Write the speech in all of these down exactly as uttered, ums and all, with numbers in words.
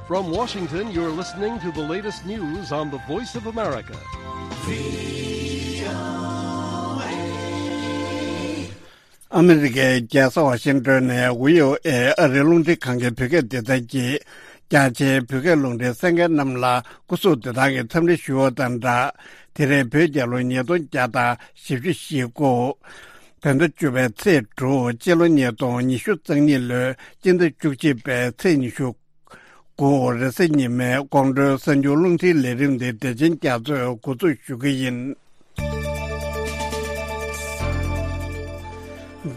From Washington, you're listening to the latest news on the Voice of America. ཨ་མི་རི་ཀའི་རྒྱལ་ས་ཝ་ཤིང་ཏོན་ནས་ཝི་ཨོ་ཨེ་ཨ་རིའི་རླུང་འཕྲིན་ཁང་གི་བོད་སྐད་སྡེ་ཚན་གྱིས། རྒྱ་ཆེའི་བོད་སྐད་རླུང་འཕྲིན་གསན་མཁན་རྣམས་ལ་སྐུ་གཟུགས་བདེ་ཐང་གི་འཚམས་འདྲི་ཞུ་བ་དང་སྦྲགས། དེ་རིང་བོད་རྒྱལ་ལོ་ཉིས་སྟོང་བརྒྱ་དང་བཞི་བཅུ་ཞེ་དགུ། བོད་ཟླ་བཅུ་པའི་ཚེས་དྲུག་སྤྱི་ལོ་ཉིས་སྟོང་ཉི་ཤུ་རྩ་གཉིས་ལོའི་སྤྱི་ཟླ་བཅུ་གཅིག་པའི་ཚེས་ཉི་ཤུ་དགུ་རེས་གཟའ་ཉི་མའི་དགོང་དྲོའི་གསར་འགྱུར་རླུང་འཕྲིན་ལས་རིམ་འདི་བདེ་ཆེན་རྒྱ་མཚོས་འགོ་འཛུགས་ཞུ་གི་ཡིན།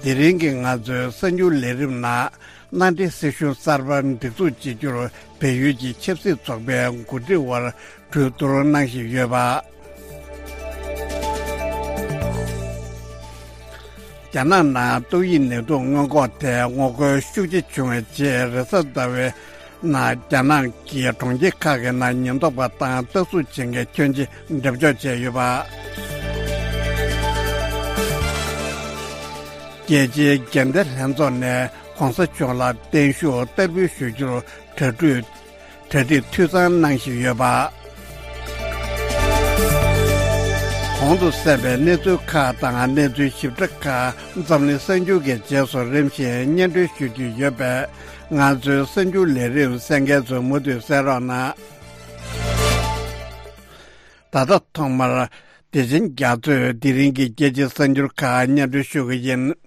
དེ་རིང་གི་ང་ཚོའི་གསར་འགྱུར་ལས་རིམ་ནང་། མནའ་འབྲེལ་སྲིད་གཞུང་གསར་པ་སྒྲིག་འཛུགས་བྱེད་རྒྱུར་བལ་ཡུལ་གྱི་ཆབ་སྲིད་ཚོགས་པའི་འགོ་ཁྲིད་དབར་གྲོས་བསྡུར་གནང་བཞིན་ཡོད་པ། རྒྱ་ནག་ནང་ཏོག་དབྱིབས་ནད་དུག་སྔོན་འགོག་ཐད་ངོ་རྒོལ་ཤུགས་ཆེ་བྱུང་བའི་རྗེས། རེས་གཟའ་ཟླ་བའི་ནང་རྒྱ་ནག་གི་གྲོང་ཁྱེར་ཁག་གི་ནང་ཉེན་རྟོག་པ་དང་སྟག་གཟུགས་ཅན་གྱི་ཁྱོན་ཆེ་འགྲེམས་འཇོག་བྱས་ཡོད་པ། རྒྱལ་སྤྱིའི་འགལ་ཟླའི་ལྷན་ཚོགས་ནས་༧གོང་ས་མཆོག་ལ་བརྟན་བཞུགས་བསྟར་འབུལ་ཞུ་རྒྱུར་གྲ་སྒྲིག་གྲ་སྒྲིག་འཐུས་ཚང་གནང་བཞིན་ཡོད་པ། གོང་དུ་གསན་པའི་གནས་ཚུལ་ཁག་དང་གནས་ཚུལ་ཞིབ་ཕྲ་ཁག་འཛམ་གླིང་གསར་འགྱུར་གྱི་རྗེས་སུ་རིམ་བཞིན་སྙན་སྒྲོན་ཞུ་རྒྱུ་ཡོད་པས། ང་ཚོའི་གསར་འགྱུར་ལས་རིམ་གསན་མཁན་ཚོས་མུ་མཐུད་གསན་རོགས་གནང་། ད་ལྟ་ཐོག་མར་བདེ་ཆེན་རྒྱ་མཚོས་དེ་རིང་གི་རྒྱལ་སྤྱིའི་གསར་འགྱུར་ཁག་སྙན་སྒྲོན་ཞུ་གི་ཡིན།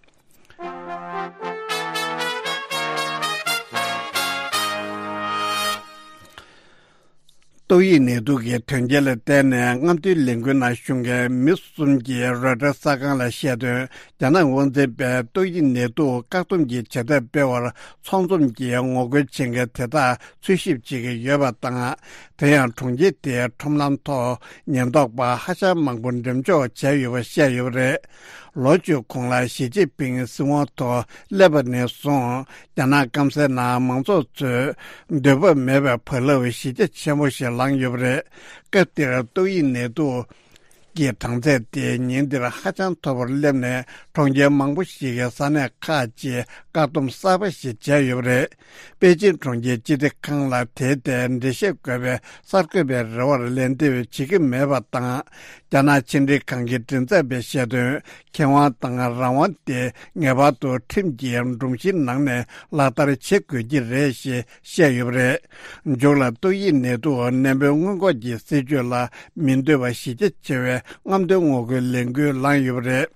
ཏོག་དབྱིབས་ནད་དུག་གི་དོན་རྐྱེན་ལ་བརྟེན་ནས་རྔམ་སྟོན་ལས་འགུལ་ནང་ཞུགས་མཁན་མི་གསུམ་གྱིས་རོའི་ཊར་གསར་ཁང་ལ་བཤད་དོན། རྒྱ་ནག་དབང་འཛིན་པས་ཏོག་དབྱིབས་ནད་དུག་བཀག་སྡོམ་གྱི་བྱེད་ཐབས་སྤེལ་བར་ཚོགས་འཛོམས་ཀྱིས་ངོ་རྒོལ་བྱེད་མཁན་དེ་དག་འཚོལ་ཞིབ་བྱེད་ཀྱི་ཡོད་པ་དང་། དེ་ཡང་གྲོང་ཁྱེར་དེའི་ཁྲོམ་ལམ་ཐོག་ཉེན་རྟོག་པ་ཧ་ཅང་མང་པོ་འགྲེམས་འཇོག་བྱས་ཡོད་པ་བཤད་ཡོད་པ་རེད། ལོ་བཅུ་གོང་ལ་ཞི་ཅིན་ཕིང་སྲིད་དབང་ཐོག་སླེབས་པ་ནས་བཟུང་། རྒྱ་ནག་སྐམ་སའི་ནང་མང་ཚོགས་ཚོས་འདོད་པ་མེད་པའི་བག་ལེབ་གཞི་རྒྱ་ཆེན་པོ་ཞིག་ལངས་ཡོད་པ་རེད། སྐབས་དེར་ཏོག་དབྱིབས་ནད་དུག་གི་གྲངས་ཚད་དེ་ཉིན་དེར་ཧ་ཅང་མཐོ་བར་སླེབས་ནས། གྲོང་ཁྱེར་མང་པོ་ཞིག་གི་ས་གནས་ཁག་ཅིག་བཀག་སྡོམ་གསར་པ་ཞིག་བྱས་ཡོད་པ་རེད། པེ་ཅིན་གྲོང་ཁྱེར་སྤྱི་བདེ་ཁང་ལ་དེའི་ཐད་འགྲེལ་བཤད་དགོས་པའི་གསར་འགོད་པའི་རེ་བར་ལན་འདེབས་བྱེད་ཀྱི་མེད་པ་དང་། རྒྱ་ནག་ཕྱི་འབྲེལ་ཁང་གི་མགྲིན་ཚབ་པས་བཤད་དོན། ཁེ་དབང་དང་རང་དབང་དེ་ངེས་པར་དུ་ཁྲིམས་ཀྱི་སྒྲོམ་གཞིའི་ནང་ནས་ལག་བསྟར་བྱེད་དགོས་ཀྱི་རེད་ཞེས་བཤད་ཡོད་པ་རེད། མཇུག་ལ་ཏོག་དབྱིབས་ནད་དུག་ནད་འབུའི་སྔོན་འགོག་གི་སྲིད་ཇུས་ལ་མི་འདོད་པ་གཞི་རྒྱ་ཆེ་བའི་རྔམ་སྟོན་ངོ་རྒོལ་ལས་འགུལ་ལངས་ཡོད་པ་རེད།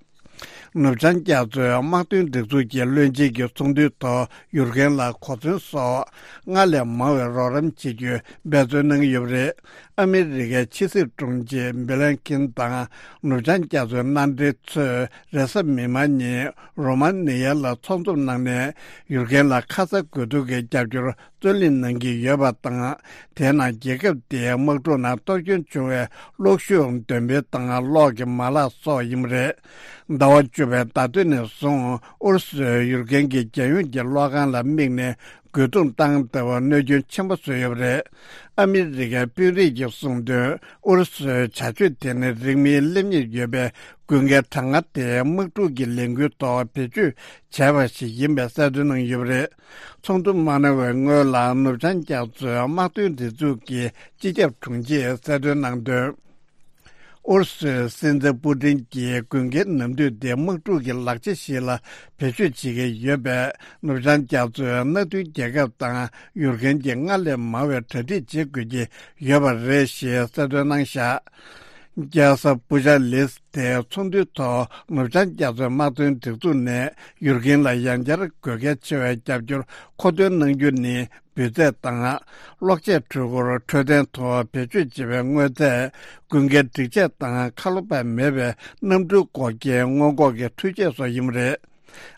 ནུབ་བྱང་རྒྱ་མཚོའི་དམག་དོན་སྒྲིག་འཛུགས་ཀྱི་བློན་ཆེན་གྱི་ཚོགས་འདུའི་ཐོག་ཡུལ་རྒན་ལ་གོ་མཚོན་སོགས་སྔར་ལས་མང་བའི་རོགས་རམ་བྱེད་རྒྱུའི་འབད་བརྩོན་གནང་གི་ཡོད་པ་རེད། ཨ་མི་རི་ཀའི་ཕྱི་སྲིད་དྲུང་ཆེ་སྦི་ལན་ཀིན་དང་ནུབ་བྱང་རྒྱ་མཚོའི་མནའ་འབྲེལ་ཚོས་རེས་གཟའ་མིག་དམར་ཉིན་རོ་མ་ནི་ཡ་ལ་ཚོགས་འཛོམས་གནང་ནས་ཡུལ་རྒན་ལ་ཁ་ཚ་དགོས་གཏུགས་ཀྱི་རྒྱབ་སྐྱོར་རྩོད་ལེན་གནང་གི་ཡོད་པ་དང་། དེས་ན་རྒྱལ་ཁབ་དེའི་དམག་འཁྲུག་ནང་གཏོར་སྐྱོན་བྱུང་བའི་གློག་ཤུགས་འདོན་སྤེལ་དང་གློག་གི་མ་ལག་སོགས་ཡིན་པ་རེད། ཟླ་བ་བཅུ་པའི་ཟླ་སྟོད་ནས་བཟུང་ཨུ་རུ་སུས་ཡུལ་རྒན་གྱི་རྒྱལ་ཡོངས་ཀྱི་གློག་ཁང་ལ་དམིགས་ནས་རྒོལ་རྡུང་བཏང་སྟེ་གནོད་སྐྱོན་ཆེན་པོ་བཟོས་ཡོད་པ་རེད། ཨ་མི་རི་ཀའི་དཔོན་རིགས་ཀྱིས་གསུངས་དོན། ཨུ་རུ་སུའི་བྱ་སྤྱོད་དེ་ནི་རིང་མིན་སླེབས་ཉེར་ཡོད་པའི་དགུན་ཁའི་གྲང་ངར་དེ་དམག་འཁྲུག་གི་ལས་འགུལ་ཐོག་བེད་སྤྱོད་བྱས་པ་ཞིག་ཡིན་པའི་གསལ་སྟོན་གནང་ཡོད་པ་རེད། ཚོགས་འདུ་མ་གནང་བའི་སྔོན་ལ་ནུབ་བྱང་རྒྱ་མཚོའི་དམག་དོན་སྒྲིག་འཛུགས་ཀྱི་སྤྱི་ཁྱབ་དྲུང་ཆེས་གསལ་སྟོན་གནང་དོན། ཨུ་རུ་སུའི་སྲིད་འཛིན་པུ་ཏིན་གྱིས་དགུན་ཁའི་ནམ་དུས་འདི་དམག་འཁྲུག་གི་ལག་ཆ་ཞིག་ལ་བེད་སྤྱོད་བྱེད་ཀྱི་ཡོད་པས། ནུབ་བྱང་རྒྱ་མཚོའི་མནའ་མཐུན་རྒྱལ་ཁབ་དང་ཡུལ་རྒན་གྱི་སྔར་ལས་མང་བའི་གྲ་སྒྲིག་བྱེད་དགོས་ཀྱི་ཡོད་པ་རེད་ཞེས་གསལ་སྟོན་གནང་བཞག་རྒྱལ་ས་པུ་ཅཱ་ལིས་ཏེ་ཚོགས་འདུའི་ཐོག་ནུབ་བྱང་རྒྱ་མཚོའི་དམག་དོན་སྒྲིག་འཛུགས་ནས་ཡུལ་རྒན་ལ་ཡང་བསྐྱར་དགོས་གལ་ཆེ་བའི་རྒྱབ་སྐྱོར་མཁོ་འདོན་གནང་རྒྱུ་ནི། འབུད་རྫས་དང་། གློག་ཆས་འཕྲུལ་འཁོར་འཕྲོད་བསྟེན་ཐོག་བེད་སྤྱོད་བྱེད་པའི་དངོས་རྫས། དགུན་ཁའི་སྒྲིག་ཆས་དང་ཁ་ལོ་བ་མེད་པའི་གནམ་གྲུའི་འགོག་རྐྱེན་སྔོན་འགོག་གི་འཕྲུལ་ཆས་སོགས་ཡིན་པ་རེད།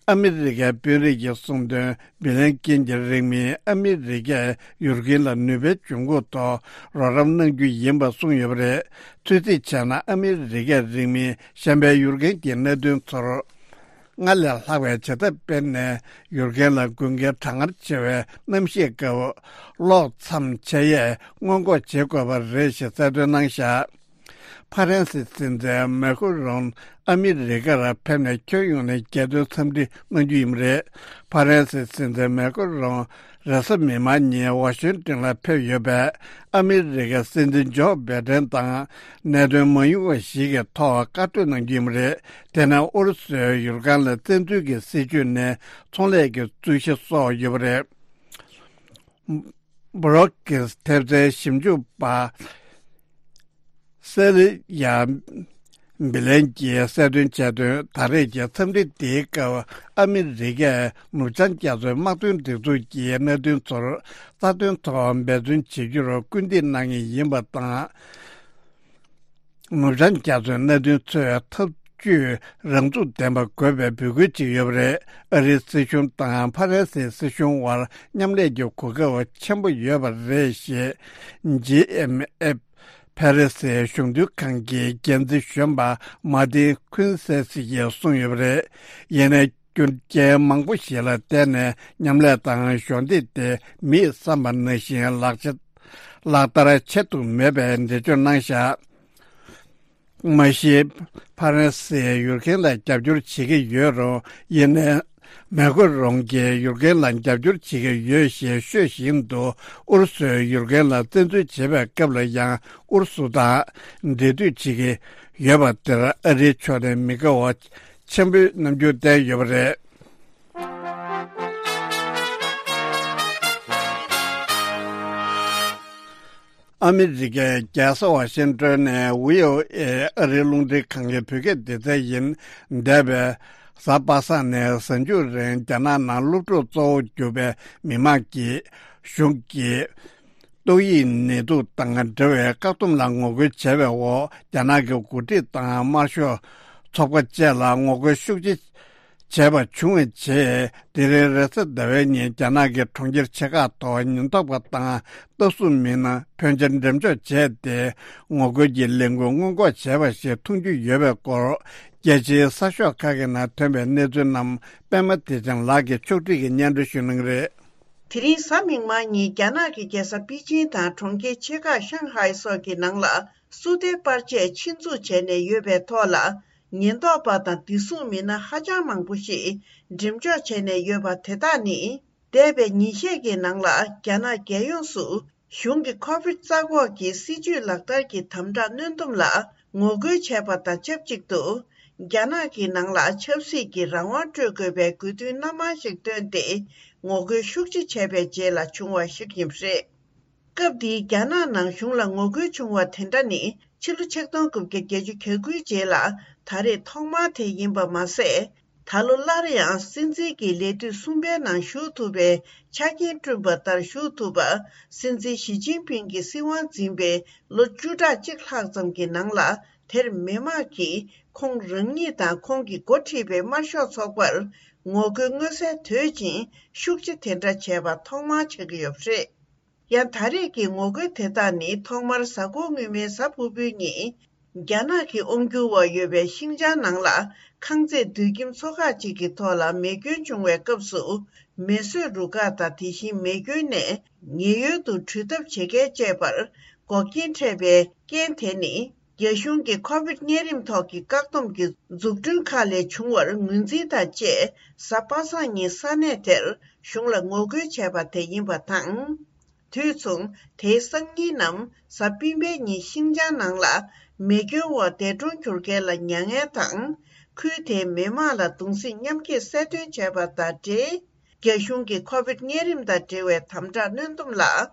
ཨ་མི་རི་ཀའི་དཔོན་རིགས་ཀྱིས་གསུངས་དོན། སྦི་ལན་ཀིན་གྱིས་རིང་མིན་ཨ་མི་རི་ཀས་ཡུལ་རྒན་ལ་ནུས་པའི་འབྱུང་ཁུངས་ཐོག་རོགས་རམ་གནང་རྒྱུ་ཡིན་པ་གསུངས་ཡོད་པ་རེད། ཚོད་རྩིས་བྱས་ན་ཨ་མི་རི་ཀས་རིང་མིན་གཞན་པའི་ཡུལ་རྒན་གྱི་མནའ་མཐུན་ཚོར། སྔར་ལས་ལྷག་པའི་བྱེད་ཐབས་སྤེལ་ནས་ཡུལ་རྒན་ལ་དགུན་ཁའི་གྲང་ངར་ཆེ་བའི་གནམ་གཤིས་སྐབས་གློག་མཚམས་ཆད་ཡས་སྔོན་འགོག་བྱེད་དགོས་པ་རེད་ཞེས་གསལ་སྟོན་གནང་བཞག་ཕ་རན་སི་སྲིད་འཛིན་མེ་ཁོ་རོན་ཨ་མི་རི་ཀར་ཕེབས་ནས་ཁྱོན་ཡོངས་ནས་རྒྱལ་དོན་འཚམས་འདྲི་གནང་རྒྱུ་ཡིན་པ་རེད། ཕ་རན་སི་སྲིད་འཛིན་མེ་ཁོ་རོན་རེས་གཟའ་མིག་དམར་ཉིན་ཝ་ཤིང་ཏོན་ལ་ཕེབས་ཡོད་པས། ཨ་མི་རི་ཀའི་སྲིད་འཛིན་ཇོ་བྷའི་ཏན་དང་གནད་དོན་མ་ཡིན་པ་ཞིག་གི་ཐོག་བཀའ་གྲོས་གནང་རྒྱུ་ཡིན་པ་རེད། དེ་ནས་ཨུ་རུ་སུའི་ཡུལ་ཁང་ལ་བཙན་འཛུལ་གྱི་སྲིད་བྱུས་ནས་ཚོང་ལས་ཀྱི་རྩོད་གཞི་སོགས་ཡོད་པ་རེད། བྷུ་རོག་ཀིང་ཐེབས་རྩའི་ཞིབ་འཇུག་པ་སེ་ལི་ཡ་བི་ལན་གྱིས་གསལ་སྟོན་བྱས་དོན། ད་རེས་ཀྱི་འཚམས་འདྲི་དེའི་སྐབས་ཨ་མི་རི་ཀས་ནུབ་བྱང་རྒྱ་མཚོའི་དམག་དོན་སྒྲིག་འཛུགས་ཀྱི་གནད་དོན་ཚོར་རྩ་དོན་ཐོག་འབད་བརྩོན་བྱེད་རྒྱུར་སྐུལ་འདེད་གནང་ངེས་ཡིན་པ་དང་། ནུབ་བྱང་རྒྱ་མཚོའི་གནད་དོན་ཚོས་འཐབ་ཇུས་རང་ཚུགས་ལྡན་པ་དགོས་པའི་འབོད་སྐུལ་བྱས་ཡོད་པ་རེད། ཨ་རིའི་སྲིད་གཞུང་དང་ཕ་རན་སིའི་སྲིད་གཞུང་དབར་མཉམ་ལས་ཀྱི་གོ་སྐབས་ཆེན་པོ་ཡོད་པ་རེད་ཞེས། ཇི་ཨེམ་ཨེཕ་ཕ་རན་སིའི་གཞུང་དོན་ཁང་གི་འགན་འཛིན་གཞོན་པ་མཱ་ཏིན་ཁུན་སེ་སི་ཡིས་གསུངས་ཡོད་པ་རེད། ཡིན་ནའི་རྒྱུ་རྐྱེན་མང་པོ་ཞིག་ལ་བརྟེན་ནས་མཉམ་ལས་དང་གཞོགས་འདེགས་དེ་མིས་བསམ་པ་ནང་བཞིན་ལག་ཆ་ལག་བསྟར་བྱེད་ཐུབ་མེད་པའི་འགྲེལ་བརྗོད་གནང་བཞག་མ་གཞི། ཕ་རན་སིས་ཡུཀ་རེན་ལ་རྒྱབ་སྐྱོར་བྱེད་ཀྱི་ཡོད་རུང་། ཡིན་ནའི། མེ་ཁོ་རོང་གིས་ཡུཀ་རེན་ལ་རྒྱབ་སྐྱོར་བྱེད་ཀྱི་ཡོད་ཞེས་ཤོད་བཞིན་དུ། ཨུ་རུ་སུས་ཡུཀ་རེན་ལ་བཙན་འཛུལ་བྱེད་པའི་སྐབས་ལ་ཡང་ཨུ་རུ་སུ་དང་འབྲེལ་མཐུད་བྱེད་ཀྱི་ཡོད་པ་དེར་ཨ་རིའི་ཕྱོགས་ནས་མི་དགའ་བ་ཆེན་པོའི་རྣམ་འགྱུར་བསྟན་ཡོད་པ་རེད། ཨ་མི་རི་ཀའི་རྒྱལ་ས་ཝ་ཤིང་ཏོན་ནས་བྷི་ཨོ་ཨེ་ཨ་རིའི་རླུང་འཕྲིན་ཁང་གི་བོད་སྐད་སྡེ་ཚན་ཡིན། འདས་པའི་གཟའ་པ་སངས་ནས་གཟའ་མཇུག་རིང་རྒྱ་ནག་ནང་སློབ་ཕྲུག་གཙོ་བོ་གྱུར་པའི་མི་མང་གིས་གཞུང་གི་ཏོག་དབྱིབས་ནད་དུག་དང་འབྲེལ་བའི་བཀག་སྡོམ་ལ་ངོ་རྒོལ་བྱས་པའི་འོག་རྒྱ་ནག་གི་འགོ་ཁྲིད་དང་དམར་ཤོག་ཚོགས་པ་བཅས་ལ་ངོ་རྒོལ་ཤུགས་ཆེ་བྱས་པ་བྱུང་བའི་རྗེས། དེ་རིང་རེས་གཟའ་ཟླ་བའི་ཉིན་རྒྱ་ནག་གི་གྲོང་ཁྱེར་ཆེ་ཁག་ཐོག་ཉེན་རྟོག་པ་དང་ལྟ་སྲུང་མི་སྣ་ཕོན་ཆེར་འགྲེམས་འཇོག་བྱས་ཏེ། ངོ་རྒོལ་གྱི་ལས་འགུལ་སྔོན་འགོག་བྱས་པ་ཞིག་མཐོང་རྒྱུ་ཡོད་པའི་སྐོར། རྒྱལ་སྤྱིའི་གསར་ཤོག་ཁག་གི་ནང་ཐོན་པའི་གནས་ཚུལ་རྣམས་པད་མ་བདེ་ཆེན་ལགས་ཀྱིས་ཕྱོགས་སྒྲིག་གིས་སྙན་སྒྲོན་ཞུ་གནང་གི་རེད། དེ་རིང་གཟའ་མིག་དམར་ཉིན་རྒྱ་ནག་གི་རྒྱལ་ས་པེ་ཅིང་དང་གྲོང་ཁྱེར་ཆེ་ཁག་ཤང་ཧའེ་སོགས་ཀྱི་ནང་ལ་སུ་ཏེ་པར་ཆས་ཆེད་འཛུགས་བྱས་ནས་ཡོད་པའི་ཐོག་ལ། ཉེན་རྟོག་པ་དང་བདེ་སྲུང་མི་སྣ་ཧ་ཅང་མང་པོ་ཞིག་འགྲེམས་འཇོག་བྱས་ནས་ཡོད་པ་དེ་དག་ནི། འདས་པའི་ཉིན་ཤས་ཀྱི་ནང་ལ་རྒྱ་ནག་རྒྱལ་ཡོངས་སུ་གཞུང་གི་ཁོ་བིད་རྩ་འགོག་གི་སྲིད་ཇུས་ལག་བསྟར་གྱི་དམ་དྲག་གནོན་སྡོམ་ལ་ངོ་རྒོལ་བྱས་པ་དང་ཆབས་ཅིག་ཏུ། རྒྱ་ནག་གི་ནང་ལ་ཆབ་སྲིད་ཀྱི་རང་དབང་སྤྲོད་དགོས་པའི་དགོས་འདུན་སྣ་མང་ཞིག་བཏོན་ཏེ། ངོ་རྒོལ་ཤུགས་ཆེ་བྱས་པའི་རྗེས་ལ་བྱུང་བ་ཞིག་ཡིན་པ་རེད། སྐབས་འདིའི་རྒྱ་ནག་ནང་གཞུང་ལ་ངོ་རྒོལ་བྱུང་བ་དེ་འདྲ་ནི་ཕྱི་ལོ་ཆིག་སྟོང་དགུ་བརྒྱ་བརྒྱད་ཅུ་གྱ་དགུའི་རྗེས་ལ་ད་རེས་ཐོག་མ་དེ་ཡིན་པ་མ་ཟད། ད་ལོ་སླར་ཡང་སྲིད་འཛིན་གྱི་ལས་དུས་གསུམ་པའི་ནང་ཞུགས་ཐུབ་པའི་ཆ་རྐྱེན་བསྐྲུན་པ་ལྟར་ཞུགས་ཐུབ་པ། སྲིད་འཛིན་ཞི་ཅིན་ཕིང་གིས་སྲིད་དབང་འཛིན་པའི་ལོ་བཅུ་ཕྲག་གཅིག་ལྷག་ཙམ་གྱི་ནང་ལ། དེར་མི་མང་གིས་ཁོང་རང་ཉིད་དང་ཁོང་གིས་འགོ་ཁྲིད་པའི་དམར་ཤོག་ཚོགས་པར་ངོ་རྒོལ་མངོན་གསལ་དོད་ཅིང་ཤུགས་ཆེ་དེ་འདྲ་བྱས་པ་ཐོག་མར་ཆགས་ཀྱི་ཡོད་པ་རེད། ཡང་ད་རེས་ཀྱི་ངོ་རྒོལ་དེ་དག་ནི་ཐོག་མར་གཟའ་འཁོར་སྔོན་མའི་གཟའ་ཕུར་བུའི་ཉིན། རྒྱ་ནག་གི་དབང་སྒྱུར་འོག་ཡོད་པའི་ཤིང་ཅང་ནང་ལ་ཁང་བརྩེགས་དུད་ཁྱིམ་ཚོ་ཁག་ཅིག་གི་ཐོག་ལ་མེ་སྐྱོན་བྱུང་བའི་སྐབས་སུ། མེ་གསོད་རུ་ཁག་དང་དེ་བཞིན་མེ་སྐྱོན་ནས་ཉེན་གཡོལ་དུ་བྲོས་ཐབས་བྱེད་མཁན་བཅས་པར་འགོག་རྐྱེན་འཕྲད་པའི་རྐྱེན་དེ་ནི། རྒྱ་གཞུང་གི་ཁོ་བིད་གཉན་རིམས་ཐོག་གི་བཀག་སྡོམ་གྱི་འཛུགས་སྐྲུན་ཁག་ལས་བྱུང་བར་ངོས་འཛིན་དང་བཅས། གཟའ་པ་སངས་ཉིན་ས་གནས་དེར་གཞུང་ལ་ངོ་རྒོལ་བྱས་པ་དེ་ཡིན་པ་དང་། དུས་མཚུངས། དེའི་སང་ཉིན་ནམ་གཟའ་སྤེན་པའི་ཉིན་ཤིང་ཅང་ནང་ལ་མེ་སྐྱོན་འོག་འདས་གྲོངས་གྱུར་མཁན་ལ་མྱ་ངན་དང་། ཁུལ་དེའི་མི་མང་ལ་གདུང་སེམས་མཉམ་སྐྱེད་གསལ་སྟོན་བྱས་པ་དང་འབྲེལ། རྒྱ་གཞུང་གིས་ཁོ་བིད་གཉན་རིམས་དང་འབྲེལ་བའི་དམ་དྲག་གནོན་སྡོམ་ལ་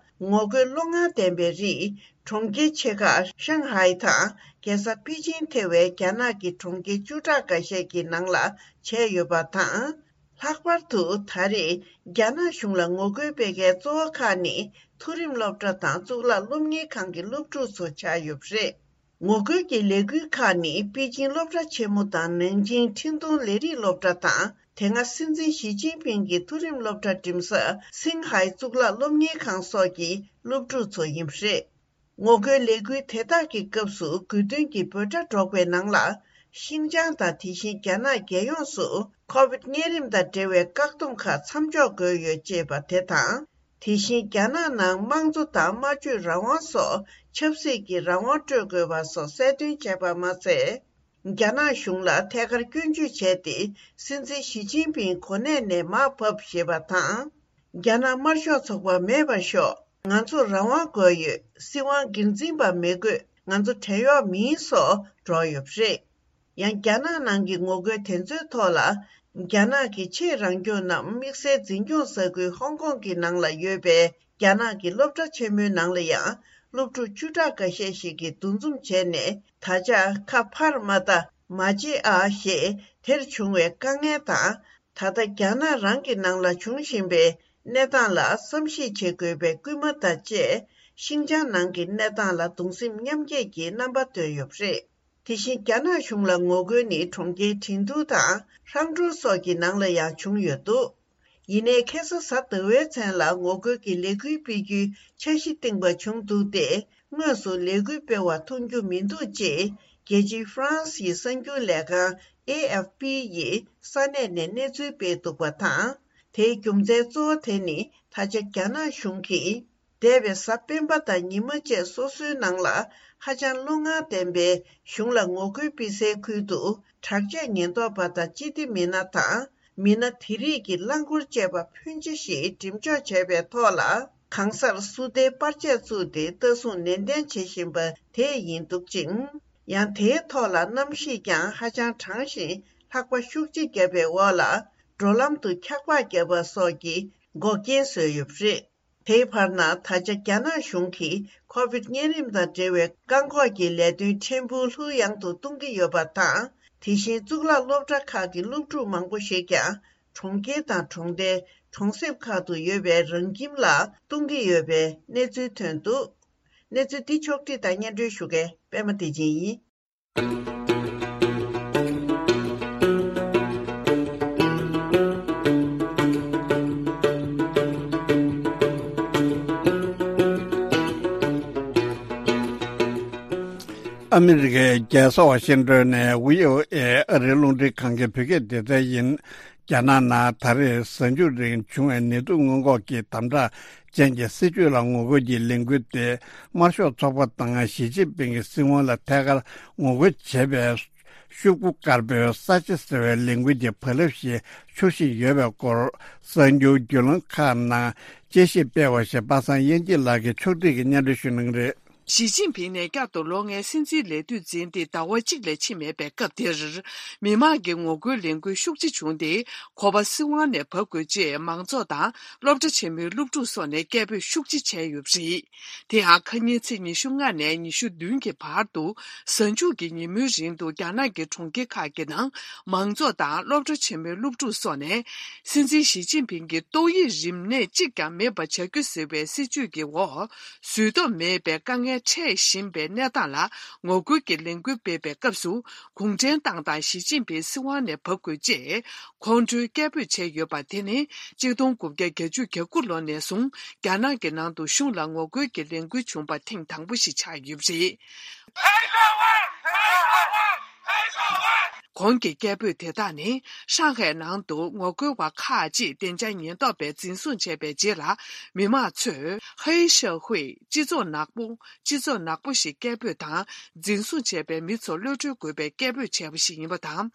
ངོ་རྒོལ་བློ་ངར་ལྡན་པའི་རིགས། གྲོང་ཁྱེར་ཆེ་ཁག་ཤང་ཧའེ་དང་རྒྱལ་ས་པེ་ཅིང་ཐེ་བའི་རྒྱ་ནག་གི་གྲོང་ཁྱེར་བཅུ་ཕྲག་འགའ་ཤས་ཀྱི་ནང་ལ་བྱས་ཡོད་པ་དང་། ལྷག་པར་དུ་ད་རེས་རྒྱ་ནག་གཞུང་ལ་ངོ་རྒོལ་སྤེལ་མཁན་གཙོ་བོ་ཁག་ནི་མཐོ་རིམ་སློབ་གྲྭ་དང་གཙུག་ལག་སློབ་གཉེར་ཁང་གི་སློབ་ཕྲུག་ཚོ་ཆགས་ཡོད་པ་རེད། ངོ་རྒོལ་གྱི་ལས་འགུལ་ཁག་ནི་པེ་ཅིང་སློབ་གྲྭ་ཆེན་མོ་དང་ནན་ཅིང་ཁྲིན་ཏུང་ལས་རིགས་སློབ་གྲྭ་དང་། དེ་སྔ་སྲིད་འཛིན་ཞི་ཅིན་ཕིང་གི་མཐོ་རིམ་སློབ་གྲྭ་འགྲིམ་ས་སིང་ཧའེ་གཙུག་ལག་སློབ་གཉེར་ཁང་སོགས་ཀྱི་སློབ་ཕྲུག་ཚོ་ཡིན་པ་རེད། ངོ་རྒོལ་ལས་འགུལ་དེ་དག་གི་སྐབས་སུ་དགོས་འདུན་གྱི་འབོད་སྒྲ་སྒྲོག་པའི་ནང་ལ། ཤིང་ཅང་དང་དེ་བཞིན་རྒྱ་ནག་རྒྱལ་ཡོངས་སུ་ཁོ་བིད་གཉན་རིམས་དང་འབྲེལ་བའི་བཀག་སྡོམ་ཁག་མཚམས་འཇོག་དགོས་ཡོད་ཅེས་པ་དེ་དང་། དེ་བཞིན་རྒྱ་ནག་ནང་དམངས་གཙོ་དང་སྨྲ་བརྗོད་རང་དབང་སོགས་ ཆབ་སྲིད་ཀྱི་རང་དབང་སྤྲོད་དགོས་པ་སོགས་གསལ་སྟོན་བྱས་པ་མ་ཚད། རྒྱ་ནག་གཞུང་ལ་ཐད་ཀར་སྐྱོན་བརྗོད་བྱས་ཏེ། སྲིད་འཛིན་ཞི་ཅིན་ཕིང་གོ་གནས་ནས་མར་ཕབ་ཞེས་པ་དང་། རྒྱ་ནག་དམར་ཤོག་ཚོགས་པ་མེད་པར་ཤོག་ང་ཚོར་རང་དབང་དགོས་ཡོད། སྲིད་དབང་སྒེར་འཛིན་པ་མི་དགོས། ང་ཚོ་བྲན་གཡོག་མིན་སོགས་སྒྲོག་ཡོད་པ་རེད། ཡང་རྒྱ་ནག་ནང་གི་ངོ་རྒོལ་དེ་ཚོའི་ཐོག་ལ། རྒྱ་ནག་གི་ཆེས་རང་སྐྱོང་ནམ་དམིགས་བསལ་འཛིན་སྐྱོང་ས་ཁུལ་ཧོང་ཀོང་གི་ནང་ལ་ཡོད་པའི་རྒྱ་ནག་གི་སློབ་གྲྭ་ཆེན་མོའི་ནང་ལ་ཡང་སློབ་ཕྲུག་བཅུ་ཕྲག་འགའ་ཤས་ཤིག་གིས་འདུ་འཛོམས་བྱས་ནས། ད་ཆ་ཁ་ཕར་མ་ལྟ་མ་བྱེད་ཨ་ཞེས་དེར་བྱུང་བའི་དཀའ་ངལ་དང་། ད་ལྟ་རྒྱ་ནག་རང་གི་ནང་ལ་འབྱུང་བཞིན་པའི་གནས་སྟངས་ལ་བསམ་གཞིག་བྱེད་དགོས་པའི་སྐུལ་མ་དང་བཅས། ཤིན་ཅང་ནང་གི་གནས་སྟངས་ལ་གདུང་སེམས་མཉམ་སྐྱེད་ཀྱི་རྣམ་པ་བཏོན་ཡོད་པ་རེད། དེ་བཞིན་རྒྱ་ནག་གཞུང་ལ་ངོ་རྒོལ་ནི་གྲོང་ཁྱེར་ཁྲིན་ཏུའུ་དང་ཧྲང་ཀྲོའུ་སོགས་ཀྱི་ནང་ལ་ཡང་བྱུང་ཡོད་འདུག་ཡིན་ནའི་ཁ་སང་གཟའ་ཟླ་བའི་མཚན་ལ་ངོ་རྒོལ་གྱི་ལས་འགུལ་སྤེལ་རྒྱུའི་འཆར་གཞི་བཏིང་པ་བྱུང་འདུག་སྟེ། དངོས་སུ་ལས་འགུལ་སྤེལ་བ་མཐོང་རྒྱུ་མི་འདུག་ཅེས་རྒྱལ་སྤྱིའི་ཧྥ་རན་སི་ཡི་གསར་འགྱུར་ལས་ཁང་ཨེ་ཨེཕ་པི་ཡིས་ས་གནས་ནས་གནས་ཚུལ་སྤེལ་འདུག་པ་དང་། དེའི་རྒྱུ་མཚན་གཙོ་བོ་དེ་ནི་ད་ཆ་རྒྱ་ནག་གཞུང་གིས། འདས་པའི་གཟའ་སྤེན་པ་དང་ཉི་མ་བཅས་སོ་སོའི་ནང་ལ་ཧ་ཅང་བློ་ངར་ལྡན་པའི་གཞུང་ལ་ངོ་རྒོལ་སྤེལ་སའི་ཁུལ་དུ་དྲག་ཆས་ཉེན་རྟོག་པ་དང་སྤྱི་བདེ་མི་སྣ་དང་མི་སྣ་དེ་རིགས་ཀྱི་རླངས་འཁོར་བཅས་པ་ཕོན་ཆེ་ཞིག་འགྲེམས་འཇོག་བྱས་པའི་ཐོག་ལ། གང་སར་སུ་ཏའི་པར་ཆས་བཙུགས་ཏེ་ལྟ་སྲུང་ནན་ཏན་བྱེད་བཞིན་པ་དེ་ཡིན་འདུག་ཅིང་། ཡང་དེའི་ཐོག་ལ་གནམ་གཤིས་ཀྱང་ཧ་ཅང་གྲང་ཞིང་ལྷགས་པ་ཤུགས་ཆེ་བརྒྱབ་པའི་འོག་ལ་འགྲོ་ལམ་དུ་འཁྱག་པ་བརྒྱབ་པ་སོགས་ཀྱི་འགོག་རྐྱེན་བཟོས་ཡོད་པ་རེད། དེའི་བར་ན་ད་ཆ་རྒྱ་ནག་གཞུང་གིས་ཁོ་བིད་གཉན་རིམས་དང་འབྲེལ་བའི་བཀག་འགོག་གི་ལས་དོན་ཕྲན་བུ་ལྷུག་ཡངས་དུ་གཏོང་གི་ཡོད་པ་དང་། དེ་བཞིན་གཙུག་ལག་སློབ་གྲྭ་ཁག་གི་སློབ་ཕྲུག་མང་པོ་ཞིག་ཀྱང་གྲོང་ཁྱེར་དང་གྲོང་རྡལ། གྲོང་གསེབ་ཁག་ཏུ་ཡོད་པའི་རང་ཁྱིམ་ལ་གཏོང་གི་ཡོད་པའི་གནས་ཚུལ་ཐོན་འདུག་གནས་ཚུལ་འདི་ཕྱོགས་བསྒྲིགས་དང་སྙན་སྒྲོན་ཞུ་མཁན་པད་མ་བདེ་ཆེན་ཡིན། ཨ་མི་རི་ཀའི་རྒྱལ་ས་ཝ་ཤིང་ཏོན་ནས་བྷི་ཨོ་ཨེ་ཨ་རིའི་རླུང་འཕྲིན་ཁང་གི་བོད་སྐད་སྡེ་ཚན་ཡིན། རྒྱ་ནག་ནང་ད་རེས་གཟའ་མཇུག་རིང་བྱུང་བའི་ནད་དུག་སྔོན་འགོག་གི་དམ་དྲག་ཅན་གྱི་སྲིད་ཇུས་ལ་ངོ་རྒོལ་གྱི་ལས་འགུལ་དེ་དམར་ཤོག་ཚོགས་པ་དང་ཞི་ཅིན་ཕིང་གི་སྲིད་དབང་ལ་ཐད་ཀར་ངོ་རྒོལ་བྱེད་པའི་ཤོག་གུ་དཀར་པོའི་ས་ཆ་ཟེར་བའི་ལས་འགུལ་གྱི་བག་ལེབ་ཞིག་འཁྱུར་བཞིན་ཡོད་པའི་སྐོར་གསར་འགྱུར་བརྒྱུད་ལམ་ཁག་ནང་དཔྱད་ཞིབ་སྤེལ་བ་ཞིག་པ་སངས་དབྱངས་སྐྱིད་ལགས་ཀྱིས་ཕྱོགས་སྒྲིག་གིས་སྙན་སྒྲོན་ཞུ་གནང་གི་རེད། ཞི་ཅིན་ཕིང་ནས་བསྐྱར་དུ་ལོ་ལྔའི་སྲིད་འཛིན་ལས་དུས་འཛིན་ཏེ་ཟླ་བ་གཅིག་ལས་ཕྱིན་མེད་པའི་སྐབས་དེར། མི་མང་གི་ངོ་རྒོལ་ལས་འགུལ་ཤུགས་ཆེ་བྱུང་སྟེ། ཁོ་པ་སྲིད་དབང་ནས་བབས་དགོས་ཅེས་མང་ཚོགས་དང་སློབ་གྲྭ་ཆེན་མོའི་སློབ་ཕྲུག་སོགས་ནས་སྐད་འབོད་ཤུགས་ཆེ་བྱས་ཡོད་པ་རེད། དེ་ཡང་ཁ་ཉིན་ཚེས་ཉི་ཤུ་ལྔ་ནས་ཉི་ཤུ་བདུན་གྱི་བར་དུ་གཟའ་མཇུག་གི་ཉིན་མོའི་རིང་དུ་རྒྱ་ནག་གི་གྲོང་ཁྱེར་ཁག་གི་ནང་མང་ཚོགས་དང་སློབ་གྲྭ་ཆེན་མོའི་སློབ་ཕྲུག་སོགས་ནས་སྲིད་འཛིན་ཞི་ཅིན་ཕིང་གི་ཏོག་དབྱིབས་རིམས་ནད་གཅིག་ཀྱང་མེད་པ་བྱ་རྒྱུ་ཟེར་བའི་སྲིད་ཇུས་ཀྱི་འོག་བཟོད་ཐབས་མེད་པའི་དཀའ་ངལ་འཕྲད་བཞིན་པའི་གནས་སྟངས་ལ་ངོ་རྒོལ་གྱི་ལས་འགུལ་སྤེལ་བའི་སྐབས་སུ། གུང་ཁྲན་ཏང་དང་ཞི་ཅིན་ཕིང་སྲིད་དབང་ནས་བབས་དགོས་ཅེས་ཁོང་ཁྲོའི་སྐད་འབོད་བྱས་ཡོད་པ་དེ་ནི་གཅིག་སྟོང་དགུ་བརྒྱ་བརྒྱད་ཅུ་གྱ་དགུ་ལོ་ནས་བཟུང་རྒྱ་ནག་གི་ནང་དུ་གཞུང་ལ་ངོ་རྒོལ་གྱི་ལས་འགུལ་བྱུང་བ་ཐེངས་དང་པོ་ཞིག་ཆགས་ཡོད་པ་རེད། གོང་གི་སྐད་འབོད་དེ་དག་ནི་ཧྲང་ཧའེ་ནང་དུ་ངོ་རྒོལ་བ་ཁག་ཅིག་བདེ་འཇགས་ཉེན་རྟོག་པས་འཛིན་བཟུང་བྱས་པའི་རྗེས་ལ། མི་མང་ཚོས་ཧེ་ཤ་ཧུའེ་སྤྱི་ཚོགས་ནག་པོ། སྤྱི་ཚོགས་ནག་པོ་ཞེས་སྐད་འབོད་དང་། འཛིན་བཟུང་བྱས་པའི་མི་ཚོར་གློད་གྲོལ་དགོས་པའི་སྐད་འབོད་བྱས་པ་ཞིག་ཡིན་པ་དང་།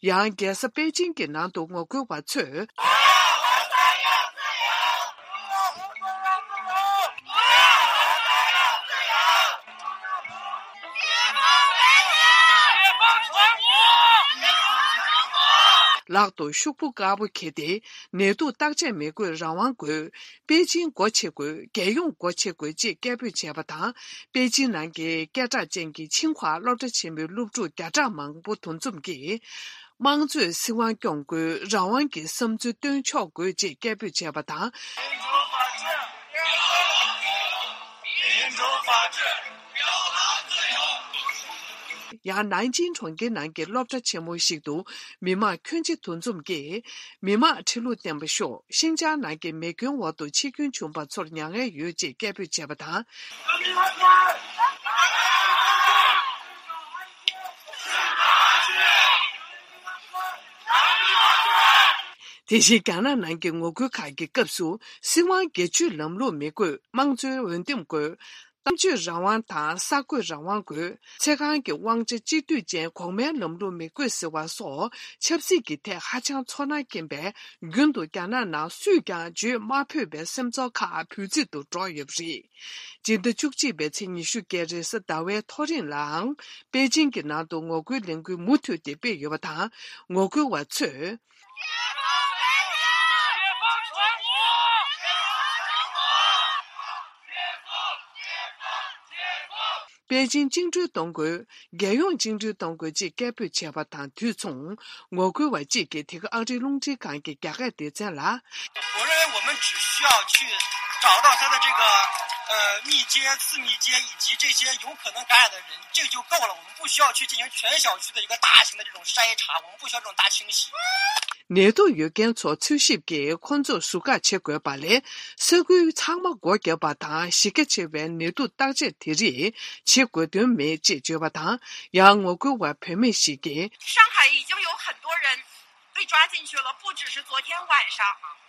ཡང་རྒྱལ་ས་པེ་ཅིང་གི་ནང་དུ་ངོ་རྒོལ་བ་ཚོས། ལག་ཏུ་ཤོག་བུ་དཀར་པོ་འཁྱེར་ཏེ། ནད་དུག་བརྟག་དཔྱད་མི་དགོས། རང་དབང་དགོས། པེ་ཅིང་སྒོ་ཕྱེ་དགོས། རྒྱལ་ཡོངས་སྒོ་ཕྱེ་དགོས་ཅེས་སྐད་འབོད་བྱས་པ་དང་། པེ་ཅིང་ནང་གི་སྐད་གྲགས་ཅན་གྱི་ཆིང་ཧྭ་སློབ་གྲྭ་ཆེན་མོའི་སློབ་ཕྲུག་བརྒྱ་ཕྲག་མང་པོ་འདུ་འཛོམས་ཀྱིས། དམངས་གཙོས་སྲིད་དབང་སྐྱོང་དགོས། རང་དབང་གི་བསམ་ཚུལ་སྟོན་ཆོག་དགོས་ཅེས་སྐད་འབོད་བྱས་པ་དང་། ཡང་ནན་ཅིང་གྲོང་ཁྱེར་ནང་གི་སློབ་གྲྭ་ཆེན་མོ་ཞིག་ཏུ་མི་མང་ཁྱོན་ཆེ་འདུ་འཛོམས་ཀྱིས། མི་མང་ཁྲི་ལོ་བརྟན་པ་ཤོག་ཤིན་ཅང་ནང་གི་མེ་སྐྱོན་འོག་ཏུ་འཆི་སྐྱོན་བྱུང་བ་ཚོར་མྱ་ངན་ཡོད་ཅེས་སྐད་འབོད་བྱས་པ་དང་། དེ་བཞིན་རྒྱ་ནག་ནང་གི་ངོ་རྒོལ་ཁག་གི་སྐབས་སུ་སྲིད་དབང་སྒེར་གཅོད་ལམ་ལུགས་མི་དགོས། དམངས་གཙོའི་འོས་འདེམས་དགོས། གཏམ་བརྗོད་རང་དབང་དང་གསར་འགོད་རང་དབང་དགོས། ཚེ་གང་གི་དབང་ཆ་གཅིག་སྡུད་ཅན་གོང་མའི་ལམ་ལུགས་མི་དགོས་ཟེར་བ་སོགས་ཆབ་སྲིད་ཀྱི་ཐད་ཧ་ཅང་ཚོར་སྣང་སྐྱེན་པས། རྒྱུན་དུ་རྒྱ་ནག་ནང་སུས་ཀྱང་བརྗོད་མ་ཕོད་པའི་སེམས་ཚོར་ཁག་འབོད་ཚིག་ཏུ་སྒྲོག་ཡོད་པ་རེད། སྤྱི་ཟླ་བཅུ་གཅིག་པའི་ཚེས་ཉི་ཤུ་བརྒྱད་རེས་གཟའ་ཟླ་བའི་ཐོ་རེངས་ལའང་པེ་ཅིང་གི་ནང་དུ་ངོ་རྒོལ་ལས་འགུལ་མུ་མཐུད་དེ་སྤེལ་ཡོད་པ་དང་། ངོ་རྒོལ་བ་ཚོས། པེ་ཅིང་བཅིངས་འགྲོལ་གཏོང་དགོས། རྒྱལ་ཡོངས་བཅིངས་འགྲོལ་གཏོང་དགོས་ཅེས་སྐད་འབོད་བྱས་པ་དང་དུས་མཚུངས། ངོ་རྒོལ་བ་གཅིག་གིས་དེ་ག་ཨ་རིའི་རླུང་འཕྲིན་ཁང་གི་རྒྱ་སྐད་སྡེ་ཚན་ལ། 我认为我们只需要去找到他的这个呃密接、次密接以及这些有可能感染的人，这就够了。我们不需要去进行全小区的一个大型的这种筛查，我们不需要这种大清洗。 ནད་དུག་ཡོད་མཁན་ཚོ་འཚོལ་ཞིབ་ཀྱིས་ཁོ་ཚོར་ཟུར་བཀག་བྱེད་དགོས་པ་ལས། ས་ཁུལ་ཚང་མ་སྒོ་བརྒྱབ་པ་དང་གཞི་རྒྱ་ཆེ་བའི་ནད་དུག་བརྟག་དཔྱད་དེ་རིགས་བྱེད་དགོས་དོན་མེད་ཅེས་བརྗོད་པ་དང་། ཡང་ངོ་རྒོལ་བ་བུད་མེད་ཞིག་གིས། 上海已经有很多人被抓进去了，不只是昨天晚上，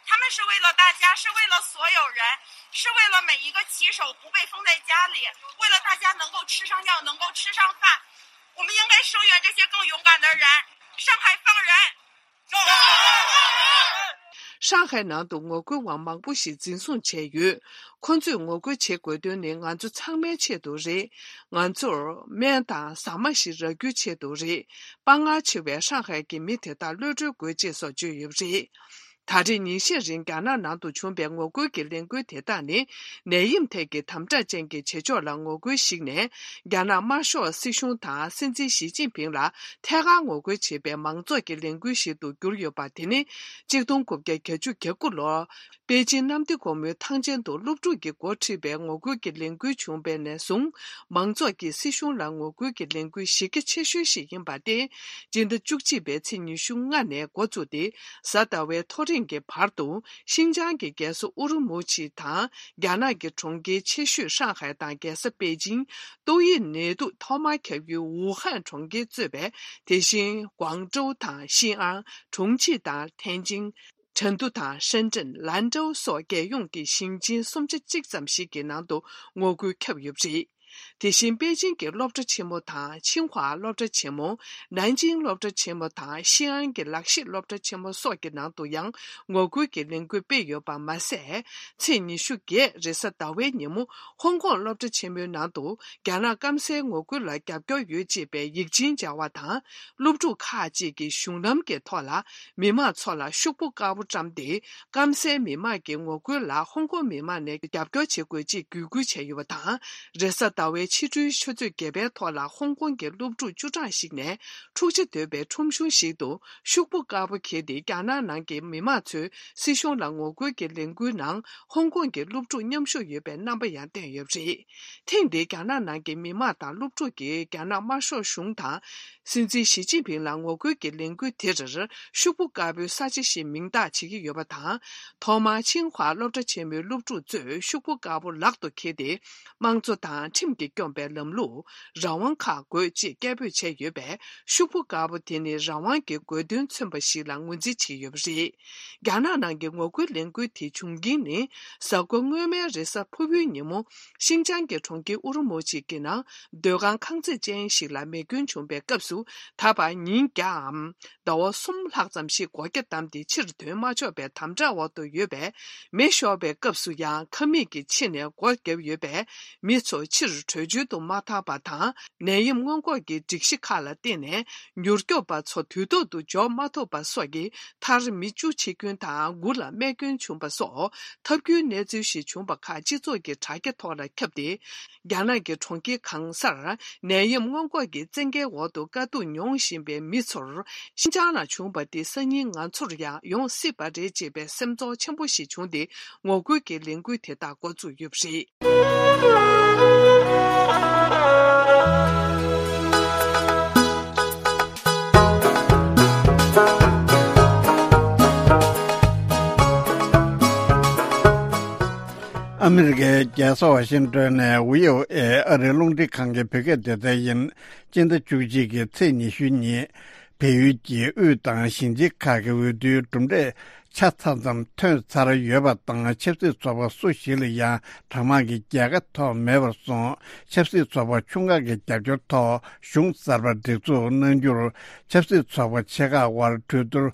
他们是为了大家，是为了所有人，是为了每一个骑手不被封在家里，为了大家能够吃上药，能够吃上饭。我们应该声援这些更勇敢的人。上海放人！ ཧྲང་ཧའེ་ནང་དུ་ངོ་རྒོལ་བ་མང་པོ་ཞིག་འཛིན་བཟུང་བྱས་ཡོད། ཁོ་ཚོས་ངོ་རྒོལ་བྱེད་དགོས་དོན་ནི་ང་ཚོ་ཚང་མའི་ཆེད་དུ་རེད། ང་ཚོར་སྨན་དང་ཟ་མ་ཞིག་རག་རྒྱུའི་ཆེད་དུ་རེད། དཔའ་ངར་ཆེ་བའི་ཧྲང་ཧའེ་གྱི་མི་དེ་དག་གློད་གྲོལ་དགོས་ཅེས་སོགས་བརྗོད་ཡོད་པ་རེད། ད་རེས་ཉིན་ཤས་རིང་རྒྱ་ནག་ནང་དུ་བྱུང་པའི་ངོ་རྒོལ་གྱི་ལས་འགུལ་དེ་དག་ནི། ནད་ཡམས་ཐད་ཀྱི་དམ་དྲག་ཅན་གྱི་བྱེད་ཕྱོགས་ལ་ངོ་རྒོལ་ཞིག་ནས། རྒྱ་ནག་དམར་ཤོག་སྲིད་གཞུང་དང་སྲིད་འཛིན་ཞི་ཅིན་ཕིང་ལ་ཐད་ཀར་ངོ་རྒོལ་བྱེད་པའི་མང་ཚོགས་ཀྱི་ལས་འགུལ་ཞིག་ཏུ་གྱུར་ཡོད་པ་དེ་ནི། གཅིག་སྟོང་དགུ་བརྒྱ་གྱ་དགུ་ལོར། པེ་ཅིན་གནམ་བདེ་སྒོ་མོའི་ཐང་ཆེན་དུ་སློབ་ཕྲུག་གིས་འགོ་ཁྲིད་པའི་ངོ་རྒོལ་གྱི་ལས་འགུལ་བྱུང་བ་ནས་བཟུང་། མང་ཚོགས་ཀྱིས་སྲིད་གཞུང་ལ་ངོ་རྒོལ་གྱི་ལས་འགུལ་གཞི་རྒྱ་ཆེ་ཤོས་ཤིག་ཡིན་པ་སྟེ། སྤྱི་ཟླ་བཅུ་གཅིག་པའི་ཚེས་ཉི་ཤུ་ལྔ་ནས་འགོ་བཙུགས་ཏེ། གཟའ་ཟླ་བའི་ཐོ་རེངས་ཀྱི་བར་དུ། ཤིན་ཅང་གི་རྒྱལ་ས་ཨུ་རུ་མུ་ཆི་དང་། རྒྱ་ནག་གི་གྲོང་ཁྱེར་ཆེ་ཤོས་ཧྲང་ཧའེ་དང་རྒྱལ་ས་པེ་ཅིང་། ཏོག་དབྱིབས་ནད་དུག་ཐོག་མར་ཁྱབ་ཡུལ་ཝུ་ཧན་གྲོང་ཁྱེར་གཙོས་པའི། དེ་བཞིན་ཀུང་ཀྲོའུ་དང་ཤིན་ཨང་། ཁྲུང་ཆི་དང་ཐེན་ཅིང་། ཁྲེང་ཏུའུ་དང་ཧྲེན་ཀྲེན། ལན་ཀྲོའུ་སོགས་རྒྱལ་ཡོངས་ཀྱི་ཞིང་ཆེན་སུམ་ཆ་གཅིག་ཙམ་ཞིག་གི་ནང་དུ་ངོ་རྒོལ་ཁྱབ་ཡོད་པ་རེད། དེ་བཞིན་པེ་ཅིང་གི་སློབ་གྲྭ་ཆེན་མོ་དང་ཆིང་ཧྭ་སློབ་གྲྭ་ཆེན་མོ། ནན་ཅིང་སློབ་གྲྭ་ཆེན་མོ་དང་ཤིན་ཨན་གྱི་ལག་ཤེས་སློབ་གྲྭ་ཆེན་མོ་སོགས་ཀྱི་ནང་དུ་ཡང་ངོ་རྒོལ་གྱི་ལས་འགུལ་སྤེལ་ཡོད་པ་མ་ཟད། ཚེས་ཉི་ཤུ་བརྒྱད་རེས་གཟའ་ཟླ་བའི་ཉིན་མོ་ཧོང་ཀོང་སློབ་གྲྭ་ཆེན་མོའི་ནང་དུ་རྒྱ་ནག་སྐམ་སའི་ངོ་རྒོལ་ལ་རྒྱབ་སྐྱོར་ཡོད་ཅེས་པའི་ཡིག་ཆེན་སྦྱར་བ་དང་། སློབ་ཕྲུག་ཁག་ཅིག་གིས་གཞུང་ལམ་གྱི་ཐོག་ལ་མི་མང་ཚོ་ལ་ཤོག་བུ་དཀར་པོ་བཀྲམ་སྟེ། སྐམ་སའི་མི་མང་གི་ངོ་རྒོལ་ལ་ཧོང་ཀོང་མི་མང་ནས་རྒྱབ་སྐྱོར་བྱེད་དགོས་ཅེས་འབོད་སྐུལ་བྱས་ཡོད་པ་དང་། རེས་གཟའ་ཟླ་བའི་ཕྱི་དྲོའི་ཆུ་ཚོད་བརྒྱད་པའི་ཐོག་ལ་ཧོང་ཀོང་གི་སློབ་ཕྲུག་བཅུ་གྲངས་ཤིག་ནས་འཁྲུག་ཆ་དོད་པའི་ཁྲོམ་གཞུང་ཞིག་ཏུ་ཤོག་བུ་དཀར་པོ་འཁྱེར་ཏེ། རྒྱ་ནག་ནང་གི་མི་མང་ཚོས་སྲིད་གཞུང་ལ་ངོ་རྒོལ་གྱི་ལས་འགུལ་ནང་ཧོང་ཀོང་གི་སློབ་ཕྲུག་མཉམ་ཞུགས་ཡོད་པའི་རྣམ་པ་ཡང་བསྟན་ཡོད་པ་རེད། ཐེངས་འདིའི་རྒྱ་ནག་ནང་གི་མི་མང་དང་སློབ་ཕྲུག་གིས་རྒྱ་ནག་དམར་ཤོག་གཞུང་དང་། སྲིད་འཛིན་ཞི་ཅིན་ཕིང་ལ་ངོ་རྒོལ་གྱི་ལས་འགུལ་དེར་ཤོག་བུ་དཀར་པོའི་ས་ཆ་ཞེས་མིང་བཏགས་བྱེད་ཀྱི་ཡོད་པ་དང་། ཐོག་མར་ཆིང་ཧྭ་སློབ་གྲྭ་ཆེན་མོའི་སློབ་ཕྲུག་ཚོས་ཤོག་བུ་དཀར་པོ་ལག་ཏུ་འཁྱེར་ཏེ། དམངས་གཙོ་དང་ཁྲིམས་ཀྱིས་སྐྱོང་པའི་ལམ་ལུགས། རང་དབང་ཁག་དགོས་ཅེས་སྐད་འབོད་བྱས་ཡོད་པས། ཤོག་བུ་དཀར་པོ་དེ་ནི་རང་དབང་གི་དགོས་འདུན་མཚོན་པ་ཞིག་ལ་ངོས་འཛིན་བྱས་ཡོད་པ་རེད། རྒྱ་ནག་ནང་གི་ངོ་རྒོལ་ལས་འགུལ་དེ་བྱུང་རྐྱེན་ནི། གཟའ་འཁོར་སྔོན་མའི་རེས་གཟའ་ཕུར་བུའི་ཉིན་མོ། ཤིན་ཅང་གི་གྲོང་ཁྱེར་ཨུ་རུ་མུ་ཆི་གི་ནང་སྡོད་ཁང་ཁང་བརྩེགས་ཅན་ཞིག་ལ་མེ་སྐྱོན་བྱུང་བའི་སྐབས་སུ། ད་བར་ཉིན་བརྒྱའམ་ཟླ་བ་གསུམ་ལྷག་ཙམ་ཞིག་སྒོ་རྒྱ་བསྡམས་ཏེ་ཕྱིར་ཐོན་མ་ཆོག་པའི་དམ་དྲག་འོག་ཏུ་ཡོད་པས། མེ་ཤོར་བའི་སྐབས་སུ་ཡང་ཁང་མིག་གི་ཕྱི་ནས་སྒོ་བརྒྱབ་ཡོད་པས། མི་ཚོ་ཕྱིར་བྲོས་བྱོལ་དུ་མ་ཐར་པ་དང་། ནད་ཡམས་སྔོན་འགོག་གི་སྒྲིག་གཞི་ཁག་ལ་བརྟེན་ནས། མྱུར་སྐྱོབ་པ་ཚོ་དུས་ཐོག་ཏུ་འབྱོར་མ་ཐུབ་པ་སོགས་ཀྱིས། མཐར་མི་བཅུ་འཆི་སྐྱོན་དང་། དགུ་ལ་རྨས་སྐྱོན་བྱུང་བ་སོགས། ཐབས་སྐྱོའི་གནས་ཚུལ་ཞིག་བྱུང་བ་ཁག་སྤྱི་ཚོགས་ཀྱི་དྲ་རྒྱ་ཐོག་ལ་ཁྱབ་སྟེ། རྒྱ་ནག་གི་གྲོང་ཁྱེར་གང་སར་ནད་ཡམས་སྔོན་འགོག་གི་བཙན་རྒྱལ་འོག་ཏུ་དཀའ་སྡུག་མྱོང་བཞིན་པའི་མི་ཚོར། ཤིན་ཅང་ལ་བྱུང་བ་དེ་སང་ཉིན་ང་ཚོར་ཡང་ཡོང་སྲིད་པ་རེད་ཅེས་པའི་སེམས་ཚོར་ཆེན་པོ་ཞིག་བྱུང་སྟེ། ངོ་རྒོལ་གྱི་ལས་འགུལ་དེ་དག་འགོ་བཙུགས་ཡོད་པ་རེད། ཨ་མི་རི་ཀའི་རྒྱལ་ས་ཝ་ཤིང་ཏོན་ནས་བྷི་ཨོ་ཨེ་ཨ་རིའི་རླུང་འཕྲིན་ཁང་གི་བོད་སྐད་སྡེ་ཚན་ཡིན། སྤྱི་ཟླ་བཅུ་གཅིག་གི་ཚེས་ཉི་ཤུ་ཉིན། བལ་ཡུལ་གྱི་དབུས་དང་ཞིང་ཆེན་ཁག་གི་འོས་བསྡུའི་གྲུབ་འབྲས་ཆ་ཚང་ཙམ་ཐོན་ཚར་ཡོད་པ་དང་། ཆབ་སྲིད་ཚོགས་པ་སུ་ཞིག་ལ་ཡང་གྲངས་མང་གི་རྒྱལ་ཁ་ཐོབ་མེད་པར་སོང་། ཆབ་སྲིད་ཚོགས་པ་ཆུང་ཁག་གི་རྒྱབ་སྐྱོར་ཐོག་གཞུང་གསར་པ་སྒྲིག་འཛུགས་གནང་རྒྱུར། ཆབ་སྲིད་ཚོགས་པ་ཆེ་ཁག་དབར་གྲོས་བསྡུར་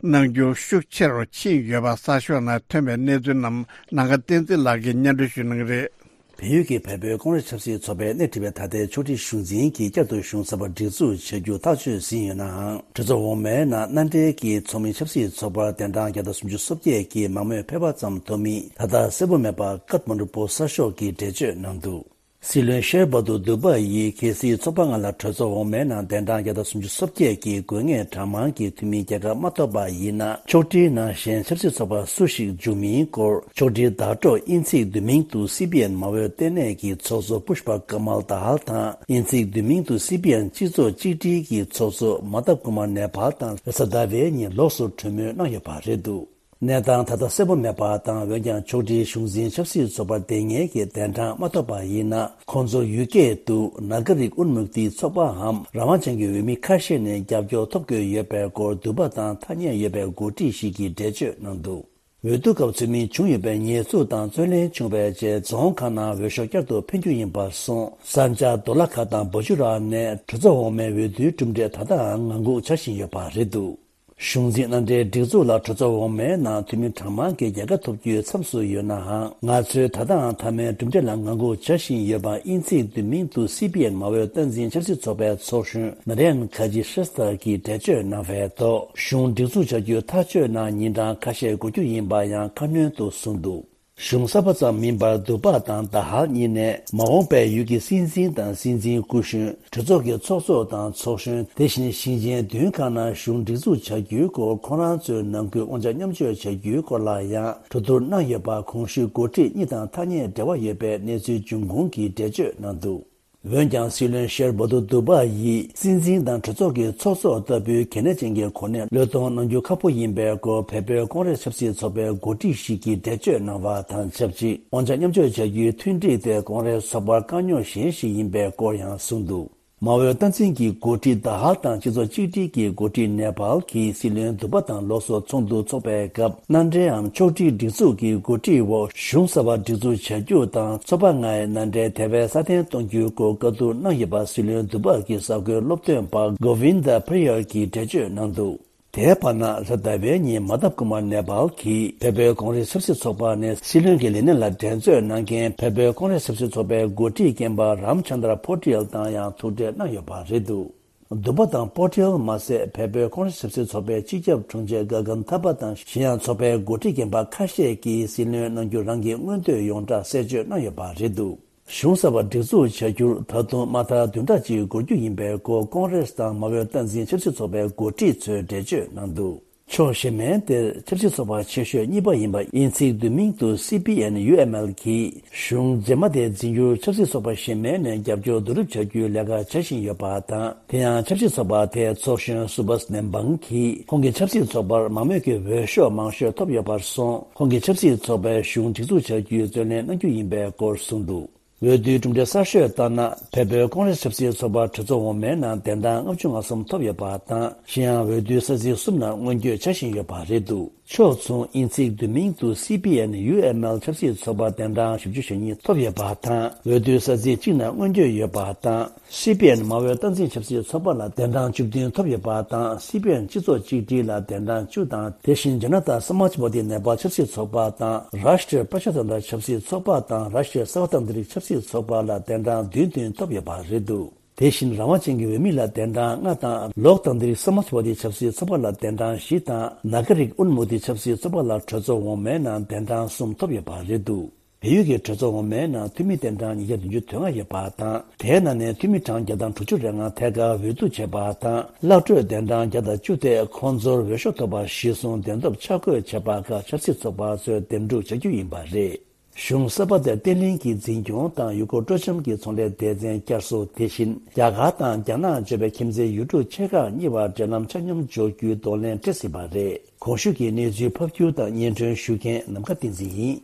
གནང་རྒྱུ་ཤུགས་ཆེ་རུ་ཕྱིན་ཡོད་པ་གསར་ཤོག་ནང་ཐོན་པའི་གནས་ཚུལ་རྣམས་ནམ་མཁའ་བསྟན་འཛིན་ལགས་ཀྱིས་སྙན་སྒྲོན་ཞུ་གནང་གི་རེད། བལ་ཡུལ་གྱི་བལ་པོའི་ཀོང་རེས་ཆབ་སྲིད་ཚོགས་པས་སྣེ་ཁྲིད་པའི་ད་ལྟའི་ཕྱོགས་སྒྲིག་གཞུང་འཛིན་གྱིས་བསྐྱར་དུ་གཞུང་གསར་པ་སྒྲིག་འཛུགས་བྱ་རྒྱུ་ཐག་གཅོད་ཟིན་ཡོད་ནའང་། གྲོས་ཚོགས་འོག་མའི་ནང་མནའ་འབྲེལ་གྱི་ཚོགས་མི་ཆབ་སྲིད་ཚོགས་པར་གདན་གྲངས་བརྒྱ་དང་སུམ་ཅུ་སོ་བརྒྱད་ཀྱི་མང་མོས་ཕེབས་པ་ཙམ་ཐོབ་མིན་ད་ལྟ་གསལ་པོ་མེད་པ་ཀཐ་མན་ཌུ་པོ་སཊ་གསར་ཤོག་གིས་འགྲེལ་བརྗོད་གནང་འདུག། སྲིད་བློན་ཤེར་བྷ་དུ་དུ་བྷ་ཡིས་གལ་སྲིད་ཚོགས་པ་ལྔ་ལ་གྲོས་ཚོགས་འོག་མའི་ནང་གདན་གྲངས་བརྒྱ་དང་སུམ་ཅུ་སོ་བརྒྱད་ཀྱི་དགོས་ངེས་གྲངས་མང་གི་འཐུས་མིའི་རྒྱལ་ཁ་མ་ཐོབ་པ་ཡིན་ན། ཕྱོགས་སྒྲིག་ནང་བཞིན་ཆབ་སྲིད་ཚོགས་པ་སུ་ཞིག་འཇུག་མིན་སྐོར་ཕྱོགས་སྒྲིག་བརྡ་སྤྲོད་དབྱིན་ཚིག་བསྡུས་མིང་དུ་སི་པི་ཨེན་མ་འོས་ལྟེ་གནས་ཀྱི་ཚོགས་གཙོ་པུཤ་པ་ཀ་མལ་དཱ་ཧལ་དང་། དབྱིན་ཚིག་བསྡུས་མིང་དུ་སི་པི་ཨེན་སྤྱི་ཚོགས་གཅིག་སྒྲིལ་གྱི་ཚོགས་གཙོ་མ་ཐབ་ཀུ་མར་ནེ་པཱལ་དང་རེས་གཟའ་ཟླ་བའི་ཉིན་ལོགས་སུ་གྲོས་མོལ་གནང་ཡོད་པ་རེད་འདུག། གནས་སྟངས་ད་ལྟ་གསལ་པོ་མེད་པ་དང་། འོན་ཀྱང་ཕྱོགས་སྒྲིག་གཞུང་འཛིན་ཆབ་སྲིད་ཚོགས་པར་དེ་སྔའི་གི་གདན་གྲངས་མ་ཐོབ་པ་ཡིན་ན། ཁོང་ཚོར་ཡུལ་སྐད་དུ་ནཱ་ག་རིག་ཨུན་མུག་ཏི་ཚོགས་པའམ་རང་དབང་ཅན་གྱི་འོས་མི་ཁ་ཤས་ནས་རྒྱབ་སྐྱོར་ཐོབ་དགོས་ཡོད་པའི་སྐོར་འདུན་པ་དང་ཐ་སྙད་ཡོད་པའི་འགོ་ཁྲིད་ཞིག་གིས་འགྲེལ་བརྗོད་གནང་འདུག། འོས་བསྡུ་སྐབས་ཚུལ་མིན་བྱུང་ཡོད་པའི་ཉེས་འཛུགས་དང་རྩོད་གླེང་བྱུང་བའི་རྗེས། རྫོང་ཁག་ནང་འོས་ཤོག་བསྐྱར་དུ་འཕེན་རྒྱུ་ཡིན་པར་སོང་། ས་འཇག་རྡོ་ལ་ཁ་དང་བ་ཅུ་ར་ནས་གྲོས་ཚོགས་འོག་མའི་འོས་བསྡུའི་གྲུབ་འབྲས་ད་ལྟའང་ངང་སྒུག་བྱ་བཞིན་ཡོད་པ་རེད་འདུག། གཞུང་འཛིན་མནའ་འབྲེལ་སྒྲིག་འཛུགས་ལ་གྲོས་ཚོགས་འོག་མའི་ནང་འཐུས་མི་གྲངས་མང་གིས་རྒྱལ་ཁ་ཐོབ་རྒྱུའི་མཚམས་སུ་ཡོད་ནའང་། ང་ཚོས་ད་ལྟའང་མཐའ་མའི་གྲུབ་འབྲས་ལ་ངང་སྒུག་བྱ་བཞིན་ཡོད་པ་དབྱིན་ཚིག་བསྡུས་མིང་དུ་སི་པི་ཨེན་མ་འོས་སྟངས་འཛིན་ཆབ་སྲིད་ཚོགས་པའི་ཚོགས་གཞོན་ན་རེན་ཁ་ཇི་ཤེས་ཐར་གྱིས་འགྲེལ་བརྗོད་གནང་བའི་ཐོག། གཞུང་སྒྲིག་འཛུགས་བྱ་རྒྱུ་ཐག་གཅོད་གནང་ཉིན་གྲངས་ཁ་ཤས་འགོར་རྒྱུ་ཡིན་པ་ཡང་ཁ་སྣོན་དུ་གསུངས་འདུག། གཞུང་གསར་པ་ཙམ་མིན་པར་འདུན་པ་དང་ད་ཧལ་གཉིས་ནས་མ་འོངས་པའི་ཡུལ་གྱི་སྲིད་འཛིན་དང་སྲིད་འཛིན་སྐུ་གཞོན། གྲོས་ཚོགས་ཀྱི་ཚོགས་གཙོ་དང་ཚོགས་གཞོན། དེ་བཞིན་ཞིང་ཆེན་བདུན་ཁག་ནང་གཞུང་སྒྲིག་འཛུགས་བྱ་རྒྱུའི་སྐོར་ཁོང་རང་ཚོའི་ནང་ཁུལ་དབང་ཆ་མཉམ་སྤྱོད་བྱ་རྒྱུའི་སྐོར་ལ་ཡང་གྲོས་བསྡུར་གནང་ཡོད་པ་གོང་ཞུས་འགོ་ཁྲིད་གཉིས་དང་ཐ་སྙད་འབྲེལ་བ་ཡོད་པའི་གནས་ཚུལ་འབྱུང་ཁུངས་ཀྱིས་འགྲེལ་བརྗོད་གནང་འདུག། འོན་ཀྱང་སྲིད་བློན་ཤེར་བྷ་དུ་དུ་བྷ་ཡིས་སྲིད་འཛིན་དང་གྲོས་ཚོགས་ཀྱི་ཚོགས་གཙོ་ལྟ་བུའི་གལ་གནད་ཅན་གྱི་གོ་གནས་བློས་གཏོང་གནང་རྒྱུ་ཁག་པོ་ཡིན་པའི་སྐོར་བལ་པོའི་ཀོང་རེས་ཆབ་སྲིད་ཚོགས་པའི་འགོ་ཁྲིད་ཞིག་གིས་འགྲེལ་བརྗོད་གནང་བ་དང་ཆབས་ཅིག། དབང་ཆ་མཉམ་སྤྱོད་བྱ་རྒྱུའི་མཐུན་སྒྲིག་དེ་ཀོང་རེས་ཚོགས་པར་དཀའ་རྙོག་གཞན་ཞིག་ཡིན་པའི་སྐོར་ཡང་གསུངས་འདུག། མ་འོས་སྟངས་འཛིན་གྱི་འགོ་ཁྲིད་ད་ཧལ་དང་སྤྱི་ཚོགས་གཅིག་སྒྲིལ་གྱི་འགོ་ཁྲིད་ནེ་པཱལ་གྱིས་སྲིད་བློན་འདུན་པ་དང་ལོགས་སུ་ཚོགས་འདུ་འཚོགས་པའི་སྐབས། མནའ་འབྲེལ་འམ་ཕྱོགས་སྒྲིག་སྒྲིག་འཛུགས་ཀྱི་འགོ་ཁྲིད་འོག་གཞུང་གསར་པ་སྒྲིག་འཛུགས་བྱ་རྒྱུ་དང་ཚོགས་པ་ལྔའི་མནའ་འབྲེལ་དེ་བས་སྲ་བརྟན་གཏོང་རྒྱུའི་སྐོར་བཀའ་བསྡུར་གནང་ཡོད་པ་སྲིད་བློན་འདུན་པ་གྱི་གསར་འགོད་སློབ་སྟོན་པ་གོ་ཝིན་དཱ་པྲི་ཡར་གྱིས་འགྲེལ་བརྗོད་གནང་འདུག། དེའི་བར་ན་རེས་གཟའ་ཟླ་བའི་ཉིན་མ་ཐབ་ཀུ་མར་ནེ་པཱལ་གྱིས་བལ་པོའི་ཀོང་རེས་ཆབ་སྲིད་ཚོགས་པ་ནས་སྲིད་བློན་གྱི་ལས་གནས་ལ་འགྲན་རྩོད་གནང་མཁན་བལ་པོའི་ཀོང་རེས་ཆབ་སྲིད་ཚོགས་པའི་འགོ་ཁྲིད་རྒན་པ་རམ་ཆན་དྲ་པོ་ཊེལ་དང་ཡང་ཐུག་འཕྲད་གནང་ཡོད་པ་རེད་འདུག། འདུན་པ་དང་པོ་ཊེལ་མ་ཟད། བལ་པོའི་ཀོང་རེས་ཆབ་སྲིད་ཚོགས་པའི་སྤྱི་ཁྱབ་དྲུང་ཆེ་ག་གན་ཐ་པ་དང་གཞན་ཡང་ཚོགས་པའི་འགོ་ཁྲིད་རྒན་པ་ཁ་ཤས་ཀྱིས་སྲིད་བློན་གནང་རྒྱུ་རང་གི་མངོན་འདོད་ཡོངས་གྲགས་གསལ་བརྗོད་གནང་ཡོད་པ་རེད་འདུག། གཞུང་གསར་པ་སྒྲིག་འཛུགས་བྱ་རྒྱུར་ད་དུང་མ་མཐའ་བདུན་ཕྲག་གཅིག་འགོར་རྒྱུ་ཡིན་པའི་སྐོར་ཀོང་རེས་དང་མ་འོས་སྟངས་འཛིན་ཆབ་སྲིད་ཚོགས་པའི་འགོ་ཁྲིད་ཚོས་འགྲེལ་བརྗོད་གནང་འདུག། ཕྱོགས་གཞན་མའི་དེར་ཆབ་སྲིད་ཚོགས་པ་ཆེ་ཤོས་གཉིས་པ་ཡིན་པ་དབྱིན་ཚིག་བསྡུས་མིང་དུ་སི་པི་ཨེན་ཡུ་ཨེམ་ཨེལ་གྱིས་གཞུང་རྗེས་མ་དེ་འཛིན་རྒྱུར་ཆབ་སྲིད་ཚོགས་པ་གཞན་མའི་ནས་རྒྱབ་སྐྱོར་བསྡུ་རུབ་བྱ་རྒྱུའི་ལས་ཀ་བྱ་བཞིན་ཡོད་པ་དང་། དེ་ཡང་ཆབ་སྲིད་ཚོགས་པ་དེའི་ཚོགས་གཞོན་སུ་བྷས་ནེམ་བང་གིས་ཁོང་གིས་ཆབ་སྲིད་ཚོགས་པར་མང་མོས་ཀྱི་འོས་ཤོག་མང་ཤོས་ཐོབ་ཡོད་པར་སོང་། ཁོང་གིས་ཆབ་སྲིད་ཚོགས་པའི་གཞུང་སྒྲིག་འཛུགས་བྱ་རྒྱུའི་རྩོད་ལེན་གནང་རྒྱུ་ཡིན་པའི་སྐོར་གསུངས་འདུག། འོས་བསྡུའི་གྲུབ་འབྲས་གསར་ཤོས་ལྟར་ན། བལ་པོའི་ཀོང་རེས་ཆབ་སྲིད་ཚོགས་པ་གྲོས་ཚོགས་འོག་མའི་ནང་གདན་གྲངས་ལྔ་བཅུ་ང་གསུམ་ཐོབ་ཡོད་པ་དང་། གཞན་ཡང་འོས་བསྡུའི་ས་ཚིགས་གསུམ་ནང་མངོན་བསྐྱོད་བྱ་བཞིན་ཡོད་པ་རེད་འདུག། ཕྱོགས་མཚུངས་དབྱིན་ཚིག་བསྡུས་མིང་དུ་སི་པི་ཨེན་ཡུ་ཨེམ་ཨེལ་ཆབ་སྲིད་ཚོགས་པ་གདན་གྲངས་བཞི་བཅུ་ཞེ་གཉིས་ཐོབ་ཡོད་པ་དང་། འོས་བསྡུའི་ས་ཚིགས་གཅིག་ནང་མངོན་བསྐྱོད་ཡོད་པ་དང་། སི་པི་ཨེན་མ་འོས་སྟངས་འཛིན་ཆབ་སྲིད་ཚོགས་པ་ལ་གདན་གྲངས་བཅུ་བདུན་ཐོབ་ཡོད་པ་དང་། སི་པི་ཨེན་སྤྱི་ཚོགས་གཅིག་སྒྲིལ་ལ་གདན་གྲངས་བཅུ་དང་། དེ་བཞིན་ཇ་ན་ཏཱ་སམ་མཱཇ་བ་དི་ནེ་པཱལ་ཆབ་སྲིད་ཚོགས་པ་དང་། རཱཤ་ཊྲི་པྲ་ཇ་ཏན་ཏྲ་ཆབ་སྲིད་ཚོགས་པ་དང་། རཱཤ་ཊྲི་སརྦ་ཏན་ཏྲིག་ཆབ་སྲིད་ཚོགས་པ་ལ་གདན་གྲངས་བདུན་བདུན་ཐོབ་ཡོད་པ་རེད་འདུག། དེ་བཞིན་རང་དབང་ཅན་གྱི་འོས་མི་ལ་གདན་གྲངས་ལྔ་དང་། ལོག་ཏན་ཏྲིག་སམ་མཱཇ་བ་དི་ཆབ་སྲིད་ཚོགས་པ་ལ་གདན་གྲངས་བཞི་དང་། ནཱ་ག་རིག་ཨུན་མུག་ཏི་ཆབ་སྲིད་ཚོགས་པ་ལ་གྲོས་ཚོགས་འོག་མའི་ནང་གདན་གྲངས་གསུམ་ཐོབ་ཡོད་པ་རེད་འདུག། བལ་ཡུལ་གྱི་གྲོས་ཚོགས་འོག་མའི་ནང་འཐུས་མི་གདན་གྲངས་ཉིས་བརྒྱ་བདུན་ཅུ་དོན་ལྔ་ཡོད་པ་དང་། དེའི་ནང་ནས་འཐུས་མི་གྲངས་བརྒྱ་དང་དྲུག་ཅུ་རེ་ལྔ་ཐད་ཀར་འོས་བསྡུ་བྱས་པ་དང་། གླག་འཕྲོས་གདན་གྲངས་བརྒྱ་དང་བཅུ་དེ་ཁོང་ཚོར་འོས་ཤོག་ཐོབ་པར་གཞི་བཟུང་འདེམས་ཐོབ་ཆ་བགོས་བྱས་པ་ཁག་ཆབ་སྲིད་ཚོགས་པ་ཚོས་འདེམས་སྒྲུག་བྱ་རྒྱུ་ཡིན་པ་རེད། གཞུང་གསར་པ་དེར་བརྟན་ལྷིང་གི་འཛིན་སྐྱོང་དང་ཡུལ་སྐོར་སྤྲོ་འཆམ་གྱི་ཚོང་ལས་སྡེ་ཚན་བསྐྱར་གསོ། དེ་བཞིན་རྒྱ་གར་དང་རྒྱ་ནག་བརྗོད་པའི་ཁྱིམ་མཚེས་ཡུལ་གྲུ་ཆེ་ཁག་གཉིས་བར་འབྲེལ་ལམ་ཆ་སྙོམས་འཇོག་རྒྱུའི་གདོང་ལེན་སྤྲད་ཟིན་པ་རེད། གོང་ཞུས་ཀྱི་གནས་ཚུལ་ཕབ་སྒྱུར་དང་སྙན་སྒྲོན་ཞུ་མཁན་ནམ་མཁའ་བསྟན་འཛིན་ཡིན།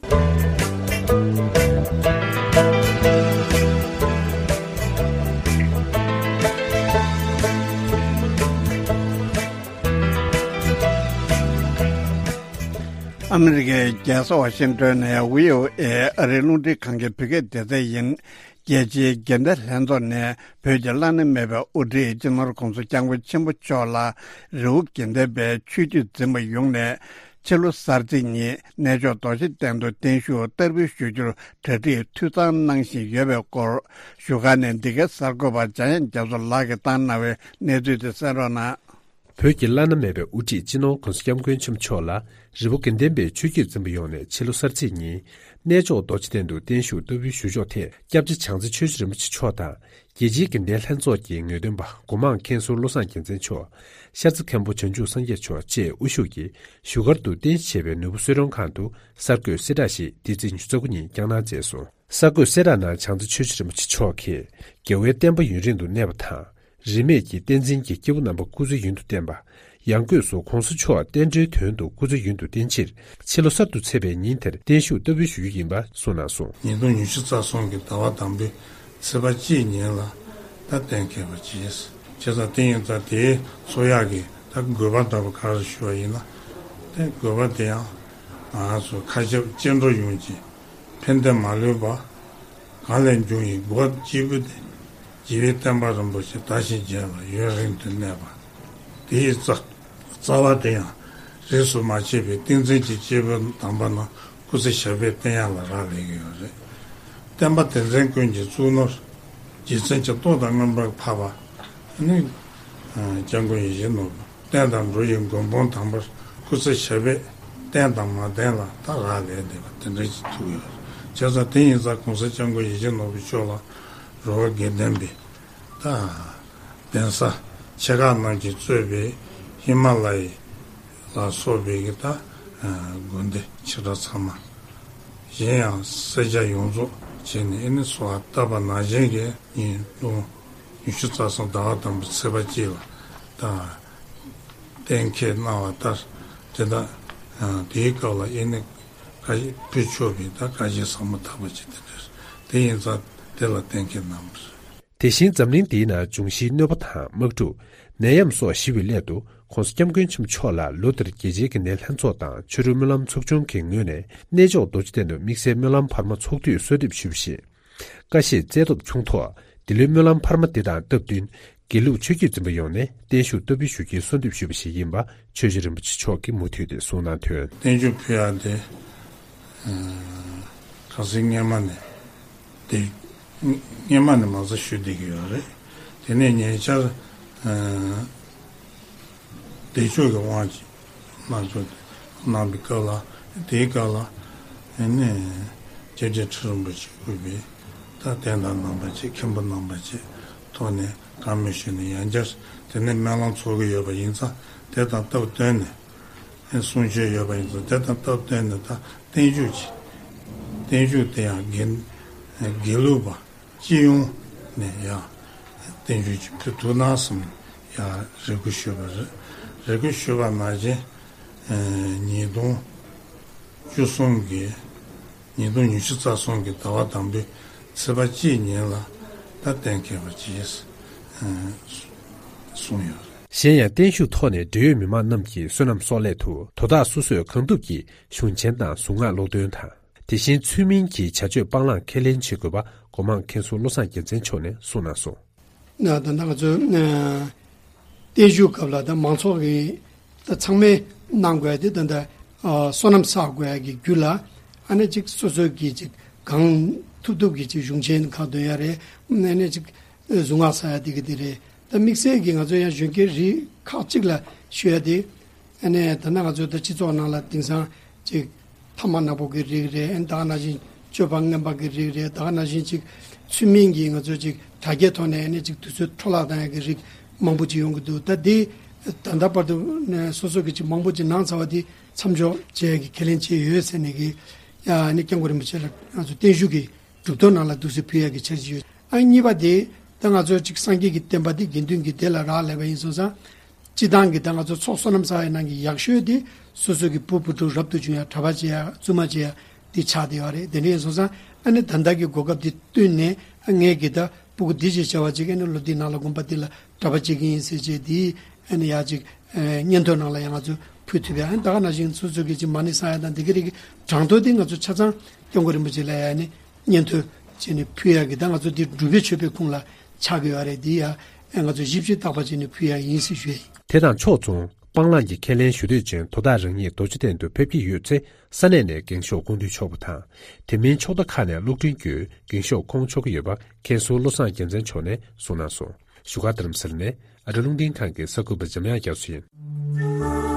ཨ་མི་རི་ཀའི་རྒྱལ་ས་ཝ་ཤིང་ཏོན་ནས་བྷི་ཨོ་ཨེ་ཨ་རིའི་རླུང་འཕྲིན་ཁང་གི་བོད་སྐད་སྡེ་ཚན་ཡིན། རྒྱལ་སྤྱིའི་དགེ་ལྡན་ལྷན་ཚོགས་ནས་བོད་ཀྱི་བླ་ན་མེད་པའི་དབུ་ཁྲིད་སྤྱི་ནོར་གོང་ས་སྐྱབས་མགོན་ཆེན་པོ་མཆོག་ལ་རི་བོ་དགེ་ལྡན་པའི་ཆོས་བརྒྱུད་འཛིན་པ་ཡོངས་ནས་ཕྱི་ལོ་གསར་ཚེས་ཉིན་གནས་མཆོག་རྡོ་རྗེ་གདན་དུ་བརྟན་བཞུགས་བསྟར་འབུལ་ཞུ་རྒྱུར་གྲ་སྒྲིག་འཐུས་ཚང་གནང་བཞིན་ཡོད་པའི་སྐོར། བཞུགས་སྒར་ནས་འདི་གའི་གསར་འགོད་པ་འཇམ་དབྱངས་རྒྱ་མཚོ་ལགས་ཀྱིས་བཏང་གནང་བའི་གནས་ཚུལ་དེ་གསན་རོགས་གནང་། བོད་ཀྱི་བླ་ན་མེད་པའི་དབུ་ཁྲིད་སྤྱི་ནོར་གོང་ས་སྐྱབས་མགོན་ཆེན་པོ་མཆོག་ལ་རི་བོ་དགེ་ལྡན་པའི་ཆོས་བརྒྱུད་འཛིན་པ་ཡོངས་ནས་ཕྱི་ལོ་གསར་ཚེས་ཉིན་གནས་མཆོག་རྡོ་རྗེ་གདན་དུ་བརྟན་བཞུགས་བསྟར་འབུལ་ཞུ་ཕྱོགས་ཐད། སྐྱབས་རྗེ་བྱང་རྩེ་ཆོས་རྗེ་རིན་པོ་ཆེ་མཆོག་དང་རྒྱལ་སྤྱིའི་དགེ་ལྡན་ལྷན་ཚོགས་ཀྱི་ངེས་སྟོན་པ་སྒོ་མང་མཁན་ཟུར་བློ་བཟང་རྒྱལ་མཚན་མཆོག་ཤར་རྩེ་མཁན་པོ་བྱང་ཆུབ་སངས་རྒྱས་མཆོག་བཅས་དབུ་བཞུགས་ཀྱིས་བཞུགས་སྒར་དུ་རྟེན་གཞི་བྱས་པའི་ནོར་བུ་གསོལ་མགྲོན་ཁང་དུ་གསར་འགོད་གསལ་བསྒྲགས་ཤིག་འདི་ཚེས་ཉི་ཤུ་རྩ་དགུ་ཉིན་བསྐྱངས་གནང་མཛད་སོང་། གསར་འགོད་གསལ་བསྒྲགས་ནང་བྱང་རྩེ་ཆོས་རྗེ་རིན་པོ་ཆེ་མཆོག་གིས་རྒྱལ་བའི་བསྟན་པ་ཡུན་རིང་དུ་གནས་པ་དང་། རིས་མེད་ཀྱི་བསྟན་འཛིན་གྱི་སྐྱེས་བུ་རྣམ་པ་སྐུ་ཚེ་ཡུན་དུ་བརྟན་པ། ཡང་སྒོས་སུ་གོང་ས་མཆོག་བསྟན་འགྲོའི་དོན་དུ་སྐུ་ཚེ་ཡུན་དུ་བརྟན་ཕྱིར་ཕྱི་ལོ་གསར་དུ་ཚེས་པའི་ཉིན་དེར་བརྟན་བཞུགས་བསྟར་འབུལ་ཞུ་རྒྱུ་ཡིན་པ་གསུངས་གནང་སོང་། ཉིས་སྟོང་ཉི་ཤུ་རྩ་གསུམ་གྱི་ཟླ་བ་དང་པོའི་ཚེས་པ་གཅིག་ཉིན་ལ་ད་གཏན་འཁེལ་བ་བྱས། བྱས་ཙང་དེ་ཡིན་ཙང་དེའི་ཚོགས་ཡག་གི་ད་དགོས་པ་འདྲ་པོ་ག་རེ་ཞུ་བ་ཡིན་ན། དེ་དགོས་པ་དེ་ཡང་ང་ཚོ་མཁའ་ཁྱབ་སྐྱེ་འགྲོ་ཡོངས་ཀྱི་ཕན་བདེ་མ་ལུས་པ། གང་ལས་འབྱུང་བའི་སྒོ་སྐྱེས་བུ་དེ། རྒྱལ་བའི་བསྟན་པ་རིན་པོ་ཆེ་དར་ཞིང་རྒྱས་པ་ཡུན་རིང་དུ་གནས་པ། དེའི་རྩ་རྩ་བ་དེ་ཡང་རིས་སུ་མ་ཆད་པའི་ཏིང་འཛིན་གྱི་སྐྱེས་བུ་དམ་པ་རྣམས་སྐུ་ཚེ་ཞབས་པད་བརྟན་ཡག་ལ་རག་ལས་ཀྱི་ཡོད་རེད། བསྟན་པ་དེ་འཛིན་ཀུན་གྱི་གཙུག་ནོར། རྗེ་བཙུན་གྱི་ཏོག་དང་མངོན་པར་འཕགས་པ་ནི། སྐྱབས་མགོན་ཡིད་བཞིན་ནོར་བུ། བསྟན་དང་འགྲོ་བའི་མགོན་དཔུང་དམ་པར་སྐུ་ཚེ་ཞབས་པད་བརྟན་དང་མ་བརྟན་ལ་ད་རག་ལས་བསྡད་པ་དེ་འདྲ་ཞིག་ཐུག་ཡོད། བྱས་ཙང་དེ་ཡིན་ཙང་གོང་ས་སྐྱབས་མགོན་ཡིད་བཞིན་ནོར་བུ་མཆོག་ལ་རི་བོ་དགེ་ལྡན་པའི་ད་གདན་ས་ཆེ་ཁག་རྣམས་ཀྱིས་གཙོས་པའི་ཧི་མ་ལ་ཡའི་ལ་སོགས་པའི་གི་ད་དགོན་སྡེ་ཆེ་ཕྲ་ཚང་མ། གཞན་ཡང་སེར་སྐྱ་ཡོངས་རྫོགས་བྱས་ནས་ཨེ་ནི་གསོལ་བ་བཏབ་པ་ནང་བཞིན་གྱི་ཉིན་གུང་ཉི་ཤུ་རྩ་གསུམ་ཟླ་བ་དང་པོའི་ཚེས་པ་གཅིག་ལ་ད་གཏན་འཁེལ་གནང་བ་ལྟར་དེ་དག་དེའི་སྐབས་ལ་ཨེ་ནི་བཀའ་ཕུལ་ཆོག་པའི་ད་བཀའ་བཞིན་ཟབ་མོ་དག་པ་ཅིག་དེ་འདྲ་རེད། དེ་ཡིན་ཙང་དེ་ལ་གཏན་འཁེལ་གནང་བ་རེད། དེ་བཞིན་འཛམ་གླིང་འདིའི་ནང་འབྱུང་བཞིའི་གནོད་པ་དང་དམག་འཁྲུག་ནད་ཡམས་སོགས་ཞི་བའི་སླད་དུ་༸གོང་ས་༸སྐྱབས་མགོན་ཆེན་པོ་མཆོག་ལ་ལོ་འདིར་རྒྱལ་སྤྱིའི་དགེ་ལྡན་ལྷན་ཚོགས་དང་ཆོས་རིག་སྨོན་ལམ་ཚོགས་ཆུང་གི་ངོས་ནས་གནས་མཆོག་རྡོ་རྗེ་གདན་དུ་དམིགས་བསལ་སྨོན་ལམ་འཕར་མ་ཚོགས་དུས་གསོལ་འདེབས་ཞུས་པ་བཞིན། ཀ་ཤས་བཙལ་ཐོབ་བྱུང་ཐོག་འདི་ལོའི་སྨོན་ལམ་འཕར་མ་འདི་དང་སྟབས་བསྟུན་དགེ་ལུགས་ཆོས་བརྒྱུད་འཛིན་པ་ཡོངས་ནས་བརྟན་བཞུགས་བསྟར་འབུལ་ཞུ་རྒྱུའི་གསོལ་འདེབས་ཞུས་པ་ཞིག་ཡིན་པ་ཆོས་རྗེ་རིན་པོ་ཆེ་མཆོག་གིས་མུ་མཐུད་དེ་གསུངས་གནང་དོན། བརྟན་བཞུགས་ཕུལ་ཡག་དེ་ཁ་སང་སྔོན་མ་ནས་དེ་སྔོན་མ་ནས་མ་རྩ་ཞུ་བསྡད་ཀྱི་ཡོད་རེད། དེ་ནས་ཉེ་ཆར་བདེ་མཆོག་གི་དབང་ཆེན་གནང་ཚུལ་གནང་བའི་སྐབས་ལ་དེའི་སྐབས་ལ་ཨ་ནི་སྐྱབས་རྗེ་ཁྲི་རིན་པོ་ཆེ་དབུས་པའི་ད་དད་ཟླ་རྣམ་པ་བཅས་མཁན་པོ་རྣམ་པ་བཅས་ཐོག་ནས་བཀའ་མོལ་ཞུས་ནས་ཡང་བསྐྱར་དེ་ནས་སྨོན་ལམ་ཚོགས་ཀྱི་ཡོད་པ་ཡིན་ཙང་དེ་དང་སྟབས་བསྟུན་ནས་གསུང་ཆོས་ཡོད་པ་ཡིན་ཙང་དེ་དང་སྟབས་བསྟུན་ནས་ད་བརྟན་བཞུགས་ཀྱི་བརྟན་བཞུགས་དེ་ཡང་དགེ་དགེ་ལུགས་པ་སྤྱི་ཡོངས་ནས་ཡང་བརྟན་བཞུགས་ཀྱི་ཕུལ་ཐུབ་ན་བསམ་ཡང་རེ་སྐུལ་ཞུས་པ་རེད། རེ་སྐུལ་ཞུས་པ་ནང་བཞིན་ཉིས་སྟོང་བཅུ་གསུམ་གྱི་ཉིས་སྟོང་ཉི་ཤུ་རྩ་གསུམ་གྱི་ཟླ་བ་དང་པོའི་ཚེས་པ་གཅིག་ཉིན་ལ་ད་གཏན་འཁེལ་བ་བྱས་གསུངས་ཡོད་རེད། གཞན་ཡང་བརྟན་བཞུགས་ཐོག་ནས་འབྲེལ་ཡོད་མི་མང་རྣམས་ཀྱིས་བསོད་ནམས་གསོག་སླད་དུ་དོ་བདག་སོ་སོས་གང་ཐུབ་ཀྱིས་གཞུང་ཆེན་དང་གཟུངས་སྔགས་ཀློག་འདོན་དང་། དེ་བཞིན་ཚུལ་མིན་གྱི་བྱ་སྤྱོད་སྤང་བླང་ཁས་ལེན་བྱེད་དགོས་པ་སྒོ་མང་མཁན་ཟུར་བློ་བཟང་རྒྱལ་མཚན་མཆོག་ནས་གསུངས་གནང་སོང་། ན་ད་ལྟ་ང་ཚོའི་ཨ་བརྟན་བཞུགས་སྐབས་ལ་ད་མང་ཚོགས་ཀྱིས་ད་ཚང་མས་གནང་དགོས་ཏེ་ད་ལྟ་ཨ་བསོད་ནམས་བསགས་དགོས་ཀྱི་རྒྱུ་ལ་ཨ་ནི་ཅིག་སོ་སོ་གིས་ཅིག་གང་ཐུབ་ཐུབ་ཀྱིས་ཅིག་གཞུང་ཆེན་ཁག་འདོན་ཡ་རེད། ཨ་ནི་ཅིག་གཟུངས་སྔགས་བསགས་ཡ་དེ་གི་དེ་རེད། ད་དམིགས་བསལ་གྱིས་ང་ཚོ་ཡང་གཞོན་སྐྱེས་རིགས་ཁག་ཅིག་ལ་ཞུ་ཡ་དེ། ཨ་ནི་ད་ནང་ང་ཚོ་ད་སྤྱི་ཚོགས་ནང་ལ་དེང་སང་ཅིག་ཐ་མག་ནག་པོ་གི་རིགས་རེད། ཨ་ནི་ད་ག་ནང་བཞིན་སྤྱོད་པ་ངན་པ་གི་རིགས་རེད། ད་ག་ནང་བཞིན་ཅིག་ཚུལ་མིན་གྱིས་ང་ཚོ་ཅིག་དྲ་རྒྱའི་ཐོག་ནས་ཨ་ནི་ཅིག་དུས་ཚོད་འཕྲོ་བརླག་བཏང་ཡ་གི་རིགས་མང་པོ་ཅིག་ཡོང་གི་འདུག་ད་དེ་ད་ལྟ་བར་དུ་ནས་སོ་སོ་གི་ཅིག་མང་པོ་ཅིག་གནང་ཚར་བ་དེ་མཚམས་འཇོག་བྱེད་ཡ་གི་ཁས་ལེན་བྱས་ཡོད་ཟེར་ནས་གི་ཡ་ཨ་ནི་སྐྱབས་མགོན་རིན་པོ་ཆེ་ལ་ང་ཚོ་བརྟན་བཞུགས་ཀྱི་གྲུབ་ཐོབ་ནང་ལ་འདུག་སེ་ཕུལ་ཡག་གི་འཆར་གཞི་ཡོད། ཨ་གཉིས་པ་དེ་ད་ང་ཚོ་ཅིག་སངས་རྒྱས་ཀྱི་བསྟན་པ་འདི་དགེ་འདུན་གྱི་སྡེ་ལ་རག་ལས་པ་ཡིན་སོང་ཙང་། སྤྱི་བཏང་གི་ད་ང་ཚོ་ཚོགས་བསོད་ནམས་བསགས་ཡ་ནང་གི་ཡག་ཤོས་དེ་སོ་སོ་གི་བུ་བུ་ཕྲུག་རབ་ཏུ་བྱུང་ཡ་གྲྭ་པ་བྱེད་ཡ་བཙུན་མ་བྱེད་ཡ་དེ་ཆགས་བསྡད་ཡོད་རེད། དེ་འདྲ་ཡིན་སོང་ཙང་ཨ་ནི་ད་ལྟ་གི་གོ་སྐབས་དེ་བསྟུན་ནས་ཨ་ངས་གི་ད་སྤུ་གུ་འདི་ཅིག་བྱ་བ་ཅིག་ཨ་ནི་ལོ་འདི་ནང་ལ་དགོན་པ་འདི་ལ་གྲྭ་པ་བྱེད་ཀྱི་ཡིན་ཟེར་བྱས་དེ་ཨ་ནི་ཡག་ཅིག་ཨ་སྙན་ཐོ་ནང་ལ་ཡང་ང་ཚོ་ ཕུལ་ཐུབ་ཡ། ཨ་ནི་ད་ག་ནང་བཞིན་སོ་སོ་གི་ཅིག་མ་ཎི་བསང་ཡ་དང་དེ་ག་རིགས་ཀྱི་གྲངས་ཐོ་དེ་ང་ཚོ་ཆ་ཚང་སྐྱབས་མགོན་རིན་པོ་ཆེ་ལ་ཡ་ནི་སྙན་ཐོ་བྱས་ནས་ཕུལ་ཡ་གི། ད་ང་ཚོ་འདི་སྒྲུབ་པའི་མཆོད་པའི་ཁུངས་ལ་ཆགས་ཀྱི་ཡོད་རེད། འདི་ཡ་ཨ་ང་ཚོ་བཞི་བཅུ་རྟག་པ་བྱས་ནས་ཕུལ་ཡ་ཡིན་ཟེར་ཞུ་ཡ་ཡིན། དེ་དང་ཕྱོགས་མཚུངས། སྤང་བླང་གི་ཁས་ལེན་ཞུ་འདོད་ཅན་དོ་བདག་རང་ཉིད་རྡོ་རྗེ་གདན་དུ་ཕེབས་ཀྱི་ཡོད་ཚེ། ས་གནས་ནས་རྒན་ཤོག་སྐུ་མདུན་མཆོག་པ་དང་། དེ་མིན་ཕྱོགས་མཐའ་ཁག་ནས་གློག་འཕྲིན་བརྒྱུད་རྒན་ཤོག་ཁོང་ཆོག་གི་ཡོད་པ། མཁན་ཟུར་བློ་བཟང་རྒྱལ་མཚན་མཆོག་ནས་གསུངས་གནང་སོང་། བཞུགས་སྒར་རྡ་རམ་ས་ལ་ནས་ཨ་རི་རླུང་འཕྲིན་ཁང་གི་གསར་འགོད་པ་འཇམ་དབྱངས་རྒྱ་མཚོ་ཡིན།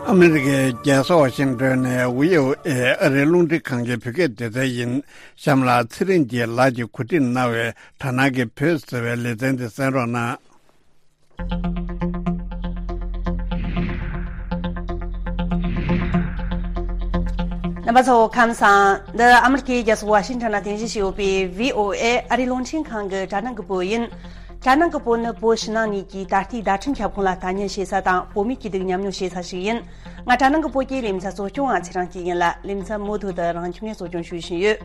ཨ་མི་རི་ཀའི་རྒྱལ་ས་ཝ་ཤིང་ཏོན་ནས་བྷི་ཨོ་ཨེ་ཨ་རིའི་རླུང་འཕྲིན་ཁང་གི་བོད་སྐད་སྡེ་ཚན་ཡིན། གཤམ་ལ་ཚེ་རིང་གིས་ལགས་ཀྱིས་གོ་སྒྲིག་གནང་བའི་དྲ་སྣང་གི་བོད་ཟེར་བའི་ལེ་ཚན་དེ་གསན་རོགས་གནང་། རྣམ་པ་ཚོ་ཁམས་བཟང་། འདི་ཨ་མི་རི་ཀའི་རྒྱལ་ས་ཝ་ཤིང་ཊོན་ལ་རྟེན་གཞི་བྱས་ཡོད་པའི་བྷི་ཨོ་ཨེ་ཨ་རིའི་རླུང་འཕྲིན་ཁང་གི་དྲ་སྣང་གི་པོ་ཡིན། དྲ་སྣང་གི་པོ་ནི་བོད་ཕྱི་ནང་གཉིས་ཀྱི་ད་ལྟའི་བརྡ་འཕྲིན་ཁྱབ་ཁོངས་ལ་ལྟ་ཉན་བྱེད་ས་དང་བོད་མི་སྐྱིད་སྡུག་མཉམ་མྱོང་བྱེད་ས་ཞིག་ཡིན། ང་དྲ་སྣང་གི་པོ་གི་ལེ་ཚན་གཙོ་སྐྱོང་བ་ཚེ་རིང་སྐྱིད་ཡིན་ལ། ལེ་ཚན་མུ་མཐུད་དུ་རང་ཁྱིམ་ནས་གཙོ་སྐྱོང་ཞུ་བཞིན་ཡོད།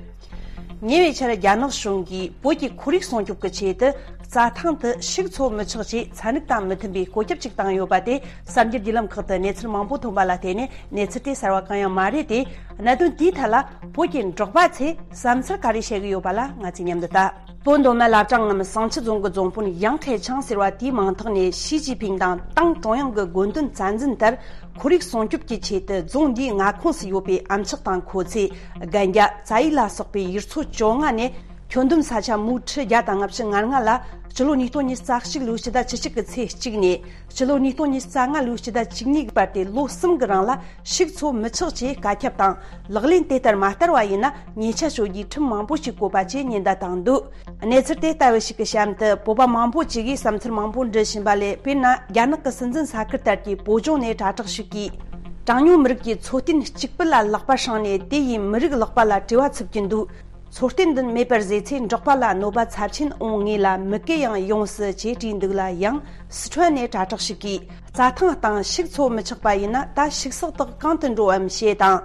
ཉེ་བའི་ཆར་རྒྱ་ནག་གཞུང་གིས་བོད་ཀྱི་ཁོར་ཡུག་སྲུང་སྐྱོབ་ཀྱི་ཆེད་དུ་རྩྭ་ཐང་དུ་ཕྱུགས་འཚོ་མི་ཆོག་ཅེས་ཚན་རིག་དང་མི་མཐུན་པའི་བཀོད་ཁྱབ་ཅིག་བཏང་ཡོད་པ་དེ་གསར་འགྱུར་བརྒྱུད་ལམ་ཁག་ཏུ་གནས་ཚུལ་མང་པོ་ཐོན་པ་ལ་བརྟེན་ནས། གནས་ཚུལ་དེ་གསར་བ་གང་ཡང་མ་རེད་དེ། གནད་དོན་དེའི་ཐད་ལ་བོད་ཀྱི་འབྲོག་པ་ཚོས་བསམ་ཚུལ་ག་རེ་བཤད་ཀྱི་ཡོད་པ་ལ་ང་ཚོས་མཉམ་དུ་ལྟ། བོད་མདོ་སྨད་བླ་བྲང་ངམ་བསང་ཆུ་རྫོང་གི་རྫོང་དཔོན་ཡང་ཁྲེ་ཆང་ཟེར་བ་དེའི་མིང་ཐོག་ནས་ཞི་ཅིན་ཕིང་དང་ཏང་ཀྲུང་དབྱང་གི་དགོངས་དོན་རྩ་འཛིན་ལྟར། ཁོར་ཡུག་སྲུང་སྐྱོབ་ཀྱི་ཆེད་དུ་རྫོང་འདིའི་མངའ་ཁོངས་སུ་ཡོད་པའི་ཨམ་ཅོག་དང་མཁོ་ཚོས། རྒན་རྒྱ། རྩྭ་ཡིག་ལ་སོགས་པའི་ཡུལ་ཚོ་བཅོ་ལྔ་ནས་ཁྱོན་བསྡོམས་ས་ཆ་མུའུ་ཁྲི་བརྒྱ་དང་ལྔ་བཅུ་ང་ལྔ་ལ་སྤྱི་ལོ་ཉིས་སྟོང་ཉི་ཤུ་རྩ་གཅིག་ལོའི་ཕྱི་ཟླ་བཅུ་གཅིག་གི་ཚེས་གཅིག་ནས་སྤྱི་ལོ་ཉིས་སྟོང་ཉི་ཤུ་རྩ་ལྔ་ལོའི་ཕྱི་ཟླ་བཅུ་གཉིས་ཀྱི་བར་དུ་ལོ་གསུམ་གྱི་རིང་ལ་ཕྱུགས་འཚོ་མི་ཆོག་ཅེས་བཀའ་ཁྱབ་དང་། ལག་ལེན་དེ་ལྟར་མ་བསྟར་བ་ཡིན་ན་ཉེས་ཆད་གཅོད་རྒྱུའི་ཁྲིམས་མང་པོ་ཞིག་བཀོད་པ་བཅས་ཉེན་བརྡ་བཏང་འདུག་གནས་ཚུལ་དེ་ལྟ་བུ་ཞིག་གི་གཤམ་དུ་བོད་པ་མང་པོ་ཅིག་གིས་བསམ་ཚུལ་མང་པོ་འབྲི་བཞིན་པ་ལས། དཔེར་ན། རྒྱ་ནག་གི་སྲིད་འཛིན་ས་ཁུལ་ལྟར་གྱི་བོད་ལྗོངས་ནས་དྲ་གྲགས་ཤིག་གིས། གྲངས་ཉུང་མི་རིགས་ཀྱི་འཚོ་རྟེན་གཅིག་པུ་ལ་ལག་པ་བསྲིངས་ནས་དེ་ཡིས་མི་རིགས་ལག་པ་ལ་བྲེལ་བ་འཚུབ་ཀྱིན་འདུག་འཚོ་རྟེན་འདི་མེད་པར་བཟོས་ཚེ་འབྲོག་པ་ལ་གནོད་པ་ཚབས་ཆེན་འོང་ངེས་ལ་མི་སྐད་ཡང་ཡོང་སྲིད་ཅེས་བྲིས་འདུག་ལ། ཡང་སི་ཁྲོན་ནས་དྲ་གྲགས་ཤིག་གིས། རྩྭ་ཐང་སྟེང་ཕྱུགས་འཚོ་མི་ཆོག་པ་ཡིན་ན། ད་ཕྱུགས་ཟོག་དག་གང་དུ་འགྲོ་བམ་ཞེས་དང་།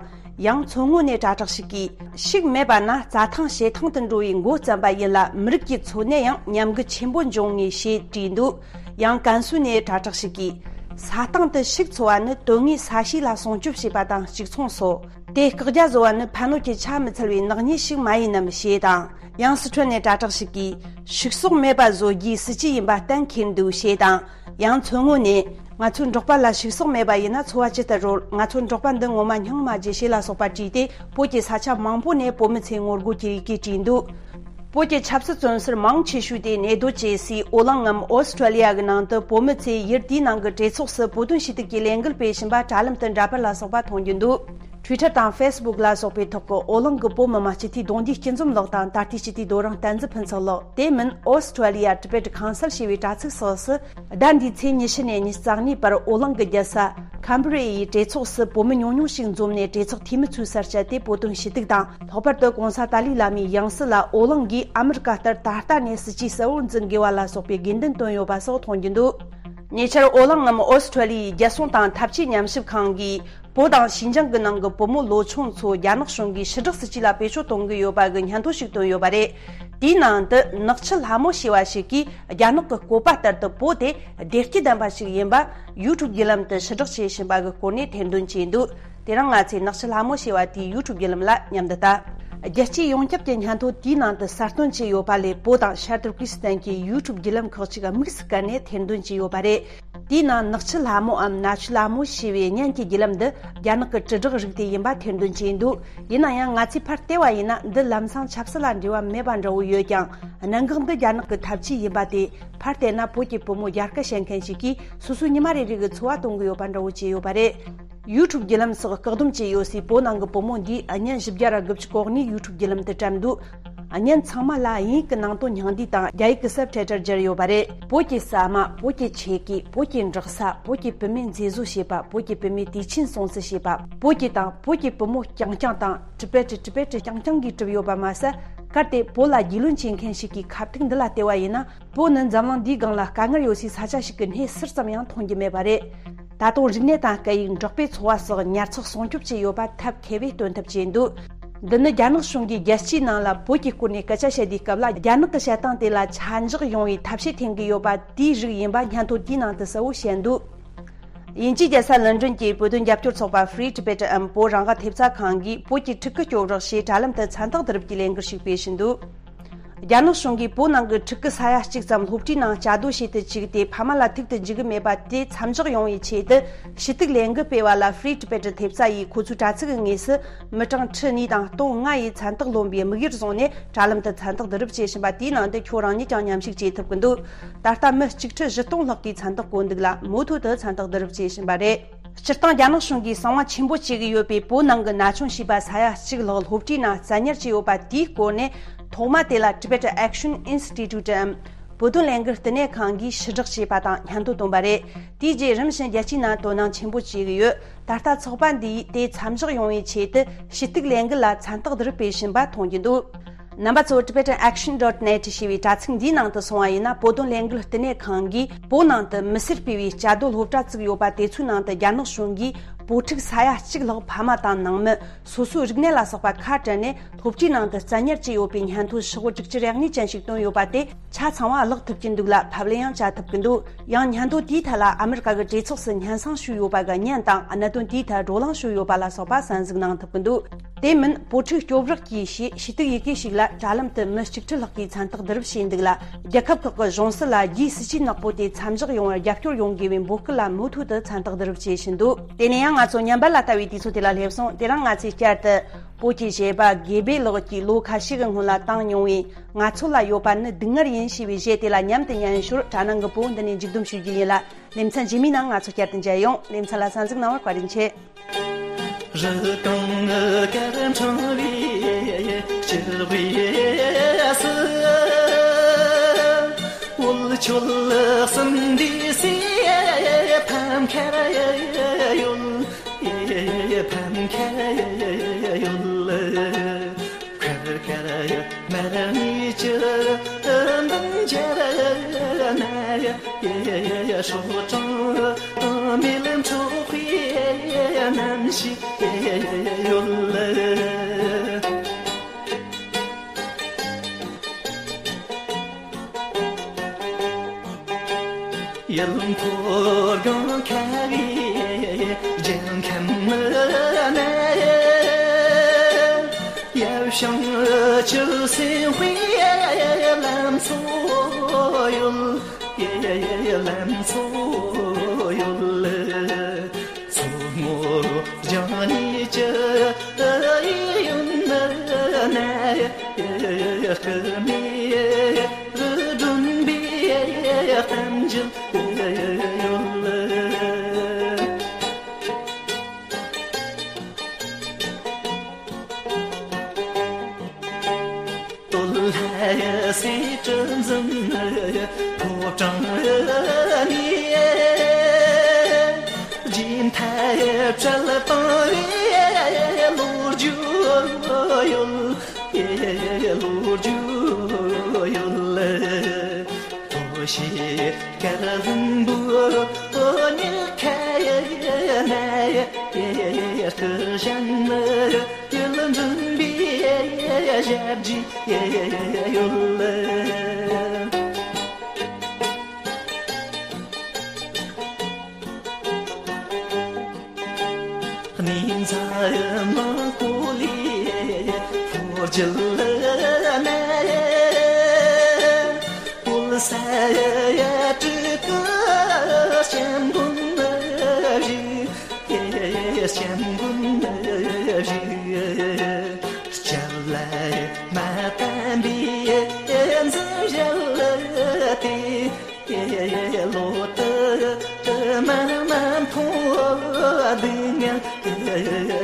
ཡང་མཚོ་སྔོན་ནས་དྲ་གྲགས་ཤིག་གིས། ཕྱུགས་མེད་པ་ན་རྩྭ་ཐང་བྱེ་ཐང་དུ་འགྲོ་བའི་མགོ་བརྩམས་པ་ཡིན་ལ། མི་རིགས་ཀྱི་འཚོ་གནས་ཡང་ཉམས་རྒུད་ཆེན་པོ་འབྱུང་ངེས་ཞེས་བྲིས་འདུག་ཡང་ཀན་སུའུ་ནས་དྲ་གྲགས་ཤིག་གིས། ས་སྟེང་དུ་ཕྱུགས་འཚོ་བ་ནི་དོན་དངོས་ས་གཤིས་ལ་སྲུང་སྐྱོབ་བྱེད་པ་དང་གཅིག་མཚུངས་སོ། དེ་བཀག་རྒྱ་བཟོ་བ་ནི་ཕན་གནོད་ཀྱི་ཆ་མི་འཚལ་བའི་ནག་ཉེས་ཤིག་མ་ཡིན་ནམ་ཞེས་དང་། ཡང་སི་ཁྲོན་ནས་དྲ་གྲགས་ཤིག་གིས། ཕྱུགས་ཟོག་མེད་པ་བཟོ་རྒྱུའི་སྲིད་ཇུས་ཡིན་པ་གཏན་འཁེལ་འདུག་ཞེས་དང་། ཡང་མཚོ་སྔོན་ནས། ང་ཚོའི་འབྲོག་པ་ལ་ཕྱུགས་ཟོག་མེད་པ་ཡིན་ན་འཚོ་བ་ཇི་ལྟར་རོལ། ང་ཚོའི་འབྲོག་པ་འདི་ངོ་མ་སྙིང་མ་རྗེ་ཞེས་ལ་སོགས་པ་བྲིས་ཏེ། བོད་ཀྱི་ས་ཆ་མང་པོ་ནས་བོད་མི་ཚོས་ངོ་རྒོལ་གྱི་ཡི་གེ་བྲིས་འདུག་བོད་ཀྱི་ཆབ་སྲིད་བཙོན་ཟུར་མང་ཆེ་ཤོས་དེ་གནས་སྡོད་བྱེད་སའི་ཨོ་གླིང་ངམ་ཨོ་སི་ཁྲུ་ལི་ཡ་གི་ནང་དུ་བོད་མི་ཚོས་ཡུལ་དེའི་ནང་གི་གྲོས་ཚོགས་སུ་བོད་དོན་ཞུ་གཏུག་གི་ལས་འགུལ་སྤེལ་བཞིན་པ་དྲ་ལམ་དུ་འདྲ་པར་ལ་སོགས་པ་མཐོང་རྒྱུ་འདུག Twitter་དང་Facebook་ལ་སོགས་པའི་ཐོག་གི་ཨོ་གླིང་གི་བོད་མི་མང་སྤྱི་འཐུས་གདུང་འདུས་སྐྱིད་འཛོམས་ལགས་དང་ད་ལྟའི་སྤྱི་འཐུས་རྡོ་རིང་བསྟན་འཛིན་ཕུན་ཚོགས་ལགས། དེ་མིན་Australia Tibet Council་ཞེས་པའི་དྲ་ཚིགས་སོགས་སུ། ཟླ་འདིའི་ཚེས་ཉི་ཤུ་ནས་ཉི་ཤུ་རྩ་གཉིས་བར་ཨོ་གླིང་གི་རྒྱལ་ས་ཁམ་བྷི་རེ་ཡི་གྲོས་ཚོགས་སུ་བོད་མི་ཉུང་ཉུང་ཞིག་འཛོམས་ནས་གྲོས་ཚོགས་འཐུས་མི་ཚོའི་སར་བཅར་ཏེ་བོད་དོན་ཞུ་གཏུག་དང་། ལྷག་པར་དུ་གོང་ས་ཏཱ་ལའི་བླ་མའི་ཡང་སྲིད་ལ་ཨོ་གླིང་གིས་ཨ་མི་རི་ཀ་ལྟར་ད་ལྟ་ནས་སྲིད་ཇུས་གསལ་བོར་འཛིན་དགོས་པ་ལ་སོགས་པའི་དགོས་འདུན་བཏོན་ཡོད་པ་སོགས་མཐོང་རྒྱུ་འདུག་ཉེ་ཆར་ཨོ་གླིང་ངམ་ཨོ་སི་ཁྲུ་ལི་ཡའི་རྒྱལ་སྲུང་དང་འཐབ་ཇུས་ཉམས་ཞིབ་ཁང་གིས། བོད་དང་ཞིན་ཅང་གི་ནང་གི་བུ་མོ་ལོ་ཆུང་ཚོ་རྒྱ་ནག་གཞུང་གིས་ཕྱི་དྲག་སྲིད་ཇུས་ལ་བེད་སྤྱོད་གཏོང་གི་ཡོད་པ་གི་སྙན་ཐོ་ཞིག་བཏོན་ཡོད་པ་རེད། དེའི་ནང་དུ་ནག་ཆུ་ལྷ་མོ་ཞེས་པ་ཞིག་གིས་རྒྱ་ནག་གི་བཀོད་པ་ལྟར་དུ་བོད་དེ་བདེ་སྐྱིད་ལྡན་པ་ཞིག་ཡིན་པ་ཡུ་ཊུབ་བརྒྱུད་ལམ་དུ་ཕྱི་དྲག་བྱེད་བཞིན་པ་གི་སྐོར་ནས་ཐེར་འདོན་བྱས་འདུག་དེ་རིང་ང་ཚོས་ནག་ཆུ་ལྷ་མོ་ཞེས་པ་དེའི་ཡུ་ཊུབ་བརྒྱུད་ལམ་ལ་མཉམ་དུ་ལྟ། རྒྱལ་སྤྱིའི་ཡོངས་ཁྱབ་ཀྱི་སྙན་ཐོ་དེའི་ནང་དུ་གསལ་སྟོན་བྱས་ཡོད་པ་ལས། བོད་དང་ཤར་ཏུར་ཀི་སི་ཐན་གྱི་ཡུ་ཊུབ་བརྒྱུད་ལམ་ཁག་ཅིག་དམིགས་སུ་བཀར་ནས་ཐེར་འདོན་བྱས་ཡོད་པ་རེད། དེའི་ནང་ནག་ཆུ་ལྷ་མོའམ་ན་ཆུ་ལྷ་མོ་ཞེས་པའི་བརྙན་གྱི་བརྒྱུད་ལམ་འདི་རྒྱ་ནག་གི་དྲིལ་བསྒྲགས་རིགས་དེ་ཡིན་པ་ཐེར་འདོན་བྱས་འདུག་ཡིན་ན་ཡང་ང་ཚོས་ཕར་བལྟས་པ་ཡིན་ན་འདི་ལམ་སང་ཆབ་སྲིད་ལ་འབྲེལ་བ་མེད་པ་འདྲ་བོ་ཡོད་ཀྱང་། གནད་འགག་འདི་རྒྱ་ནག་གི་འཐབ་ཇུས་ཡིན་པ་དེ་ཕར་བལྟས་ན་བོད་ཀྱི་བུ་མོ་རྒྱལ་ཁ་བཤད་མཁན་ཞིག་གིས་སོ་སོའི་ཉི་མ་རེ་རེ་གི་འཚོ་བ་གཏོང་གི་ཡོད་པ་འདྲ་བོ་བྱས་ཡོད་པ་རེད། ཡུ་ཊུབ་བརྒྱུད་ལམ་སོགས་བཀག་སྡོམ་བྱས་ཡོད་སའི་བོད་ནང་གི་བུ་མོ་འདིས་བརྙན་བཞི་བརྒྱ་ར་དགུ་བཅུ་གོ་གཉིས་ཡུ་ཊུབ་བརྒྱུད་ལམ་དུ་བཀྲམ་འདུག་བརྙན་ཚང་མ་ལ་དབྱིན་ཡིག་གི་ནང་དོན་སྙིང་བསྡུས་དང་རྒྱ་ཡིག་གི་སབ་ཊའི་ཊལ་སྦྱར་ཡོད་པ་རེད། བོད་ཀྱི་ཟ་མ། བོད་ཀྱི་ཆས་གོས། བོད་ཀྱི་འབྲོག་ས། བོད་ཀྱི་བུད་མེད་མཛེས་བཟོ་བྱེད་པ། བོད་ཀྱི་བུད་མེད་དུས་ཆེན་སྲུང་བརྩི་བྱེད་པ། བོད་ཀྱི་དང་བོད་ཀྱི་བུ་མོ་རྐྱང་རྐྱང་དང་ཊི་བེ་ཊི། ཊི་བེ་ཊི་རྐྱང་རྐྱང་གིས་གྲུབ་ཡོད་པ་མ་ཟད། གལ་ཏེ་བོད་ལ་རྒྱུས་ལོན་བྱེད་མཁན་ཞིག་གིས་ཁ་ཐུག་འདི་ལ་བལྟས་པ་ཡིན་ན། བོད་ནི་འཛམ་གླིང་འདིའི་སྒང་ལ་དཀའ་ངལ་ཡོད་སའི་ས་ཆ་ཞིག་གི་སྣེ་ཟུར་ཙམ་ཡང་མཐོང་རྒྱུ་མེད་པ་རེད། ད་དུང་རིག་གནས་དང་སྐད་ཡིག་འབྲོག་པའི་འཚོ་བ་སོགས་ཉར་ཚགས་སྲུང་སྐྱོབ་བྱེད་ཡོད་པ་ཐབས་མཁས་པས་སྟོན་ཐབས་བྱས་འདུག་འདི་ནི་རྒྱ་ནག་གཞུང་གིས་རྒྱལ་སྤྱིའི་ནང་ལ་བོད་ཀྱི་སྐོར་ནས་སྐད་ཆ་བཤད་དུས་སྐབས་ལ། རྒྱ་ནག་གི་བཤད་སྟངས་དེ་ལ་ཆ་འཇོག་ཡོང་བའི་ཐབས་ཤེས་འཐེན་གྱི་ཡོད་པ་དེའི་རིགས་ཡིན་པ་སྙན་ཐོ་དེའི་ནང་དུ་གསལ་བོ་བཤད་འདུག་དབྱིན་ཇིའི་རྒྱལ་ས་ལོན་ཀྲོན་གྱི་བོད་དོན་རྒྱབ་སྐྱོར་ཚོགས་པ་Free Tibet འམ་བོད་རང་དབང་ཐེབས་རྩ་ཁང་གིས་བོད་ཀྱི་ཕྲུ་གུ་སྐྱོབ་རོགས་ཞེས་དྲ་ལམ་དུ་མཚན་རྟགས་བསྡུ་རུབ་ཀྱི་ལས་འགུལ་ཞིག་སྤེལ་བཞིན་འདུག་རྒྱ་ནག་གཞུང་གིས་བོད་ནང་གི་ཕྲུ་གུ་ས་ཡ་གཅིག་ཙམ་སློབ་གྲྭའི་ནང་བཅའ་སྡོད་བྱེད་དུ་བཅུག་སྟེ། ཕ་མ་ལ་ཐུག་ཏུ་འཇུག་གི་མེད་པ་དེ་མཚམས་འཇོག་ཡོང་བའི་ཆེད་དུ། ཞུ་གཏུག་ལས་འགུལ་སྤེལ་བ་ལ་Free Tibet ཐེབས་རྩ་ཡིས་ཁོ་ཚོའི་དྲ་ཚིགས་ཀྱི་ངོས་སུ་མི་གྲངས་ཁྲི་གཉིས་དང་སྟོང་ལྔ་ཡིས་མཚན་རྟགས་ལོན་པའི་དམིགས་ཡུལ་བཟུང་ནས་དྲ་ལམ་དུ་མཚན་རྟགས་བསྡུ་རུབ་བྱེད་བཞིན་པ་དེའི་ནང་དུ་ཁྱོད་རང་ཉིད་ཀྱང་མཉམ་ཞུགས་བྱེད་ཐུབ་ཀྱི་འདུག་ད་ལྟ་མི་གཅིག་ཁྲི་བཞི་སྟོང་ལྷག་གིས་མཚན་རྟགས་བཀོད་འདུག་ལ། མུ་མཐུད་དུ་མཚན་རྟགས་བསྡུ་རུབ་བྱེད་བཞིན་པ་རེད། སྤྱིར་བཏང་རྒྱ་ནག་གཞུང་གིས་གསང་བ་ཆེན་པོ་བྱེད་ཀྱི་ཡོད་པའི་བོད་ནང་གི་ན་ཆུང་བྱིས་པ་ས་ཡ་གཅིག་ལྷག་སློབ་གྲྭའི་ནང་བཙན་ཉར་བྱས་ཡོད་པ་དེའི་སྐོར་ནས། ཐོག་མ་དེ་ལ་Tibet Action Institute འམ་བོད་དོན་ལས་འགུལ་བསྟི་གནས་ཁང་གིས་ཕྱིར་བསྒྲགས་བྱས་པ་དང་། སྙན་ཐོ་བཏོན་པ་རེད། དེའི་རྗེས་རིམ་བཞིན་རྒྱལ་སྤྱིའི་ནང་དོ་སྣང་ཆེན་པོ་བྱེད་ཀྱི་ཡོད། ད་ལྟ་ཚོགས་པ་འདིས་དེ་མཚམས་འཇོག་ཡོང་བའི་ཆེད་དུ་ཞུ་གཏུག་ལས་འགུལ་ལ་མཚན་རྟགས་བསྡུ་རུབ་སྤེལ་བཞིན་པ་མཐོང་རྒྱུ་འདུག་རྣམ་པ་ཚོ་Tibetan Action dot net ཞེས་པའི་དྲ་ཚིགས་འདིའི་ནང་དུ་སོང་བ་ཡིན་ན། བོད་དོན་ལས་འགུལ་བསྟི་གནས་ཁང་གིས་བོད་ནང་དུ་མི་སེར་སྤེལ་བའི་བཅའ་སྡོད་སློབ་གྲྭ་བཙུགས་ཡོད་པ་དེ་ཚོའི་ནང་དུ་རྒྱ་ནག་གཞུང་གིས་བོད་ཕྲུག་ས་ཡ་གཅིག་ལྷག་ཕ་མ་དང་ནང་མི། སོ་སོའི་རིག་གནས་ལ་སོགས་པ་ཁ་བྲལ་ནས་སློབ་གྲྭའི་ནང་དུ་བཙན་ཉར་བྱས་ཡོད་པའི་སྙན་ཐོ་ཧྲིལ་བོ་དྲུག་ཅུ་རེ་གཉིས་ཅན་ཞིག་བཏོན་ཡོད་པ་དེ་ཆ་ཚང་བ་བརླག་ཐུབ་ཀྱི་འདུག་ལ། ཕབ་ལེན་ཡང་བྱ་ཐུབ་ཀྱི་འདུག་ཡང་སྙན་ཐོ་དེའི་ཐད་ལ་ཨ་མི་རི་ཀ་གི་གྲོས་ཚོགས་སུ་སྙན་སེང་ཞུས་ཡོད་པ་གི་བརྙན་དང་། གནད་དོན་དེའི་ཐད་བགྲོ་གླེང་ཞུས་ཡོད་པ་ལ་སོགས་པ་གསན་གཟིགས་གནང་ཐུབ་ཀྱི་འདུག་དེ་མིན་བོད་ཕྲུག་སྐྱོབ་རོགས་ཀྱིས་ཞེས་ཞུ་གཏུག་ཡི་གེ་ཞིག་ལ་དྲ་ལམ་དུ་མི་གཅིག་ཁྲི་ལྷག་གིས་མཚན་རྟགས་བསྡུ་རུབ་བྱས་འདུག་ལ། རྒྱལ་ཁབ་ཁག་གི་གཞུང་སྲིད་ལ་རྒྱའི་སྲིད་ཇུས་ནག་པོ་དེ་མཚམས་འཇོག་ཡོང་བར་རྒྱབ་སྐྱོར་ཡོང་དགོས་པའི་འབོད་སྐུལ་ལ་མུ་མཐུད་དུ་མཚན་རྟགས་བསྡུ་རུབ་བྱེད་བཞིན་འདུག་དེ་ནས་ཡང་ང་ཚོ་ཉམས་པ་ལ་ལྟ་བའི་དུས་ཚོད་དེ་ལ་སླེབས་སོང་། དེ་རིང་ང་ཚོས་བསྐྱར་དུ་བོད་ཀྱི་གཞས་པ་དགེ་འཕེལ་ལགས་ཀྱིས་ལོ་ཁ་ཤས་ཀྱི་སྔོན་ལ་བཏང་མྱོང་བའི། ང་ཚོ་ལ་ཡོད་པ་ནི་སྡུག་བསྔལ་ཡིན་ཞེས་པའི་གཞས་དེ་ལ་མཉམ་དུ་ཉན་ཞོར། དྲ་ནང་གི་བོད་འདི་ནས་མཇུག་བསྡོམས་ཞུ་རྒྱུ་ཡིན་ལ། ལེ་ཚན་རྗེས་མའི་ནང་ང་ཚོ་བསྐྱར་དུ་མཇལ་ཡོང་། ལེ་ཚན་ལ་གསན་གཟིགས་གནང་བར་བཀའ་དྲིན་ཆེ། རི་སྒང་དཀར་འཕྲེང་བའི་སྤྱི་བོའི་སུ། འོད་མཆོད་གསུམ་འདུས་སའི་ཕམ་ཁར་ཡོད། ཕམ་ཁར་ཡོད། ཁར་ཁར་མར་མེ་ཆུ་འདི་འབྱར་ན། སྲོག་དྲང་མེ་ལ་འཕྲོག་པའི་རྣམ་ཤེས་ཡོད། ཡུལ་འཁོར་སྒང་ཁ་བའི་རྒྱལ་ཁམས་ན། ཡབ་བྱང་ཆུབ་སེམས་དཔའི་ལམ་མཚོ་ཡོད། ལམ་མཚོ་ཡོད། མཚོ་སྔོན་ལྗང་ནས་ཅི་ཡོད་ན། སྐུ་མེ་རུ་སྒྲོན་པའི་གཏམ་རྒྱུད་ཡོད། སྟོད་ལྷ་སེ་གྲུ་འཛིན་ཕོ་བྲང་ནས། རྗེས་མཐའ་བྲལ་བཏང་བའི་ལོ་རྒྱུས་ཡོད། ལོ་རྒྱུས་ཡོད། ཐོ་ཤེས་དཀར་ལྷུན་པོའི་ཉི་ཁ་ན། སྐུ་ཞབས་ཡུལ་འགྲིམ་པའི་ཞབས་རྗེས་ཡོད། གནས་མཛའ་མང་པོ་ལས་ལྷོ་རྒྱུད་ན། བོད་ས་ཡ་དྲུག་གི་སྐྱབས་མགོན་བཞུགས། སྐྱབས་མགོན་བཞུགས། སྐྱབས་ལ་མ་བརྟེན་པའི་འཛིན་གཞི་དེ། ལོ་དུ་མ་མ་མཐོང་སྡུག་བསྔལ་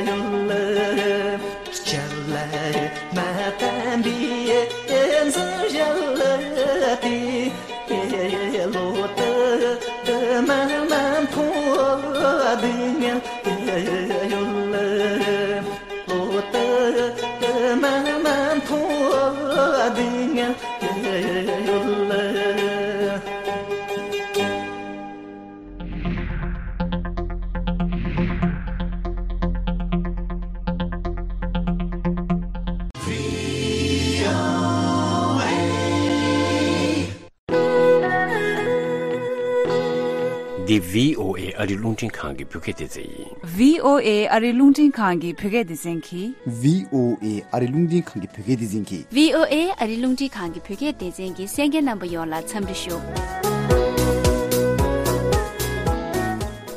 ཡོད། སྐྱབས་ལ་མ་བརྟེན་པའི་འཛིན་གཞི་དེ། ལོ་དུ་མ་མ་མཐོང་སྡུག་བསྔལ་ཡོད། ལོ་དུ་མ་མ་མཐོང་སྡུག་བསྔལ་ཡོད། འདི་བྷི་ཨོ་ཨེ་ཨ་རིའི་རླུང་འཕྲིན་ཁང་གི་བོད་སྐད་སྡེ་ཚན་ཡིན། བྷི་ཨོ་ཨེ་ཨ་རིའི་རླུང་འཕྲིན་ཁང་གི་བོད་སྐད་སྡེ་ཚན་གྱིས། བྷི་ཨོ་ཨེ་ཨ་རིའི་རླུང་འཕྲིན་ཁང་གི་བོད་སྐད་སྡེ་ཚན་གྱིས། བྷི་ཨོ་ཨེ་ཨ་རིའི་རླུང་འཕྲིན་ཁང་གི་བོད་སྐད་སྡེ་ཚན་གྱི་གསན་མཁན་རྣམ་པ་ཡོངས་ལ་འཚམས་འདྲི་ཞུ།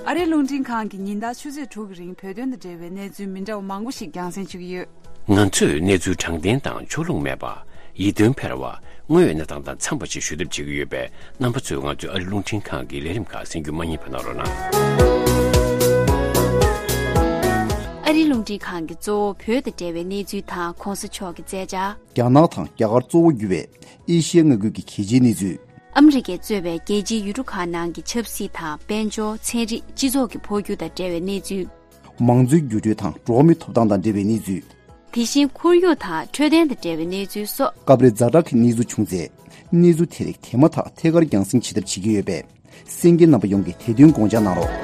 ཨ་རིའི་རླུང་འཕྲིན་ཁང་གིས་ཉིན་ལྟར་ཆུ་ཚོད་དྲུག་གི་རིང་བོད་དོན་དང་འབྲེལ་བའི་གནས་ཚུལ་མི་འདྲ་བ་མང་པོ་ཞིག་རྒྱང་སྲིང་ཞུ་གི་ཡོད། ང་ཚོས་གནས་ཚུལ་དྲང་བདེན་དང་ཕྱོགས་ལྷུང་མེད་པ། ཡིད་རྟོན་འཕེར་བ། དངོས་ཡོད་གནས་སྟངས་དང་འཚམས་པ་ཞིག་ཞུ་ཐབས་བྱེད་ཀྱི་ཡོད་པས། རྣམ་པ་ཚོས་ང་ཚོའི་ཨ་རིའི་རླུང་འཕྲིན་ཁང་གི་ལས་རིམ་ཁག་གསན་རྒྱུ་མ་བསྙེལ་བ་གནང་རོགས་གནང་། ཨ་རིའི་རླུང་འཕྲིན་ཁང་གིས་གཙོ་བོ་བོད་དང་འབྲེལ་བའི་གནས་ཚུལ་དང་གོང་ས་མཆོག་གི་མཛད་འཆར། རྒྱ་ནག་དང་རྒྱ་གར་གཙོ་བོ་གྱུར་བའི་ཨེ་ཤི་ཡའི་མངའ་ཁུལ་གྱི་གལ་ཆེའི་གནས་ཚུལ། ཨ་མི་རི་ཀས་གཙོས་པའི་རྒྱལ་སྤྱིའི་ཡུལ་གྲུ་ཁག་ནང་གི་ཆབ་སྲིད་དང་དཔལ་འབྱོར། ཚན་རིག་སྤྱི་ཚོགས་ཀྱི་འཕོ་འགྱུར་དང་འབྲེལ་བའི་གནས་ཚུལ། མང་གཙོའི་འགྱུར་འགྲོས་དང་འགྲོ་བ་མིའི་ཐོབ་ཐང་དང་འབྲེལ་བའི་གནས་ཚུལ། དེ་བཞིན་ཁོར་ཡུག་དང་འཕྲོད་བསྟེན་དང་འབྲེལ་བའི་གནས་ཚུལ་སོགས། སྐབས་རེ་ཛ་དྲག་གི་གནས་ཚུལ་བྱུང་ཚེ། གནས་ཚུལ་དེ་རིགས་དེ་མ་ཐག་ཐད་ཀར་རྒྱང་སྲིང་བྱེད་ཐབས་བྱེད་ཀྱི་ཡོད་པས། གསན་མཁན་རྣམ་པ་ཡོངས་ཀྱིས་དེ་དོན་དགོངས་འཇགས་གནང་རོགས།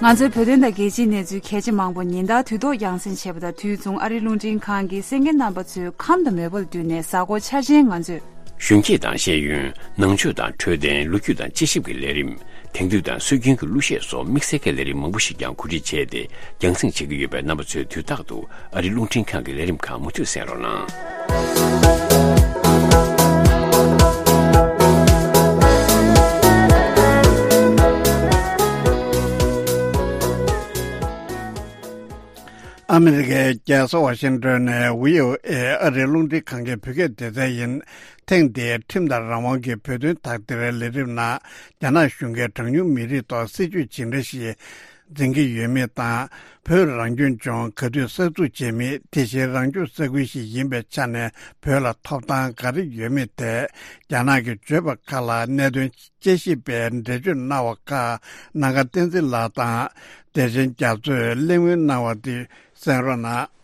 ང་ཚོའི་བོད་དོན་དང་རྒྱལ་སྤྱིའི་གནས་ཚུལ་གལ་ཆེ་མང་པོ་ཉིན་ལྟར་དུས་ཐོག་རྒྱང་སྲིང་བྱས་པ་དང་། དུས་མཚུངས་ཨ་རིའི་རླུང་འཕྲིན་ཁང་གིས་གསན་མཁན་རྣམ་པ་ཚོའི་ཁམས་དང་མོས་པ་ལ་བསྟུན་ནས་གཟའ་འཁོར་འཆར་ཅན་ང་ཚོས། གཞོན་སྐྱེས་དང་ཤེས་ཡོན། ནང་ཆོས་དང་འཕྲོད་བསྟེན། ལོ་རྒྱུས་དང་དཔྱད་ཞིབ་ཀྱི་ལས་རིམ། དེང་དུས་དང་སྲོལ་རྒྱུན་གྱི་གླུ་གཞས་སོགས་དམིགས་བསལ་གྱི་ལས་རིམ་མང་པོ་ཞིག་ཀྱང་གོ་སྒྲིག་བྱས་ཏེ་རྒྱང་སྲིང་བྱེད་ཀྱི་ཡོད་པས། རྣམ་པ་ཚོས་དུས་རྟག་ཏུ་ཨ་རིའི་རླུང་འཕྲིན་ཁང་གི་ལས་རིམ་ཁག་མུ་མཐུད་གསན་རོགས་གནང་། ཨ་མི་རི་ཀའི་རྒྱལ་ས་ཝ་ཤིང་ཏོན་ནས་བྷི་ཨོ་ཨེ་ཨ་རིའི་རླུང་འཕྲིན་ཁང་གི་བོད་སྐད་སྡེ་ཚན་ཡིན། ཐེངས་འདིའི་ཁྲིམས་དང་རང་དབང་གི་བོད་དོན་དག་ཐེར་ལས་རིམ་ནང་། རྒྱ་ནག་གཞུང་གིས་གྲངས་ཉུང་མི་རིགས་ཐོག་སྲིད་ཇུས་ཇི་འདྲ་ཞིག་འཛིན་གྱི་ཡོད་མེད་དང་། བོད་རང་སྐྱོང་ལྗོངས་ག་དུས་གསར་འཛུགས་བྱེད་མིན། དེ་བཞིན་རང་སྐྱོང་ས་ཁུལ་ཞིག་ཡིན་པའི་ཆ་ནས་བོད་ལ་ཐོབ་ཐང་ག་རེ་ཡོད་མེད་ཐད། རྒྱ་ནག་གི་བརྗོད་པ་ཁག་ལ་གནད་དོན་དཔྱད་ཞིབ་པས་འགྲེལ་བརྗོད་གནང་བ་ཁག་ནམ་མཁའ་བསྟན་འཛིན་ལགས་དང་བདེ་ཆེན་རྒྱ་མཚོས་གླེང་མོལ་གནང་བ་དེ་གསན་རོགས་གནང་།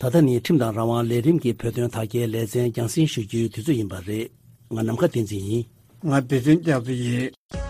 ད་ལྟ་ནི་ཁྲིམས་དང་རང་དབང་ལས་རིམ་གྱི་བོད་དོན་དག་ཐེར་ལེ་ཚན་རྒྱང་སྲིང་ཞུ་རྒྱུའི་དུས་ཚོད་ཡིན་པ་རེད། ང་ནམ་མཁའ་བསྟན་འཛིན་ཡིན། ང་བདེ་ཆེན་རྒྱ་མཚོ་ཡིན།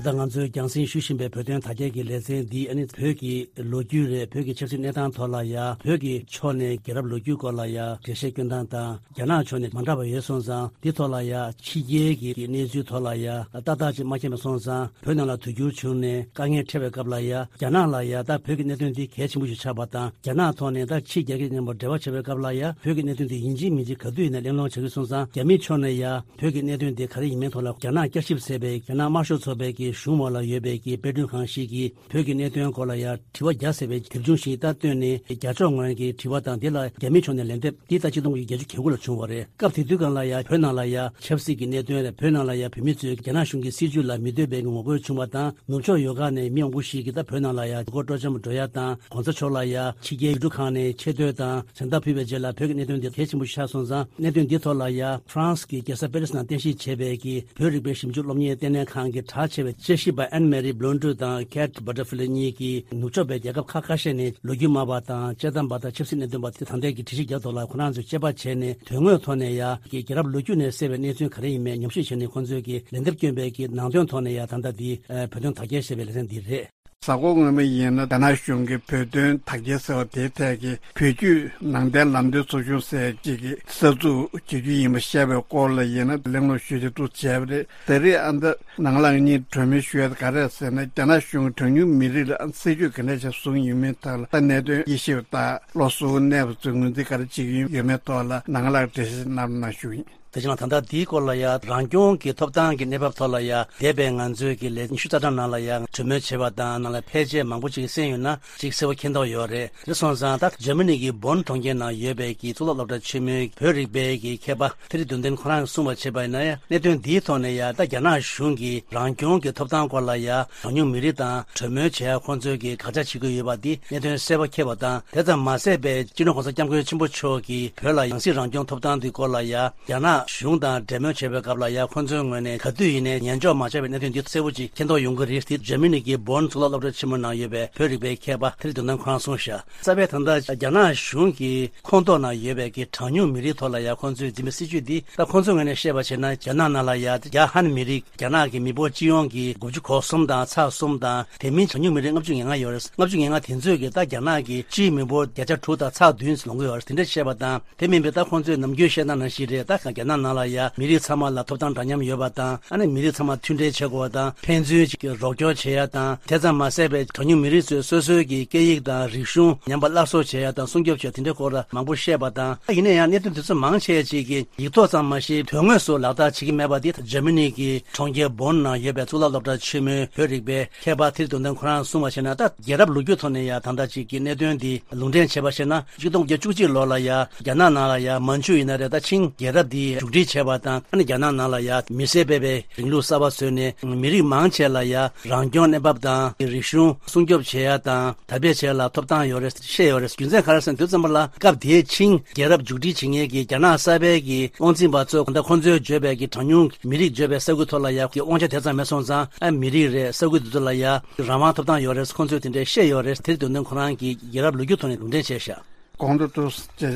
ད་ལྟ་ང་ཚོས་རྒྱང་སྲིང་ཞུ་བཞིན་པའི་བོད་དོན་དག་ཐེར་གྱི་ལེ་ཚན་འདི་ཨ་ནི་བོད་ཀྱི་ལོ་རྒྱུས་རེད། བོད་ཀྱི་ཆབ་སྲིད་གནས་སྟངས་ཐོག་ལ་ཡ། བོད་ཀྱི་ཕྱོགས་ནས་རྒྱལ་རབས་ལོ་རྒྱུས་སྐོར་ལ་ཡ་འགྲེལ་བཤད་སྐྱོན་སྟངས་དང་། རྒྱ་ནག་ཕྱོགས་ནས་མ་འདྲ་བ་ཡོད་སོང་ཙང་། འདི་ཐོག་ལ་ཡ་ཕྱི་རྒྱལ་གྱི་གནས་ཚུལ་ཐོག་ལ་ཡ་ཏག་ཏག་ཅིག་མ་མཁྱེན་པ་སོང་ཙང་། བོད་ནང་ལ་དུས་འགྱུར་བྱུང་ནས་དཀའ་ངལ་འཕྲད་པའི་སྐབས་ལ་ཡ། རྒྱ་ནག་ལ་ཡ་ད་བོད་ཀྱི་གནད་དོན་འདི་གལ་ཆེན་པོ་ཞིག་ཆགས་པ་དང་། རྒྱ་ནག་ཐོག་ནས་ད་ཕྱི་རྒྱལ་ཁབ་མཉམ་པོ་འབྲེལ་བ་བྱེད་པའི་སྐབས་ལ་ཡ། བོད་ཀྱི་གནད་དོན་འདི་ཡིན་གཅིག་མིན་གཅིག་ག་དུས་ཡིན་ན་གླེང་སློང་བྱ་རྒྱུ་སོང་ཙང་། རྒྱ་མིའི་ཕྱོགས་ནས་ཡ་བོད་ཀྱི་གནད་དོན་འདི་ག་རེ་ཡིན་མིན་ཐོག་ལ་རྒྱ་ནག་བསྐྱར་ཞིབ་ཟེར་བའི་རྒྱ་ནག་དམར་ཤོག་ཚོགས་པའི་གི་གཞུང་འོག་ལ་ཡོད་པའི་གི་དཔེ་སྐྲུན་ཁང་ཞིག་གིས་བོད་ཀྱི་གནད་དོན་སྐོར་ལ་ཡ་དྲི་བ་བརྒྱ་ཟེར་བའི་དེབ་ཆུང་ཞིག་ད་བཏོན་ནས། རྒྱ་ཕྱོགས་ངོས་ཀྱི་དྲི་བ་དང་། དེ་ལ་རྒྱ་མིའི་ཕྱོགས་ནས་ལན་འདེབས། འདི་ད་ཆིག་སྟོང་དགུ་བརྒྱ་བརྒྱད་ཅུ་གྱ་དགུ་ལ་བྱུང་བ་རེད། སྐབས་དེ་དུས་སྒང་ལ་ཡ་བོད་ནང་ལ་ཡ་ཆབ་སྲིད་ཀྱི་གནད་དོན་རེད། བོད་ནང་ལ་ཡ་བོད་མི་ཚོས་རྒྱ་ནག་གཞུང་གི་སྲིད་བྱུས་ལ་མི་འདོད་པའི་ངོ་རྒོལ་བྱུང་བ་དང་། ནུབ་ཕྱོགས་ཡོད་ཁག་ནས་མི་མང་པོ་ཞིག་གིས་ད་བོད་ནང་ལ་ཡ་ལུས་སྐོར་སྤྲོ་འཆམ་འགྲོ་ཡ་དང་། གོང་ས་མཆོག་ལ་ཡ་ཕྱི་རྒྱལ་ཡུལ་གྲུ་ཁག་ནས་ཆེ་བསྟོད་དང་མཚན་རྟགས་ཕུལ་བའི་རྗེས་ལ། བོད་ཀྱི་གནད་དོན་འདི་གལ་ཆེན་པོ་ཆགས་སོང་ཙང་། གནད་དོན་འདིའི་ཐོག་ལ་ཡ་ཧྥ་རན་སི་གི་རྒྱལ་ས་པེ་རི་སི་ནང་རྟེན་གཞི་བྱས་པའི་གི་བོད་རིག་པའི་ཞིབ་འཇུག་སློབ་གཉེར་ལྟེ་གནས་ཁང་གི་གྲགས་ཆེ་བའི་དཔྱད་ཞིབ་པ་ཨན་མེ་རི་བྷི་ལོན་ཌུ་དང་ཁེ་ཊི་བྷ་ཊར་ཕི་ལེ་གཉིས་ཀྱིས་ནུབ་ཕྱོགས་པའི་རྒྱལ་ཁབ་ཁག་ཁ་ཤས་ནས་ལོ་རྒྱུས་སྨྲ་བ་དང་དཔྱད་གཏམ་པ་དང་ཆབ་སྲིད་གནད་དོན་པ་དེ་ད་ལྟའི་གི་དྲི་ཞིབ་རྒྱག་ཐོག་ལ་ཁོ་རང་ཚོས་དཔྱད་པ་བྱས་ནས། དོན་དངོས་ཐོག་ནས་ཡ་གི་རྒྱལ་རབས་ལོ་རྒྱུས་ནས་གསལ་བའི་གནས་ཚུལ་ག་རེ་ཡིན་མིན་ཉམས་ཞིབ་བྱས་ནས། ཁོང་ཚོས་ཀྱི་ལན་འདེབས་བསྐྱོན་པའི་གི་ནང་དོན་ཐོག་ནས་ཡ་ད་ལྟ་འདི་བོད་དོན་དག་ཐེར་ཞེས་པའི་ལེ་ཚན་འདི་རེད། གཟའ་འཁོར་སྔོན་མ་ཡིན་ན་རྒྱ་ནག་གཞུང་གིས་བོད་དོན་དག་ཐེར་ཟེར་བ་དེའི་ཐད་ཀྱི་བོད་བརྒྱུད་ནང་བསྟན་ལམ་སྟོན་ཚོགས་ཆུང་ཟེར་གཅིག་གི་གསར་འཛུགས་བྱེད་རྒྱུ་ཡིན་པ་བཤད་པའི་སྐོར་ལ་ཡིན་ན་གླེང་སློང་ཞུ་ཆེད་འདུག་བྱས་པ་རེད། ད་རེས་ཨ་ད་ནང་ལགས་གཉིས་གྲོས་མོལ་ཞུ་ཡ་ག་རེ་ཟེར་ན། རྒྱ་ནག་གཞུང་གིས་གྲངས་ཉུང་མི་རིགས་ལ་སྲིད་ཇུས་ག་འདྲ་ཞིག་བཟུང་ཡོད་མེད་ཐད་ལ་ད་གནད་དོན་དབྱེ་ཞིབ་དང་བློ་གཟུ་བོར་གནས་པ་ཚོས་ངོས་འཛིན་ག་རེ་བྱེད་ཀྱི་ཡོད་མེད་ཐོག་ལ་ནང་ལགས་འགྲེལ་བཤད་གནང་རོགས་གནང་ཞུ་ཡིན། དེ་བཞིན་ད་ལྟ་འདིའི་སྐོར་ལ་ཡ་རང་སྐྱོང་གི་ཐོབ་ཐང་གི་གནས་བབ་ཐོག་ལ་ཡ་འདས་པའི་ང་ཚོའི་གི་ལས་ཉི་ཤུ་རྩ་གྲངས་ནང་ལ་ཡ་གྲོས་མོལ་བྱས་པ་དང་། ནང་ལ་ཕལ་ཆེར་མང་པོ་ཅིག་གསན་ཡོད་ན་ཅིག་གསལ་པོ་མཁྱེན་རྟོགས་ཡོད་རེད། དེ་སོང་ཙང་ད་འཇར་མ་ནི་གི་བོན་གྲོང་ཁྱེར་ནང་ཡོད་པའི་གི་གཙུག་ལག་སློབ་གྲྭ་ཆེན་མོའི་བོད་རིག་པའི་གི་མཁས་པ་ཐེ་རི་དུན་ཏན་ཁོ་རང་གིས་གསུངས་པར་བྱས་པ་ཡིན་ན་ཡ། གནད་དོན་འདིའི་ཐོག་ནས་ཡ་ད་རྒྱ་ནག་གཞུང་གིས་རང་སྐྱོང་གི་ཐོབ་ཐང་སྐོར་ལ་ཡ་གྲངས་ཉུང་མི་རིགས་དང་གྲོས་མོལ་བྱེད་ཡ་ཁོང་ཚོས་གི་དགག་བྱ་བྱེད་ཀྱི་ཡོད་པ་འདི་གནད་དོན་གསལ་པོ་འཁེལ་བ་དང་། དེ་ཙམ་མ་ཟད་པའི་སྤྱི་ནོར་༸གོང་ས་༸སྐྱབས་མགོན་ཆེན་པོ་མཆོག་གིས་བོད་ལ་ཡང་སྲིད་རང་སྐྱོང་ཐོབ་ཐང་དེའི་སྐོར་ལ་ཡ་རྒྱ་ནག་ གཞུང་དང་འབྲེལ་མོལ་བྱས་པའི་སྐབས་ལ་ཡང་ཁོང་ཚོའི་ངོས་ནས་ག་དུས་ཡིན་ནའི་ཉན་འཇོག་མ་བྱས་པའི་གནད་དོན་འདི་གསལ་པོ་ཅིག་མཁྱེན་རྟོགས་ཡོང་གི་རེད། དེ་འཇར་མ་ནི་གི་བོན་གཙུག་ལག་སློབ་གྲྭ་ཆེན་མོའི་ནང་ཡོད་པའི་བོད་རིག་པའི་མཁས་པ་ཐེ་རི་དོན་ལྡན་ཁོ་རང་གསུངས་ཤག་རྩ་བའི་ད་ལྟ་རྒྱ་ནག་གཞུང་གི་ཁོངས་གཏོགས་ནང་ཡོད་པའི་གི་གྲངས་ཉུང་མི་རིགས་ཐོག་ལ་ཡང་ཁོང་ཚོས་འཛིན་པའི་སྲིད་བྱུས་འདི། ད་ཁོང་ཚོའི་ངོས་ནས་བཤད་པ་བྱས་ན། རྒྱ་ནག་ནང་ལ་ཡང་རྒྱ་ཧན་མི་རིགས། རྒྱ་ནག་གི་མི་འབོར་སྤྱི་ཡོངས་ཀྱི་དགུ་བཅུ་གོ་གསུམ་དང་ཚེག་གསུམ་དང་། དེ་མིན་གྲངས་ཉུང་མི་རིགས་ལྔ་བཅུ་ང་ལྔ་ཡོད་རེད། ལྔ་བཅུ་ང་ལྔ་དེ་ཚོས་ཀྱི་ད་རྒྱ་ནག་གི་སྤྱིའི་མི་འབོར་བརྒྱ་ཆ་དྲུག་དང་ཚེག་བདུན་ལོངས་ཀྱི་ཡོད་རེད། དེ་འདྲ་བཤད་པ་དང་། དེ་མིན་པའི་ད་ཁོང་ཚོས་ནམ་རྒྱུན་བཤད་སྟངས་ནང་བཞིན་རེད། ད་རྒྱ་ནག་ནང་ལ་ཡང་མི་རིགས་ཚང་མ་ལ་ཐོབ་ཐང་འདྲ་མཉམ་ཡོད་པ་དང་། ཨ་ནི་མི་རིགས་ཚང་མ་མཐུན་འབྲེལ་བྱེད་དགོས་པ་དང་། ཕན་ཚུན་གཅིག་གི་རོགས་སྐྱོར་བྱེད་ཡ་དང་། དེ་ཙམ་མ་ཟད་པའི་གྲངས་ཉུང་མི་རིགས་ཚོས་སོ་སོའི་གི་སྐད་ཡིག་དང་རིག་གཞུང་ཉམས་པ་སླར་གསོ་བྱེད་ཡ་དང་སྲུང་སྐྱོབ་བྱེད་ཡ་དེ་འདྲའི་སྐོར་ལ་མང་པོ་བཤད་པ་དང་། ཡིན་ན་ཡང་གནད་དོན་དེ་ཚོ་མང་ཆེ་ཅིག་གི་ཡིག་ཐོག་ཙམ་མ་ཞིག་དོན་དངོས་སུ་ལག་བསྟར་བྱེད་ཀྱི་མེད་པ་དེ། འཇར་མ་ནི་གི་གྲོང་ཁྱེར་བོན་ནང་ཡོད་པའི་གཙུག་ལག་སློབ་གྲྭ་ཆེན་མོའི་བོད་རིག་པའི་མཁས་པ་ཐེ་རི་དོན་ལྡན་ཁོ་རང་གསུངས་པ་བྱས་ན། ད་རྒྱལ་རབས་ལོ་རྒྱུས་ཐོག་ནས་ཡང་ད་ལྟ་ཅིག་གི་གནད་དོན་འདི་ལུང་འདྲེན་བྱས་པ་བྱས་ན། གཅིག་སྟོང་དགུ་བརྒྱ་བཅུ་གཅིག་ལོ་ལ་ཡང་རྒྱ་ནག་ནང་ལ་ཡང་མན་ཇུ་ཡིན་ན་རེད། ད་ཆིང་རྒྱལ་རབས་འདི་མཇུག་སྒྲིལ་བྱས་པ་དང་། ཨ་ནི་རྒྱ་ནག་ནང་ལ་ཡང་མི་སེར་སྤེལ་བའི་རིང་ལུགས་གསར་པ་བཟོས་ནས། མི་རིགས་མང་ཆེ་ལ་ཡང་རང་སྐྱོང་གནས་བབ་དང་རིག་གཞུང་སྲུང་སྐྱོབ་བྱེད་ཡ་དང་དར་སྤེལ་བྱེད་ཡ་ལ་ཐོབ་ཐང་ཡོད་རེད། བཤད་ཡོད་རེད། རྒྱུ་མཚན་ག་རེ་ཟེར་ན། དུས་ཙམ་པ་ལ་སྐབས་དེའི་ཆིང་རྒྱལ་རབས་མཇུག་སྒྲིལ་བྱེད་མཁན་གྱི་རྒྱ་ནག་གསར་པའི་གི་དབང་འཛིན་པ་ཚོ། ད་ཁོང་ཚོའི་བརྗོད་པའི་གི་གྲངས་ཉུང་མི་རིགས་བརྗོད་པའི་ས་ཁུལ་ཐོག་ལ་ཡང་གི་དབང་ཆ་དེ་ཙམ་མེད་སོང་ཙང་། ཨ། མི་རིགས་རེད། ས་ཁུལ་དེ་ཚོ་ལ་ཡང་རང་དབང་ཐོབ་ཐང་ཡོད་རེད། ཁོང་ཚོས་དེ་འདྲའི་བཤད་ཡོད་རེད། དེ་དོན་དུ་ཁོ་རང་གིས་རྒྱལ་རབས་ལོ་རྒྱུས་ཐོག་ནས་ལུང་འདྲེན་བྱས་ཤག་གོང་དུ་ཏུ་ཅེས་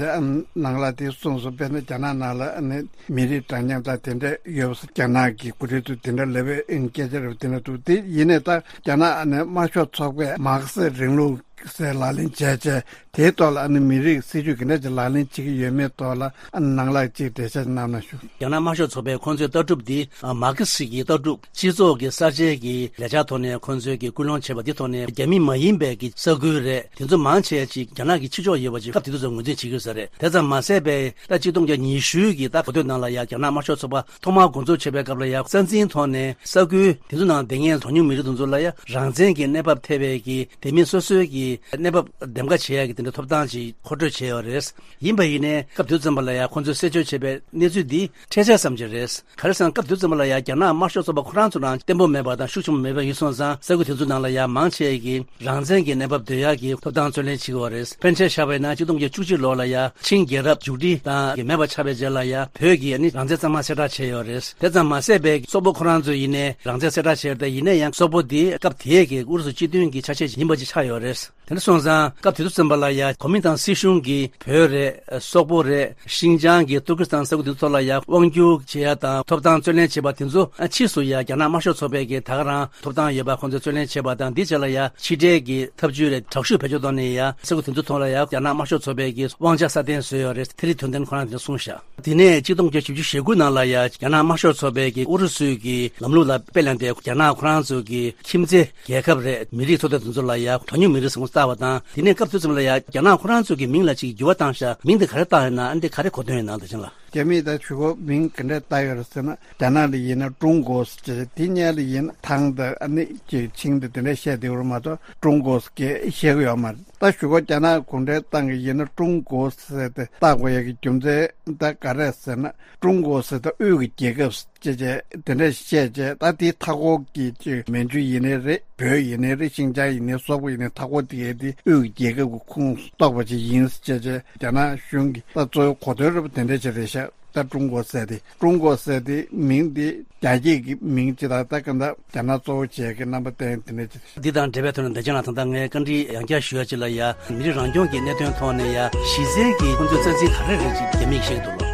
ནང་ལ་དེ་གསུངས་སོང་། དཔེར་ན་རྒྱ་ནག་ནང་ལ་ནི་མི་རིགས་འདྲ་མཉམ་དང་དེ་འདྲ་ཡོད་པ། རྒྱ་ནག་གི་འགོ་ཁྲིད་ཚོས་དེ་འདྲ་ལབ་པའི་སྐད་ཆ་རེད། དེ་འདྲ་འདུག་དེ་ཡིན་ནའི་ད་རྒྱ་ནག་ནི་དམར་ཤོག་ཚོགས་པས་མར་ཁེ་སི་རིང་ལུགས་ཟེར་ལག་ལེན་བྱས་བྱས། དེའི་ཐོག་ལ་ཨ་ནི་མི་རིགས་སྲིད་ཇུས་ག་འདྲ་ཅིག་ལག་ལེན་བྱེད་ཀྱི་ཡོད་མེད་ཐོག་ལ་ཨ་ནི་ནང་ལ་ཅིག་འགྲེལ་བཤད་གནང་ན་ཞུ། རྒྱ་ནག་དམར་ཤོག་ཚོགས་པས་ཁོང་ཚོའི་ལྟ་གྲུབ་འདི། ཨ། མར་ཁེ་སི་གི་ལྟ་གྲུབ། སྤྱི་ཚོགས་ཀྱི་གསར་བརྗེ་གི་ལས་འཆར་ཐོག་ནས་ཁོང་ཚོས་ཀྱི་སྐུལ་སློང་བྱས་པ་འདི་ཐོག་ནས། རྒྱ་མི་མ་ཡིན་པའི་གི་ས་ཁུལ་རེད། དེ་ཚོ་མང་ཆེ་ཅིག་རྒྱ་ནག་གི་ཕྱི་ཕྱོགས་ཡོད་པ་ཅིག་སྐབས་དེ་དུས་ཚོད་ངོས་འཛིན་བྱེད་ཀྱི་ཡོད་ས་རེད། དེ་ཙམ་མ་ཟད་པའི་ད་གཅིག་སྟོང་དགུ་བརྒྱ་ཉི་ཤུ་གི་ད་གོ་ཐོས་ནང་ལ་ཡང་རྒྱ་ནག་དམར་ཤོག་ཚོགས་པ་ཐོག་མར་འགོ་འཛུགས་བྱེད་པའི་སྐབས་ལ་ཡང་། རྩ་འཛིན་ཐོག་ནས་ས་ཁུལ་དེ་ཚོ་ནང་བསྡད་མཁན་གྲངས་ཉུང་མི་རིགས་དེ་ཚོ་ལ་ཡང་རང་བཙན་གྱི་གནས་བབ་ཐེབས་པའི་གི། དེ་མིན་སོ་སོའི་གི་གནས་བབ་འདེམས་ཀ་བྱེད་ཡ་གི་དེ་འདྲ་ཐོབ་ཐང་ཅིག་མཁོ་སྤྲོད་བྱས་ཡོད་རེད། ཡིན་པ་ཡིན་ནའི་སྐབས་དེ་ཙམ་པ་ལ་ཡང་ཁོང་ཚོས་གསལ་བརྗོད་བྱས་པའི་གནས་ཚུལ་འདི་འཕྲལ་ཆེར་ཙམ་ཅིག་རེད། ག་རེ་ཟེར་ན། སྐབས་དེ་ཙམ་པ་ལ་ཡང་རྒྱ་ནག་དམར་ཤོག་ཚོགས་པ་ཁོ་རང་ཚོ་རང་བརྟན་པོ་མེད་པ་དང་ཤུགས་ཆེན་པོ་མེད་པ་ཡིན་སོང་ཙང་། ས་ཁུལ་དེ་ཚོ་ནང་ལ་ཡང་མང་ཆེ་གིས་རང་བཙན་གྱི་གནས་བབ་འདོད་ཡག་གི་ཐོབ་ཐང་རྩོད་ལེན་བྱེད་ཀྱི་ཡོད་རེད། ཕན་ཆད་བཞག་པ་ཡིན་ན་གཅིག་སྟོང་དགུ་བརྒྱ་བཅུ་གཅིག་ལོ་ལ་ཡང་ཆིང་རྒྱལ་རབས་མཇུག་སྒྲིལ་དང་གི་མེད་པ་ཆགས་པའི་རྗེས་ལ་ཡང་བོད་ཀྱིས་ཨ་ནི་རང་བཙན་གཙང་མ་གསལ་བསྒྲགས་བྱས་ཡོད་རེད། དེ་ཙམ་མ་ཟད་པའི་སོག་པོ་ཁོ་རང་ཚོ་ཡིན་ནའི་རང་བཙན་གསལ་བསྒྲགས་བྱས་ཏེ། ཡིན་ན་ཡང་སོག་པོ་འདི་སྐབས་དེའི་གི་ཨུ་རུ་སུ་སྤྱི་མཐུན་གྱི་ཆ་ཤས་ཤིག་ཡིན་པ་ཅིག་ཆགས་ཡོད་རེད། དེ་འདྲ་སོང་ཙང་སྐབས་དེ་དུས་ཙམ་པ་ལ་ཡང་གོ་མིན་ཏང་སྲིད་གཞུང་གིས་བོད་རེད། སོག་པོ་རེད། ཤིན་ཅང་གི་ཏུར་ཀི་སི་ཐན་ས་ཁུལ་དེ་ཚོ་ལ་ཡང་དབང་བསྒྱུར་བྱེད་ཡ་དང་ཐོབ་ཐང་རྩོད་ལེན་བྱེད་པ་དེ་ཚོ་ཕྱིས་སུ་ཡང་རྒྱ་ནག་དམར་ཤོག་ཚོགས་པས་ཀྱི་ད་ག་རང་ཐོབ་ཐང་ཡོད་པ་ཁོང་ཚོས་རྩོད་ལེན་བྱེད་པ་དང་། འདིའི་རྗེས་ལ་ཡང་ཕྱི་འབྲེལ་གྱི་ཐབས་ཇུས་རེད། དྲག་ཤུགས་བེད་སྤྱོད་བཏང་ནས་ཡང་ས་ཁུལ་དེ་ཚོ་ཐོག་ལ་ཡང་རྒྱ་ནག་དམར་ཤོག་ཚོགས་པས་ཀྱི་དབང་ཆ་སྲ་བརྟན་བཟོས་ཡོད་རེད། ཐེ་རི་དོན་ལྡན་ཁོ་རང་དེ་གསུངས་ཤག་དེ་ནས་གཅིག་སྟོང་དགུ་བརྒྱ་བཞི་བཅུ་ཞེ་དགུ་ནང་ལ་ཡང་རྒྱ་ནག་དམར་ཤོག་ཚོགས་པས་ཀྱི་ཨུ་རུ་སུའི་གི་ལམ་ལུགས་ལ་དཔེ་ལེན་ཏེ། རྒྱ་ནག་ཁོ་རང་ཚོ་གི་ཁྱིམ་མཚེས་རྒྱལ་ཁབ་རེད། མི་རིགས་ཚོ་དང་དེ་ཚོ་ལ་ཡང་གྲངས་ཉུང་མི་རིགས་ཟེར་ཁོངས་བཏགས་པ་དང་། དེ་ནས་སྐབས་དེ་ཙམ་ལ་ཡང་རྒྱ་ནག་ཁོ་རང་ཚོ་གི་མིང་ལ་ཅིག་འགྱུར་བ་བཏང་ཤག་མིང་དེ་ག་རེ་བཏགས་ཡོད་ན། ཨ་ནི་དེ་ག་རེ་གོ་དོན་ཡོད་ན། ད་ཅིང་ལ། རྒྱ་མིས་ད་གཞུག་གུ་མིང་ག་འདྲས་བཏགས་ཡོད་རེད་ཟེར་ན། རྒྱ་ནག་ལ་ཡིན་ན་ཀྲུང་གོ་ཟེར། དེ་སྔོན་ལ་ཡིན་ན་ཐང་དང་ཨ་ནི་ཅིག་ཆིང་དང་དེ་འདྲས་བཤད་བསྡད་ཡོད་རེད་མ་གཏོགས། ཀྲུང་གོ་ཟེར་གྱི་བཤད་གི་ཡོད་མ་རེད། ད་གཞུག་གུ་རྒྱ་ནག་གུང་ཁྲན་ཏང་གིས་ཡིན་ན་ཀྲུང་གོ་ཟེར་ཏེ་བཏགས་དགོས་ཡ་གི་རྒྱུ་མཚན་ད་ག་རེ་ཟེར་ན། ཀྲུང་གོ་ཟེར་ད་དབུས་ཀྱི་རྒྱལ་ཁབ་ཅེས་བྱས་དེ་འདྲ་བཤད་བྱས། ད་དེའི་མཐའ་འཁོར་གྱི་ཅིག་མན་ཇུ་ཡིན་ནའི་རེད། བོད་ཡིན་ནའི་རེད། ཤིན་ཅང་ཡིན་ནའི། སོག་པོ་ཡིན་ནའི། མཐའ་འཁོར་དེ་གའི་དེ་དབུས་ཀྱི་རྒྱལ་ཁབ་ཀྱི་ཁོངས་གཏོགས་པ་ཅིག་ཡིན་ཅེས་བྱས། རྒྱ་ནག་གཞུང་གི་ད་གཙོ་བོའི་གོ་དོན་རེད་པ། དེ་འདྲ་ཅིག་རེད་ཤག་ད་ཀྲུང་གོ་ཟེར་དེ། ཀྲུང་གོ་ཟེར་དེ་མིང་དེ་རྒྱ་སྐད་ཀྱི་མིང་ཅིག་དང་། ད་ག་ད་རྒྱ་ནག་གཙོ་བོ་བྱས་ཀྱི་རྣམ་པ་བསྟན་དེ་འདྲ་ཅིག་རེད། འདི་དང་འབྲེལ་བའི་ཐོག་ནས་འདི་ཅན་ལ་ད་ལྟ་ངས་བཀའ་འདྲི་ཡང་བསྐྱར་ཞུ་ཡ་ཅིག་ལ་ཡ། མི་རིགས་རང་སྐྱོང་གི་གནད་དོན་ཐོག་ནས་ཡ། གཞི་རྩའི་གི་ཁོང་ཚོའི་རྩ་འཛིན་ག་རེ་རེད་ཅིག་རྒྱ་མིས་བཤད་ཀྱི་འདུག་ལོ།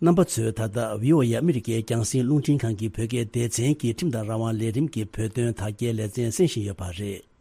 རྣམ་པ་ཚོས་ད་ལྟ་བི་ཨོ་ཨེ་ཨ་མི་རི་ཀའི་རྒྱང་སྲིང་རླུང་འཕྲིན་ཁང་གི་བོད་སྐད་སྡེ་ཚན་གྱི་ཁྲིམས་དང་རང་དབང་ལས་རིམ་གྱི་བོད་དོན་དག་སྐྱེལ་ལེ་ཚན་གསན་བཞིན་ཡོད་པ་རེད།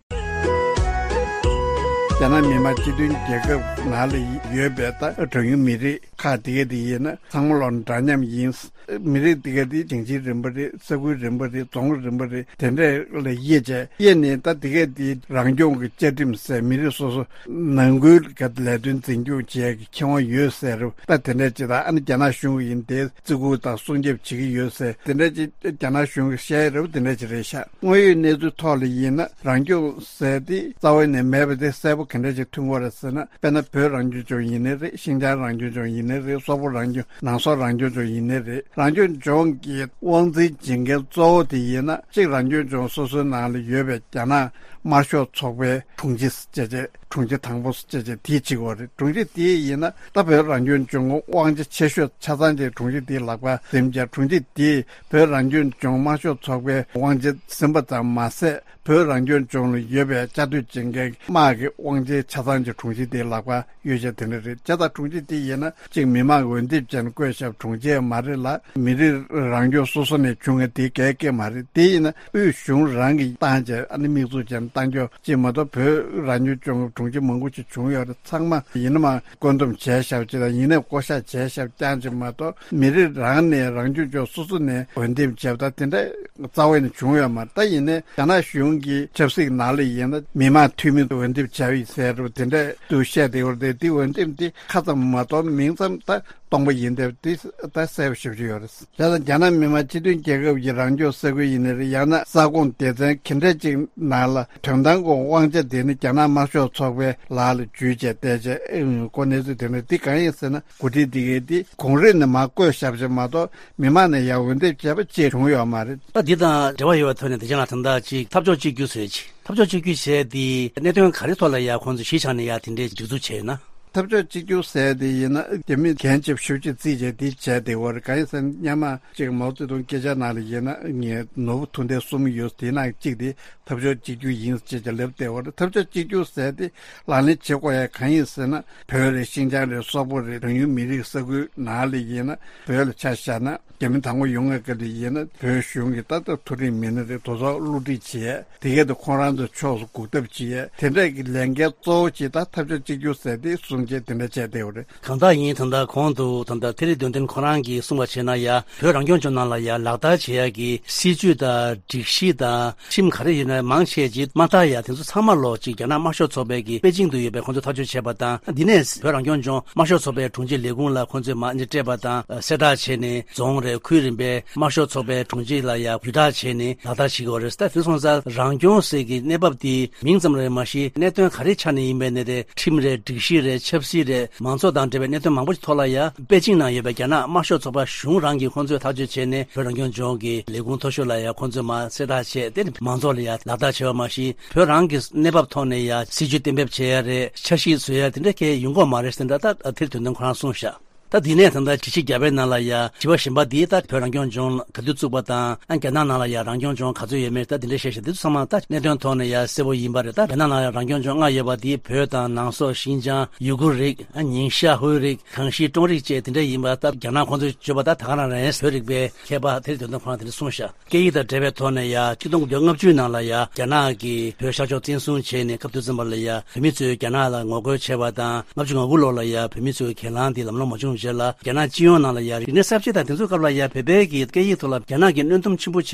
རྒྱ་ནག་མི་དམངས་སྤྱི་མཐུན་རྒྱལ་ཁབ་ནང་ལ་ཡོད་པའི་ད་གྲངས་ཉུང་མི་རིགས་ཁག་དེ་ག་དེ་ཡིན་ན་ཚང་མ་ལོ་འདྲ་མཉམ་ཡིན། མི་རིགས་དེ་ག་དེ་ཞིང་ཆེན་རིམ་པ་རེད། ས་ཁུལ་རིམ་པ་རེད། རྫོང་རིམ་པ་རེད། དེ་འདྲ་ལ་དབྱེ་བྱས། དབྱེ་ནས་ད་དེ་ག་དེ་རང་སྐྱོང་གི་བཅའ་ཁྲིམས་ཟེར། མི་རིགས་སོ་སོ་ནང་ཁུལ་ག་ལས་དོན་འཛིན་སྐྱོང་བྱེད་ཡ་གི་ཁེ་དབང་ཡོད་ཟེར་རེད། ད་དེ་འདྲ་ཅིག་དང་། ཨ་ནི་རྒྱ་ནག་གཞུང་གི་ཡིན་དེ་བརྩི་བཀུར་དང་སྲུང་སྐྱོབ་བྱེད་ཀྱི་ཡོད་ཟེར། དེ་འདྲ་ཅིག་རྒྱ་ནག་གཞུང་གིས་བཤད་ཡ་རེད་པ། དེ་འདྲ་ཅིག་རེད་ཤག་དངོས་ཡོད་གནས་ཚུལ་ཐོག་ལ་ཡིན་ན་རང་སྐྱོང་ཟེར་དེ་རྩ་བ་ནས་མེད་པ་དེ་གསལ་པོ་ག་འདྲ་ཅིག་མཐོང་གི་ཡོད་རེད་ཟེར་ན། དཔེར་ན་བོད་རང་སྐྱོང་ལྗོངས་ཡིན་ནའི་རེད། ཤིན་ཅང་རང་སྐྱོང་ལྗོངས་ཡིན་ནའི་རེད། སོག་པོ་རང་སྐྱོང་། ནང་སོག་རང་སྐྱོང་ལྗོངས་ཡིན་ནའི་རེད། རང་སྐྱོང་ལྗོངས་ཀྱི་དབང་འཛིན་བྱེད་མཁན་གཙོ་བོ་དེ་ཡིན་ན། གཅིག་རང་སྐྱོང་ལྗོངས་སོ་སོའི་ནང་ལ་ཡོད་པའི་རྒྱ་ནག་ དམར་ཤོག་ཚོགས་པའི་དྲུང་ཆེ་ཟེར་བྱས། དྲུང་ཆེ་དང་པོ་ཟེར་བྱས་དེ་བྱེད་ཀྱི་ཡོད་རེད། དྲུང་ཆེ་དེ་ཡིན་ན་ད་བོད་རང་སྐྱོང་ལྗོངས་དབང་ཆ་ཆེ་ཤོས་ཆ་ཚང་དེ་དྲུང་ཆེ་དེའི་ལག་པར་འཛིན་བྱས། དྲུང་ཆེ་དེས་བོད་རང་སྐྱོང་ལྗོངས་དམར་ཤོག་ཚོགས་པའི་དབང་ཆ་ཟིན་པ་ཙམ་མ་ཟད། བོད་རང་སྐྱོང་ལྗོངས་ལ་ཡོད་པའི་བཅའ་སྡོད་བྱེད་མཁན་དམག་གི་དབང་ཆའི་ཆ་ཚང་གི་དྲུང་ཆེ་དེའི་ལག་པར་ཡོད་བྱས་དེ་འདྲ་རེད། བྱས་ཙང་དྲུང་ཆེ་དེ་ཡིན་ན་གཅིག་མི་མང་འོས་འདེམས་བྱས་ནས་བསྐོས་བཞག་པའི་དྲུང་ཆེ་མ་རེད་ལ། མི་རིགས་རང་སྐྱོང་སོ་སོ་ནས་བྱུང་བའི་དེ་གའི་སྐད་མ་རེད། དེ་ཡིན་ན་དབུས་གཞུང་རང་གིས་བཏང་བྱས་ཨ་ནི་དམིགས་འཛུགས་བྱས་ནས་བཏང་རྒྱུ་གཅིག་མ་གཏོགས། བོད་རང་སྐྱོང་ལྗོངས་དྲུང་ཆེ་མང་པོ་ཞིག་བྱུང་ཡོད་རེད། ཚང་མ་ཡིན་ན་མ་བཀོད་འདོམས་བྱས་བཞག་པ་ཅིག་དང་། ཡིན་ནའི་བསྐོ་བཞག་བྱས་བཞག་པ་རྐྱང་ཅིག་མ་གཏོགས། མི་རིགས་རང་ནས་རང་སྐྱོང་ལྗོངས་སོ་སོ་ནས་འོས་འདེམས་བྱས་པ་དང་དེ་འདྲ་རྩ་བ་ནས་བྱུང་ཡོད་མ་རེད། ད་ཡིན་ནའི་རྒྱ་ནག་གཞུང་གི་ཆབ་སྲིད་ནང་ལ་ཡིན་ན་མི་མང་འཐུས་མི་འོས་འདེམས་བྱས་ཡོད་ཟེར་རོ། དེ་འདྲ་དུ་བཤད་བསྡད་ཡོད་རེད། དེ་འོས་འདེམས་དེ་ཁ་ཙམ་མ་གཏོགས་མིང་ཙམ་ད་སྟོང་པ་ཡིན་བསྡད་པ་དེ་ད་གསལ་པོ་ཞེ་པོ་ཅིག་ཡོད་རེད། བྱས་ཙང་རྒྱ་ནག་མི་དམངས་སྤྱི་མཐུན་རྒྱལ་ཁབ་ཀྱི་རང་སྐྱོང་ས་ཁུལ་ཡིན་ནའི་རེད། ཡང་ན་ས་ཁོངས་སྡེ་ཚན་ག་འདྲ་ཅིག་ནང་ལ་དོན་དམ་གྱི་དབང་ཆ་དེ་ནི་རྒྱ་ནག་དམར་ཤོག་ཚོགས་པའི་ལག་ལ་འཇུས་བྱས་བསྡད་བྱས་ཨེ་ཡོང་གི་གནས་ཚུལ་དེ་འདྲ། འདི་གང་ཡིན་ཟེར་ན། འགོ་ཁྲིད་འདི་གའི་འདི་གོང་རིམ་ནས་མར་བསྐོས་བཞག་པ་ཅིག་མ་གཏོགས་མི་མང་ནས་ཡར་འོས་འདེམས་བྱས་པ་ཅིག་བྱུང་ཡོད་མ་རེད། ད་འདི་དང་འབྲེལ་བ་ཡོད་པའི་ཐོག་ནས་བདེ་ཆེན་ལགས་ད་ལྟ་ཅིག་འཐབ་ཕྱོགས་གཅིག་གྱུར་ཟེར་ཅིག་འཐབ་ཕྱོགས་གཅིག་གྱུར་བྱས་ཏེ་གནད་དོན་ག་རེ་ཐོག་ལ་ཡ་ཁོང་ཚོས་གཞི་བཞག་ནས་ཡ་དེ་འདྲའི་སྒྲིག་འཛུགས་བྱས་ཡོད་ན། འཐབ་ཕྱོགས་གཅིག་གྱུར་ཟེར་དེ་ཡིན་ན་རྒྱ་མི་རྒན་ཆེ་ཤོས་ཅིག་རྩིས་བྱས་དེ་བྱས་བསྡད་ཡོད་རེད། གང་ཡིན་ཟེར་ན་སྔོན་མ་ཅིག་མའོ་ཙེ་ཏུང་སྐད་ཆ་ནང་ལ་ཡིན་ན་ངས་ནོར་བུ་མཐུར་མཐའི་གསུམ་ཡོད། དེའི་ནང་གཅིག་དེ་འཐབ་ཕྱོགས་གཅིག་གྱུར་ཡིན་ཅེས་ཀྱང་ལབ་བསྡད་ཡོད་རེད། འཐབ་ཕྱོགས་གཅིག་གྱུར་ཟེར་དེ་ལག་ལེན་བྱེད་དགོས་ཡ་གང་ཡིན་ཟེར་ན། བོད་རེད། ཤིན་ཅང་རེད། སོག་པོ་རེད། གྲངས་ཉུང་མི་རིགས་ས་ཁུལ་ནང་ལ་ཡིན་ན་བོད་ལ་ཆ་བཞག་ན། རྒྱ་མི་དང་པོ་ཡོང་བའི་སྐབས་དེ་ཡིན་ན་བོད་གཞུང་གིས་ད་ལྟ་མཐོ་རིམ་མི་སྣ་རེ་དེ་ཚོ་བསླུ་བྲིད་བྱས། དེ་གས་དེ་ཁོང་རང་ཚོའི་ཕྱོགས་སུ་འགུག་ཐབས་བྱས། དེ་འདྲས་ཀྱི་ལས་འགན་གཙོ་བོ་ཅིག་ད་འཐབ་ཕྱོགས་གཅིག་གྱུར་ཟེར་དེ་གསུང་བྱས་དེ་འདྲ་བྱས་བསྡད་ཡོད་རེད། གང་ལྟར་ཡིན། ད་ལྟ་གོང་དུ་ད་ལྟ་ཐེ་རི་དོན་ལྡན་ཁོ་རང་གིས་གསུངས་པ་བྱས་ན་ཡ། བོད་རང་སྐྱོང་ལྗོངས་ནང་ལ་ཡ་ལག་བསྟར་བྱེད་ཡ་གི་སྲིད་ཇུས་དང་སྒྲིག་གཞི་དང་ཁྲིམས་ག་རེ་ཡོད་ན་མང་ཆེ་ཅིག་མ་དར་ཡ་དེ་ཚོ་ཚང་མ་ལོག་ཅིག་རྒྱ་ནག་དམར་ཤོག་ཚོགས་པའི་གི་པེ་ཅིང་དུ་ཡོད་པའི་ཁོང་ཚོས་ཐག་གཅོད་བྱས་པ་དང་། འདི་ནས་བོད་རང་སྐྱོང་ལྗོངས་དམར་ཤོག་ཚོགས་པའི་དྲུང་ཆེ་ལས་ཁུངས་ལ་ཁོང་ཚོས་མར་སྤྲད་པ་དང་གསལ་བསྒྲགས་བྱས་ནས་རྫོང་རེད། ཁུལ་རིམ་པའི་དམར་ཤོག་ཚོགས་པའི་དྲུང་ཆེ་ལ་ཡ་བརྒྱུད་བསྒྲགས་བྱས་ནས་ལག་བསྟར་བྱེད་དགོས་རེད། ད་དེ་སོང་ཙང་རང་སྐྱོང་ཟེར་གི་གནས་བབ་དེ་མིང་ཙམ་རེད་མ་གཞི་གནད་དོན་ག་རེ་ཆགས་ནས་ཡིན་པའི་ནི་རེད། ཁྲིམས་རེད། སྒྲིག་གཞི་རེད། ཆབ་སྲིད་རེད། མང་གཙོ་དང་འབྲེལ་བའི་གནད་དོན་མང་པོ་ཞིག་ཐོག་ལ་ཡ་པེ་ཅིང་ནང་ཡོད་པའི་རྒྱ་ནག་དམར་ཤོག་ཚོགས་པ་གཞུང་རང་གིས་ཁོང་ཚོས་ཐག་གཅོད་བྱས་ནས་བོད་རང་སྐྱོང་ལྗོངས་ཀྱི་ལས་ཁུངས་མཐོ་ཤོས་ལ་ཡ་ཁོང་ཚོས་མར་གསལ་བསྒྲགས་བྱས། དེ་ནི་མང་ཚོགས་ལ་ཡ་ལག་བསྟར་བྱས་པ་མ་གཞི་བོད་རང་གི་གནས་བབ་ཐོག་ནས་ཡ་སྲིད་ཇུས་གཏན་འབེབས་བྱེད་ཡ་རེད། འཆར་གཞི་བཟོ་ཡ་དེ་འདྲ་གས་ཡོང་གི་མ་རེད་ཟེར་འདྲ་ད་ཐེ་རི་དོན་ལྡན་ཁོ་རང་གསུངས་ཤག་ད་དེ་ནས་ད་ལྟ་ཇི་ཆི་རྒྱ་བལ་ནང་ལ་ཡ་བྱིས་པ་གཞན་པ་དེ་ད་བོད་རང་སྐྱོང་ལྗོངས་ག་དུས་བཙུགས་པ་དང་། ཨ་རྒྱ་ནག་ནང་ལ་ཡ་རང་སྐྱོང་ལྗོངས་ག་ཚོད་ཡོད་མེད་ད་དེ་འདྲ་བཤད་བཤད་དེ་ཚོ་ཚང་མ་ད་གནད་དོན་ཐོག་ནས་ཡ་གསལ་པོ་ཡིན་པ་རེད། ད་རྒྱ་ནག་ནང་ལ་རང་སྐྱོང་ལྗོངས་ལྔ་ཡོད་པ་དེ་བོད་དང་ནང་སོག་ཤིན་ཅང་ཡུ་གུར་རིགས། ཨ་ཉིང་ཤ་ཧུའེ་རིགས། གངས་ཤིང་ཀྲོང་རིགས་བཅས་དེ་འདྲ་ཡིན་པ་ད་རྒྱ་ནག་ཁོང་ཚོས་བརྗོད་པ་ད་ད་ག་རང་རེད། བོད་རིག་པའི་མཁས་པ་ཐེ་རི་དོན་ལྡན་ཁོ་རང་དེ་འདྲ་གསུངས་ཤག་སྐད་ཡིག་དང་འབྲེལ་བའི་ཐོག་ནས་ཡ་ཆིག་སྟོང་དགུ་བརྒྱ་ལྔ་བཅུ་ནང་ལ་ཡ་རྒྱ་ནག་གིས་བོད་ཤར་ཕྱོགས་བཙན་བཟུང་བྱས་ནས་སྐབས་དུས་ཙམ་པ་ལ་ཡ་བོད་མི་ཚོས་རྒྱ་ནག་ལ་ངོ་རྒོལ་བྱས་པ་དང་། ལྔ་བཅུ་ང་དགུ་ལོ་ལ་ཡ་བོད་མི་ཚོའི་གྱེན་ལངས་དེ་ལམ་ལྷོང་མ་བྱུང་རྗེས་ལ་རྒྱ་ནག་སྤྱི་ཡོངས་ནང་ལ་ཡ་རིག་གནས་གསར་བརྗེ་དང་དེ་ཚོའི་སྐབས་ལ་ཡ་བོད་པའི་གི་སྐད་ཡིག་ཐོག་ལ་རྒྱ་ནག་གིས་གནོན་སྡོམ་ཆེན་པོ་བྱས་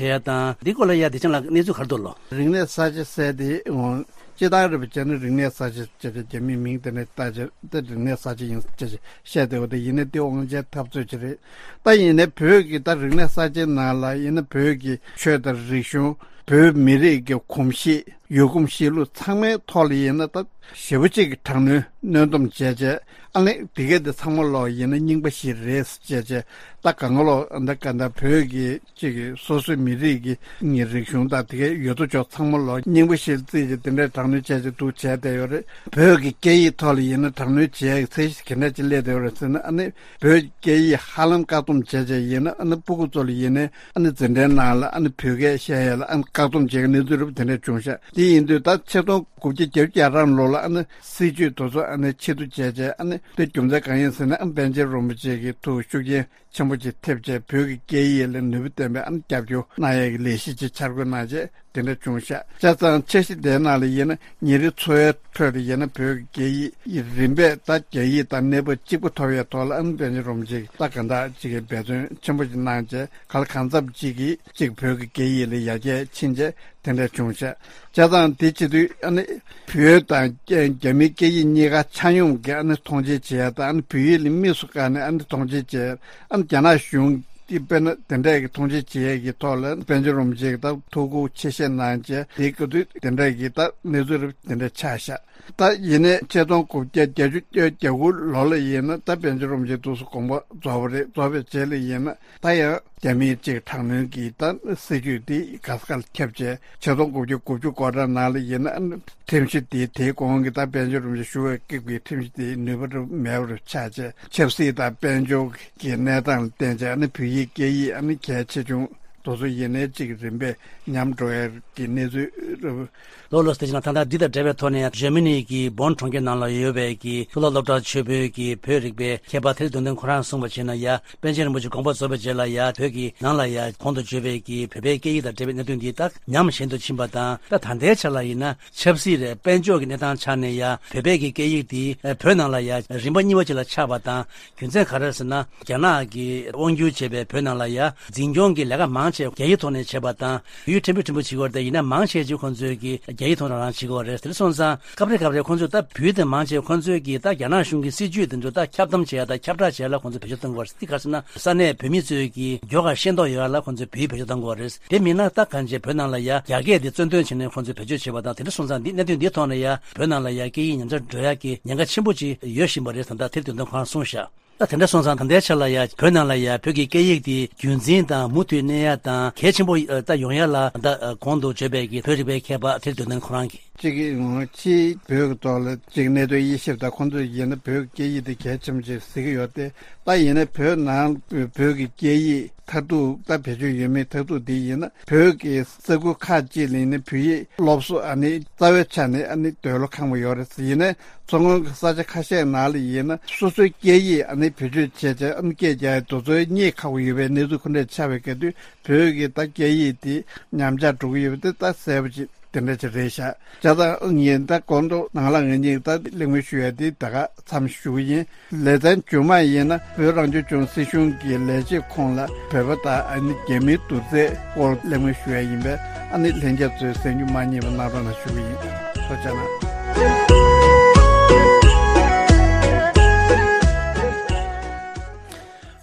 ཡ་དང་འདི་སྐོར་ལ་ཡ་བདེ་ཆེན་ལགས་གནས་ཚུལ་ག་རེ་འདུག་ལོ། རིག་གནས་གསར་བརྗེ་ཟེར་དེ་འོང་། སྤྱིར་བཏང་རེད་པ་བྱས་ན་རིག་གནས་གསར་བརྗེ་བྱས་ཏེ་རྒྱ་མིའི་མིང་དེ་ནས་བཏགས་བྱས་ཏེ་རིག་གནས་གསར་བརྗེ་ཡིན་ཅེས་བཤད་བསྡད་པ་དེ་ཡིན་ན་དེ་དབང་ཆའི་འཐབ་རྩོད་ཅིག་རེད། ད་ཡིན་ནའི་བོད་ཀྱི་ད་རིག་གནས་གསར་བརྗེའི་ནང་ལ་ཡིན་ན་བོད་ཀྱི་ཆོས་དང་རིག་གཞུང་། བོད་མི་རིགས་ཀྱི་གོམས་གཤིས། ཡུལ་གོམས་གཤིས་ལུགས་ཚང་མའི་ཐོག་ལ་ཡིན་ན་ད་ཞེ་པོ་ཅིག་གི་དྲག་གནོན་གནོན་སྡོམ་བྱས་བྱས། ཨ་ནི་དེ་གས་དེ་ཚང་མ་ལོག་ཡིན་ན་རྙིང་པ་ཞིག་རེད་ཅེས་བྱས། ད་གང་ལོག་འདི་ག་འདྲ་བོད་ཀྱི་ཅིག་གི་སོ་སོའི་མི་རིགས་ཀྱི་ངའི་རིག་གཞུང་དང་དེ་གའི་ཡོད་དོ་ཅོག་ཚང་མ་ལོག་རྙིང་པ་ཞིག་རྩིས་ཀྱིས་དེ་འདྲའི་དྲག་གནོན་བྱས་ཀྱི་འདུག་བྱས་བསྡད་ཡོད་རེད། བོད་ཀྱི་སྐད་ཡིག་ཐོག་ལ་ཡིན་ན་དྲག་གནོན་བྱས་ཚད་གཞི་ག་འདྲ་ཅིག་སླེབས་བསྡད་ཡོད་རེད་ཟེར་ན། ཨ་ནི་བོད་སྐད་ཡིག་ཧ་ལམ་བཀག་སྡོམ་བྱས་བྱས་ཡིན་ན། ཨ་ནི་སྤུ་གུ་ཚོ་ལ་ཡིན་ན་ཨ་ནི་འཛིན་གྲྭའི་ནང་ལ་ཨ་ནི་བོད་སྐད་བཤད་ཡས་ལ་ཨ་ནི་བཀག་སྡོམ་བྱས་ཀྱི་གནས་ཚུལ་རེད་པ་དེ་འདྲ་བྱུང་ཤག་དེ་ཡིན་དུས་ད་ཆིག་སྟོང་དགུ་བརྒྱ་བརྒྱད་ཅུ་གྱ་གྲངས་ལོ་ལ་ཨ་ནི་སྲིད་ཇུས་དེ་ཚོ་ཨ་ནི་ཕྱིར་བསྡུ་བྱས་བྱས། ཨ་ནི་དེ་རྒྱུ་མཚན་གང་ཡིན་ཟེར་ན། ཨ་ནི་པཎ་ཆེན་རིན་པོ་ཆེ་གི་ཐུགས་ཤུགས་རྐྱེན་ཆེན་པོ་ཅིག་ཐེབས་བྱས་བོད་ཀྱི་སྐད་ཡིག་ལ་ནུས་པ་ལྡན་པའི་ཨ་ནི་རྒྱབ་སྐྱོར་གནང་ཡས་ཀྱི་ལས་གཞི་ཅིག་འཆར་འགོད་གནང་བྱས་དེ་འདྲ་བྱུང་ཤག་བྱས་ཙང་འཆར་གཞི་དེའི་ནང་ལ་ཡིན་ན་ཉིན་རེའི་འཚོ་བའི་ཁྲོད་དུ་ཡིན་ན་བོད་ཀྱི་སྐད་ཡིག་རིམ་པས་ད་རྒྱ་ཡིག་དང་གནས་བབ་གཅིག་པ་ཐོབ་ཡས་ཐོག་ལ་ཨ་ནི་པཎ་ཆེན་རིན་པོ་ཆེ་གིས་ད་ག་འདྲ་ཅིག་གི་འབད་བརྩོན་ཆེན་པོ་ཅིག་གནང་བྱས། གང་ལ་གང་འཚམ་ཅིག་གིས་ཅིག་བོད་ཀྱི་སྐད་ཡིག་ལ་ཡར་རྒྱས་ཕྱིན་བྱས་དེ་འདྲ་བྱུང་ཤག་བྱས་ཙང་དེ་བྱེད་དུས་ཨ་ནི་བོད་དང་རྒྱ་མིའི་སྐད་ཡིག་གཉིས་ཀ་ཆ་སྙོམས་ཀྱིས་ཨ་ནི་མཐོང་ཆེན་བྱེད་ཡ་དང་། ཨ་ནི་བོད་ཡིག་ལ་དམིགས་སུ་བཀར་ནས་ཨ་ནི་མཐོང་ཆེན་བྱེད་ཡ། ཨ་ནི་རྒྱ་ནག་གཞུང་ ཀྱི་དཔེར་ན་དེ་འདྲས་ཀྱི་མཐོང་ཆེན་བྱེད་ཡས་ཀྱི་ཐོག་ལ་པཎ་ཆེན་རིན་པོ་ཆེ་གིས་ད་ཐུགས་ཁུར་ཆེ་བཞེས་གནང་བྱས་དེའི་སྐབས་དུས་དེ་འདྲས་ཀྱི་ད་གནས་ཚུལ་རབ་དེ་འདྲས་ཆགས་ཤག་ད་ཡིན་ནའི་ཆིག་སྟོང་དགུ་བརྒྱ་བརྒྱད་ཅུ་གྱ་དགུ་ལོ་ལ་ཡིན་ན་ད་པཎ་ཆེན་རིན་པོ་ཆེ་དུས་སུ་དགོངས་པ་རྫོགས་པ་རེད། རྫོགས་པའི་རྗེས་ལ་ཡིན་ན་ད་ཡང་རྒྱ་མིའི་གཅིག་དྲག་གནོན་གྱི་ད་སྲིད་ཇུས་དེ་ག་ས་ག་ལ་ཁྱབ་བྱས་ཆིག་སྟོང་དགུ་བརྒྱ་དགུ་བཅུ་གོ་གྲངས་ནང་ལ་ཡིན་ན་ཁྲིམས་གཞི་དེ་དེའི་གོང་གི་ད་པཎ་ཆེན་རིན་པོ་ཆེ་བཞུགས་པའི་སྐབས་ཀྱི་ཁྲིམས་གཞི་དེ་ནུས་པ་རབ་མེད་པ་རུ་ཆགས་བྱས་ཆབ་སྲིད་དང་དཔལ་འབྱོར་གྱི་གནས་སྟངས་ལ་བརྟེན་བྱས་ནི་བོད་ཡིག་སྐད་ཡིག་ཨ་ནི་གལ་ཆེ་ཆུང་དེ་ཚོ་ཡིན་ནའི་གཅིག་རིམ་པས་ཉམས་འགྲོ་ཡ་གི་གནས་ཚུལ་རབ། ལོ་ལོ་སྟེ་ཅི་ན་ད་ལྟ་འདི་དང་འབྲེལ་བའི་ཐོག་ནས་ཇར་མ་ནི་གི་བོན་གྲོང་ཁྱེར་ནང་ལ་ཡོད་པའི་གི་གཙུག་ལག་སློབ་གྲྭ་ཆེན་པོའི་གི་བོད་རིག་པའི་མཁས་པ་ཐེ་རི་དོན་ལྡན་ཁོ་རང་གསུངས་པ་བྱས་ན་ཡ་པཎ་ཆེན་རིན་པོ་ཆེ་དགོངས་པ་རྫོགས་པའི་རྗེས་ལ་ཡ་བོད་ཀྱི་ནང་ལ་ཡ་གོང་དུ་བརྗོད་པའི་གི་བོད་པའི་སྐད་ཡིག་དང་འབྲེལ་བའི་གནད་དོན་འདི་དག་ཉམས་ཞན་དུ་ཕྱིན་པ་དང་ད་ད་ལྟའི་ཆ་ལ་ཡིན་ན་ཆབ་སྲིད་རེད་དཔལ་འབྱོར་གྱི་གནས་སྟངས་ཆ་ནས་ཡ་བོད་པའི་གི་སྐད་ཡིག་འདི་བོད་ནང་ལ་ཡ་རིམ་པ་གཉིས་པ་ཅིག་ལ་ཆགས་པ་དང་རྒྱུ་མཚན་ག་རེ་ཟེར་ན་རྒྱ་ནག་གིས་དབང་བསྒྱུར་བྱས་པའི་བོད་ནང་ལ་ཡ་འཛིན་སྐྱོང་གི་ལས་ཀ་མང་ཆེ་རྒྱ་ཡིག་ཐོག་ནས་བྱས་པ་དང་ཡུལ་ཕྲན་བུ་ཕྲན་བུ་བྱེད་ཀྱི་ཡོད་རེད། ད་ཡིན་ན་མང་ཆེ་ཅིག་ཁོང་ཚོས་ཀྱི་རྒྱ་ཡིག་ཐོག་ནས་རང་བྱེད་ཀྱི་ཡོད་རེད། དེ་སོང་ཙང་སྐབས་རེ་སྐབས་རེ་ཁོང་ཚོས་ད་བོད་དེ་མང་ཆེ་ཁོང་ཚོས་ཀྱི་ད་རྒྱ་ནག་གཞུང་གི་སྲིད་ཇུས་དེ་ཚོ་ད་ཁྱབ་གདམ་བྱེད་ཡ་ད་ཁྱབ་བསྒྲགས་བྱེད་ཡ་ལ་ཁོང་ཚོས་བེད་སྤྱོད་གཏོང་གི་ཡོད་རེད། དེ་ག་ཟེར་ན་ས་གནས་བོད་མི་ཚོས་ཀྱི་མགྱོགས་ཁ་ཤེས་རྟོགས་ཡོང་ཡ་ལ་ཁོང་ཚོས་བོད་ཡིག་བེད་སྤྱོད་གཏོང་གི་ཡོད་རེད། དེ་མིན་ན་ད་གང་ཅི་བོད་ནང་ལ་ཡ་རྒྱ་སྐད་དེ་རྩོད་འདོན་བྱས་ནས་ཁོང་ཚོས་བེད་སྤྱོད་བྱེད་པ་དང་དེ་འདྲ་སོང་ཙང་འདི་གནད་དོན་འདིའི་ཐོག་ནས་ཡ་བོད་ནང་ལ་ཡ་སྐད་ཡིག་ཉམས་ཆག་འགྲོ་ཡ་གི་ཉེན་ཁ་ཆེན་པོ་ཅིག་ཡོད་བཞིན་པ་རེད་ཟེར་ད་ཐེར་དོན་དོན་ཁོ་རང་གསུངས་ཤག་ད་དེ་འདྲ་སོང་ཙང་ད་ལྟའི་ཆ་ལ་ཡ་བོད་ནང་ལ་ཡ་བོད་ཀྱི་སྐད་ཡིག་དེ་རྒྱུན་འཛིན་དང་མུ་མཐུད་གནས་ཡ་དང་གལ་ཆེན་པོ་ད་ཡོང་ཡ་ལ་ད་གོང་དུ་བརྗོད་པའི་གི་བོད་རིག་པའི་མཁས་པ་ཐེར་དོན་དོན་ཁོ་རང་གིས། གཅིག་གིས་ངོ་ཕྱིའི་བོད་ཀྱི་ཐོག་ལ་གཅིག་གནད་དོན་དབྱེ་ཞིབ་དང་ཁོང་ཚོས་ཡིན་ན་བོད་ཀྱི་སྐད་ཡིག་དེ་གལ་ཆེན་པོ་ཅིག་གཟིགས་ཀྱི་ཡོད་དེ། ད་ཡིན་ན་བོད་ནང་བོད་ཀྱི་སྐད་ཡིག་མཐར་ཐུག་ད་བེད་སྤྱོད་ཡོད་མེད་མཐར་ཐུག་དེ་ཡིན་ན་བོད་ཀྱི་ས་ཁུལ་ཁག་ཅིག་ལ་ཡིན་ན་བོད་ཡིག་སློབ་གསོ་ཨ་ནི་རྩ་བའི་ཆ་ནས་ཨ་ནི་འདོད་བློ་ཁེངས་པོ་ཡོད་རེད། ཡིན་ན་མཚོ་སྔོན་གྱི་ས་ཆ་ཁ་ཤས་ནང་ལ་ཡིན་ན་སོ་སོའི་སྐད་ཡིག་ཨ་ནི་བེད་སྤྱོད་བྱས་བྱས་ཨ་ནི་སྐད་རྒྱག་ཡ་དེ་ཚོ་རྙེད་ཁག་པོ་ཡོད་པའི་གནས་ཚུལ་ཁོ་འདྲས་ཆགས་པའི་སྐབས་དུས་བོད་ཀྱི་ད་སྐད་ཡིག་དེ་ཉམས་ཆག་འགྲོ་གི་ཡོད་པ་དེ་ད་གསལ་པོ་ཅིག་དེ་འདྲ་ཅིག་རེད་ཤག་བྱས་ཙང་ངས་ད་གོང་དུ་ནང་ལ་ངེད་གཉིས་ད་གླེང་མོལ་ཞུ་ཡ་དེ་ད་ག་མཚམས་ཞུ་གི་ཡིན། ལེ་ཚན་རྗེས་མ་ཡིན་ན་བོད་རང་སྐྱོང་ལྗོངས་སྲིད་གཞུང་གི་ལས་བྱེད་ཁོངས་ལ་བོད་པ་དང་ཨ་ནི་རྒྱ་མིའི་བསྡུར་ཚད་སྐོར་གླེང་མོལ་ཞུ་ཡ་ཡིན་པས་ཨ་ནི་ལྷན་རྒྱས་ཚོས་གསན་རྒྱུ་མ་བསྙེལ་བ་གནང་རོགས་གནང་ཞུ་གི་ཡིན། ཐུགས་རྗེ་གནང་།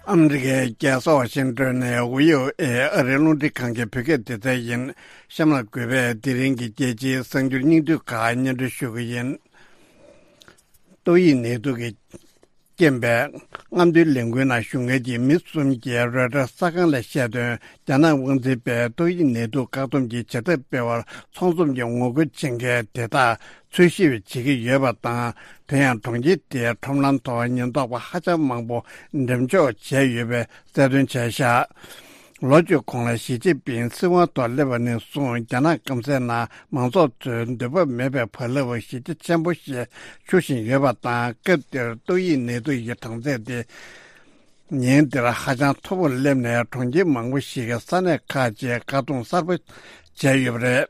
ཨ་མི་རི་ཀའི་རྒྱལ་ས་ཝ་ཤིང་ཏོན་ནས་ཝི་ཨོ་ཨེ་ཨ་རིའི་རླུང་འཕྲིན་ཁང་གི་བོད་སྐད་སྡེ་ཚན་ཡིན། གཤམ་ལ་གུས་པས་དེ་རིང་གི་རྒྱལ་སྤྱིའི་གསར་འགྱུར་སྙིང་བསྡུས་ཁག་སྙན་སྒྲོན་ཞུ་གི་ཡིན། ཏོག་དབྱིབས་ནད་དུག་གི་རྐྱེན་པས་རྔམ་སྟོན་ལས་འགུལ་ནང་ཞུགས་མཁན་གྱི་མི་གསུམ་གྱིས་རོའི་ཊར་གསར་ཁང་ལ་བཤད་དོན། རྒྱ་ནག་དབང་འཛིན་པས་ཏོག་དབྱིབས་ནད་དུག་བཀག་སྡོམ་གྱི་བྱེད་ཐབས་སྤེལ་བར་ཚོགས་འཛོམས་ཀྱི་ངོ་རྒོལ་བྱེད་མཁན་དེ་དག་འཚོལ་ཞིབ་བྱེད་ཀྱི་ཡོད་པ་དང་། དེ་ཡང་གྲོང་ཁྱེར་དེའི་ཁྲོམ་ལམ་ཐོག་ཉེན་རྟོག་པ་ཧ་ཅང་མང་པོ་འགྲེམས་འཇོག་བྱས་ཡོད་པའི་གསལ་སྟོན་བྱས་ཤག་ལོ་བཅུ་གོང་ལ་ཞི་ཅིན་ཕིང་སྲིད་དབང་ཐོག་སླེབས་པ་ནས་བཟུང་རྒྱ་ནག་སྐམ་སའི་ནང་མང་ཚོགས་ཚོའི་འདོད་པ་མེད་པའི་བག་ལེབ་གཞི་རྒྱ་ཆེན་པོ་ཞིག་འཕྱུར་བཞིན་ཡོད་པ་དང་། སྐབས་དེར་ཏོག་དབྱིབས་ནད་དུག་གི་གྲངས་ཚད་དེ་ཉིན་དེར་ཧ་ཅང་མཐོ་པོར་སླེབས་ནས་གྲོང་ཁྱེར་མང་པོ་ཞིག་གི་ས་གནས་ཁག་ཅིག་བཀག་སྡོམ་གསར་པ་བྱས་ཡོད་པ་རེད།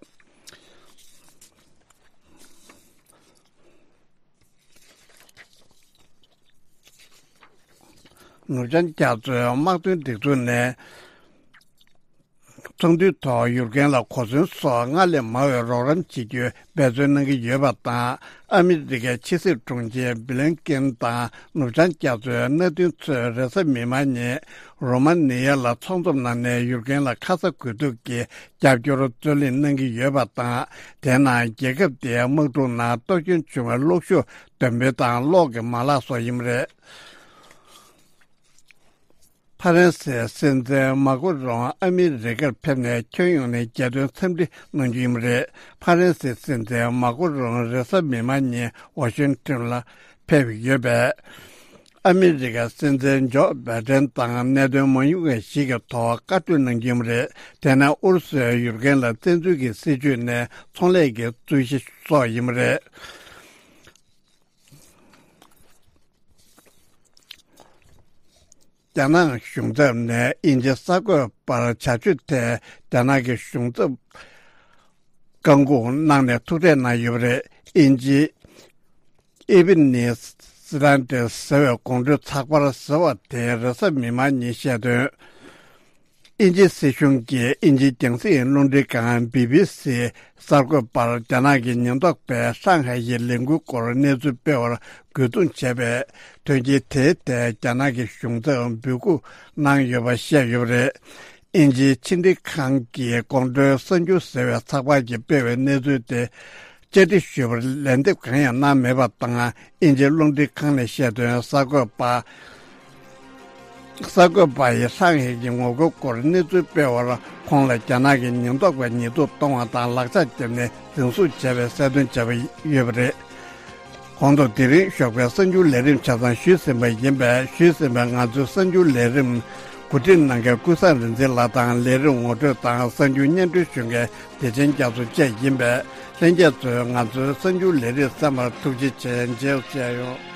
ནུབ་བྱང་རྒྱ་མཚོའི་དམག་དོན་སྒྲིག་འཛུགས་ནས་ཚོགས་འདུའི་ཐོག་ཡུཀ་རེན་ལ་གོ་མཚོན་སོགས་སྔར་ལས་མང་བའི་རོགས་རམ་བྱེད་རྒྱུའི་འབད་བརྩོན་གནང་གི་ཡོད་པ་དང་། ཨ་མི་རི་ཀའི་ཕྱི་སྲིད་དྲུང་ཆེ་སྦི་ལིན་ཀེན་དང་ནུབ་བྱང་རྒྱ་མཚོའི་མནའ་མཐུན་ཚོས་རེས་གཟའ་མིག་དམར་ཉིན་རོ་མ་ནི་ཡ་ལ་ཚོགས་འཛོམས་གནང་ནས་ཡུཀ་རེན་ལ་ཁ་ཚ་དགོས་གཏུགས་ཀྱི་རྒྱབ་སྐྱོར་རྩོད་ལེན་གནང་གི་ཡོད་པ་དང་། དེ་ནང་རྒྱལ་ཁབ་དེའི་དམག་འཁྲུག་ནང་གཏོར་སྐྱོན་བྱུང་བའི་གློག་ཤུགས་འདོན་སྤེལ་དང་གློག་གི་མ་ལག་སོགས་ཡིན་པ་རེད། ཕ་རན་སིའི་སྲིད་འཛིན་མཱ་ཁུ་རོང་ཨ་མི་རི་ཀར་ཕེབས་ནས་ཁྱོན་ཡོངས་ནས་རྒྱལ་དོན་འཚམས་འདྲི་གནང་རྒྱུ་ཡིན་པ་རེད། ཕ་རན་སིའི་སྲིད་འཛིན་མཱ་ཁུ་རོང་རེས་གཟའ་མིག་དམར་ཉིན་ཝ་ཤིང་ཏོན་ལ་ཕེབས་ཡོད་པས། ཨ་མི་རི་ཀའི་སྲིད་འཛིན་ཇོ་བྷའི་ཏན་དང་གནད་དོན་མ་ཡིན་པ་ཞིག་གི་ཐོག་བཀའ་གྲོས་གནང་རྒྱུ་ཡིན་པ་རེད། དེ་ནས་ཨུ་རུ་སུས་ཡུཀ་རེན་ལ་བཙན་འཛུལ་གྱི་སྲིད་བྱུས་ནས་ཚོང་ལས་ཀྱི་རྩོད་གཞི་སོགས་ཡིན་པ་རེད། རྒྱ་ནག་གཞུང་ཚབ་ནས་དབྱིན་ཇི་གསར་འགོད་པར་བྱ་སྤྱོད་ཐད་རྒྱ་ནག་གི་གཞུང་ཚབ་བཀག་འགོག་གནང་ནས་ཐུག་འཕྲད་གནང་ཡོད་པ་རེད། དབྱིན་ཇི་ཨི་བྷི་ནི་སི་ལན་ཌི་ཟེར་བའི་དགོང་དྲོའི་ཚགས་པར་ཟེར་བ་དེས་རེས་གཟའ་མིག་དམར་ཉིན་བཤད་དོན། དབྱིན་ཇིའི་སྲིད་གཞུང་གིས་དབྱིན་ཇིའི་རྒྱང་སྲིང་རླུང་འཕྲིན་ཁང་བི་བི་སི་གསར་འགོད་པར་རྒྱ་ནག་གི་ཉེན་རྟོག་པས་ཧྲང་ཧའེ་ཡི་ལས་འགུལ་སྐོར་གནས་ཚུལ་སྤེལ་བར་རྒོལ་རྡུང་བྱས་པའི་དོན་རྐྱེན་དེའི་ཐད་རྒྱ་ནག་གི་གཞུང་ཚབ་འབོད་སྐུལ་གནང་ཡོད་པ་བཤད་ཡོད་པ་རེད། དབྱིན་ཇིའི་ཕྱི་འབྲེལ་ཁང་གིས་དགོང་དྲོའི་གསར་འགྱུར་ཟེར་བའི་ཚགས་པར་གྱིས་སྤེལ་བའི་གནས་ཚུལ་དེ་བཅར་འདྲི་ཞུས་པར་ལན་འདེབས་གང་ཡང་གནང་མེད་པ་དང་། དབྱིན་ཇིའི་རླུང་འཕྲིན་ཁང་ནས་བཤད་དོན། གསར་འགོད་པ། གསར་འགོད་པ་ཡིས་ཧྲང་ཧའེ་གྱི་ངོ་རྒོལ་སྐོར་གནས་ཚུལ་སྤེལ་བར། ཁོང་ལ་རྒྱ་ནག་གི་ཉེན་རྟོག་པས་ཉེས་འཛུགས་གཏོང་བ་དང་ལག་ཆ་བརྒྱབ་ནས་འཛིན་བཟུང་བྱས་པའི་གསལ་སྟོན་བྱས་པ་ཡོད་པ་རེད། གོང་དུ་དེ་རིང་ཞོགས་པའི་གསར་འགྱུར་ལས་རིམ་ཆ་ཚང་ཞུས་ཟིན་པ་ཡིན་པས། ཞུས་ཟིན་པའི་ང་ཚོའི་གསར་འགྱུར་ལས་རིམ་གོ་སྒྲིག་གནང་མཁན་ཀུན་བཟང་རིག་འཛིན་ལགས་དང་། ལས་རིམ་ངོ་སྤྲོད་དང་གསར་འགྱུར་སྙན་སྒྲོན་ཞུ་མཁན་བདེ་ཆེན་རྒྱ་མཚོ་བཅས་ཡིན་པས། ལྷན་རྒྱས་ཚོས་ང་ཚོའི་གསར་འགྱུར་ལས་རིམ་གསན་པར་ཐུགས་རྗེ་ཆེ། མཇལ་བ་མཇལ་ཡོང་།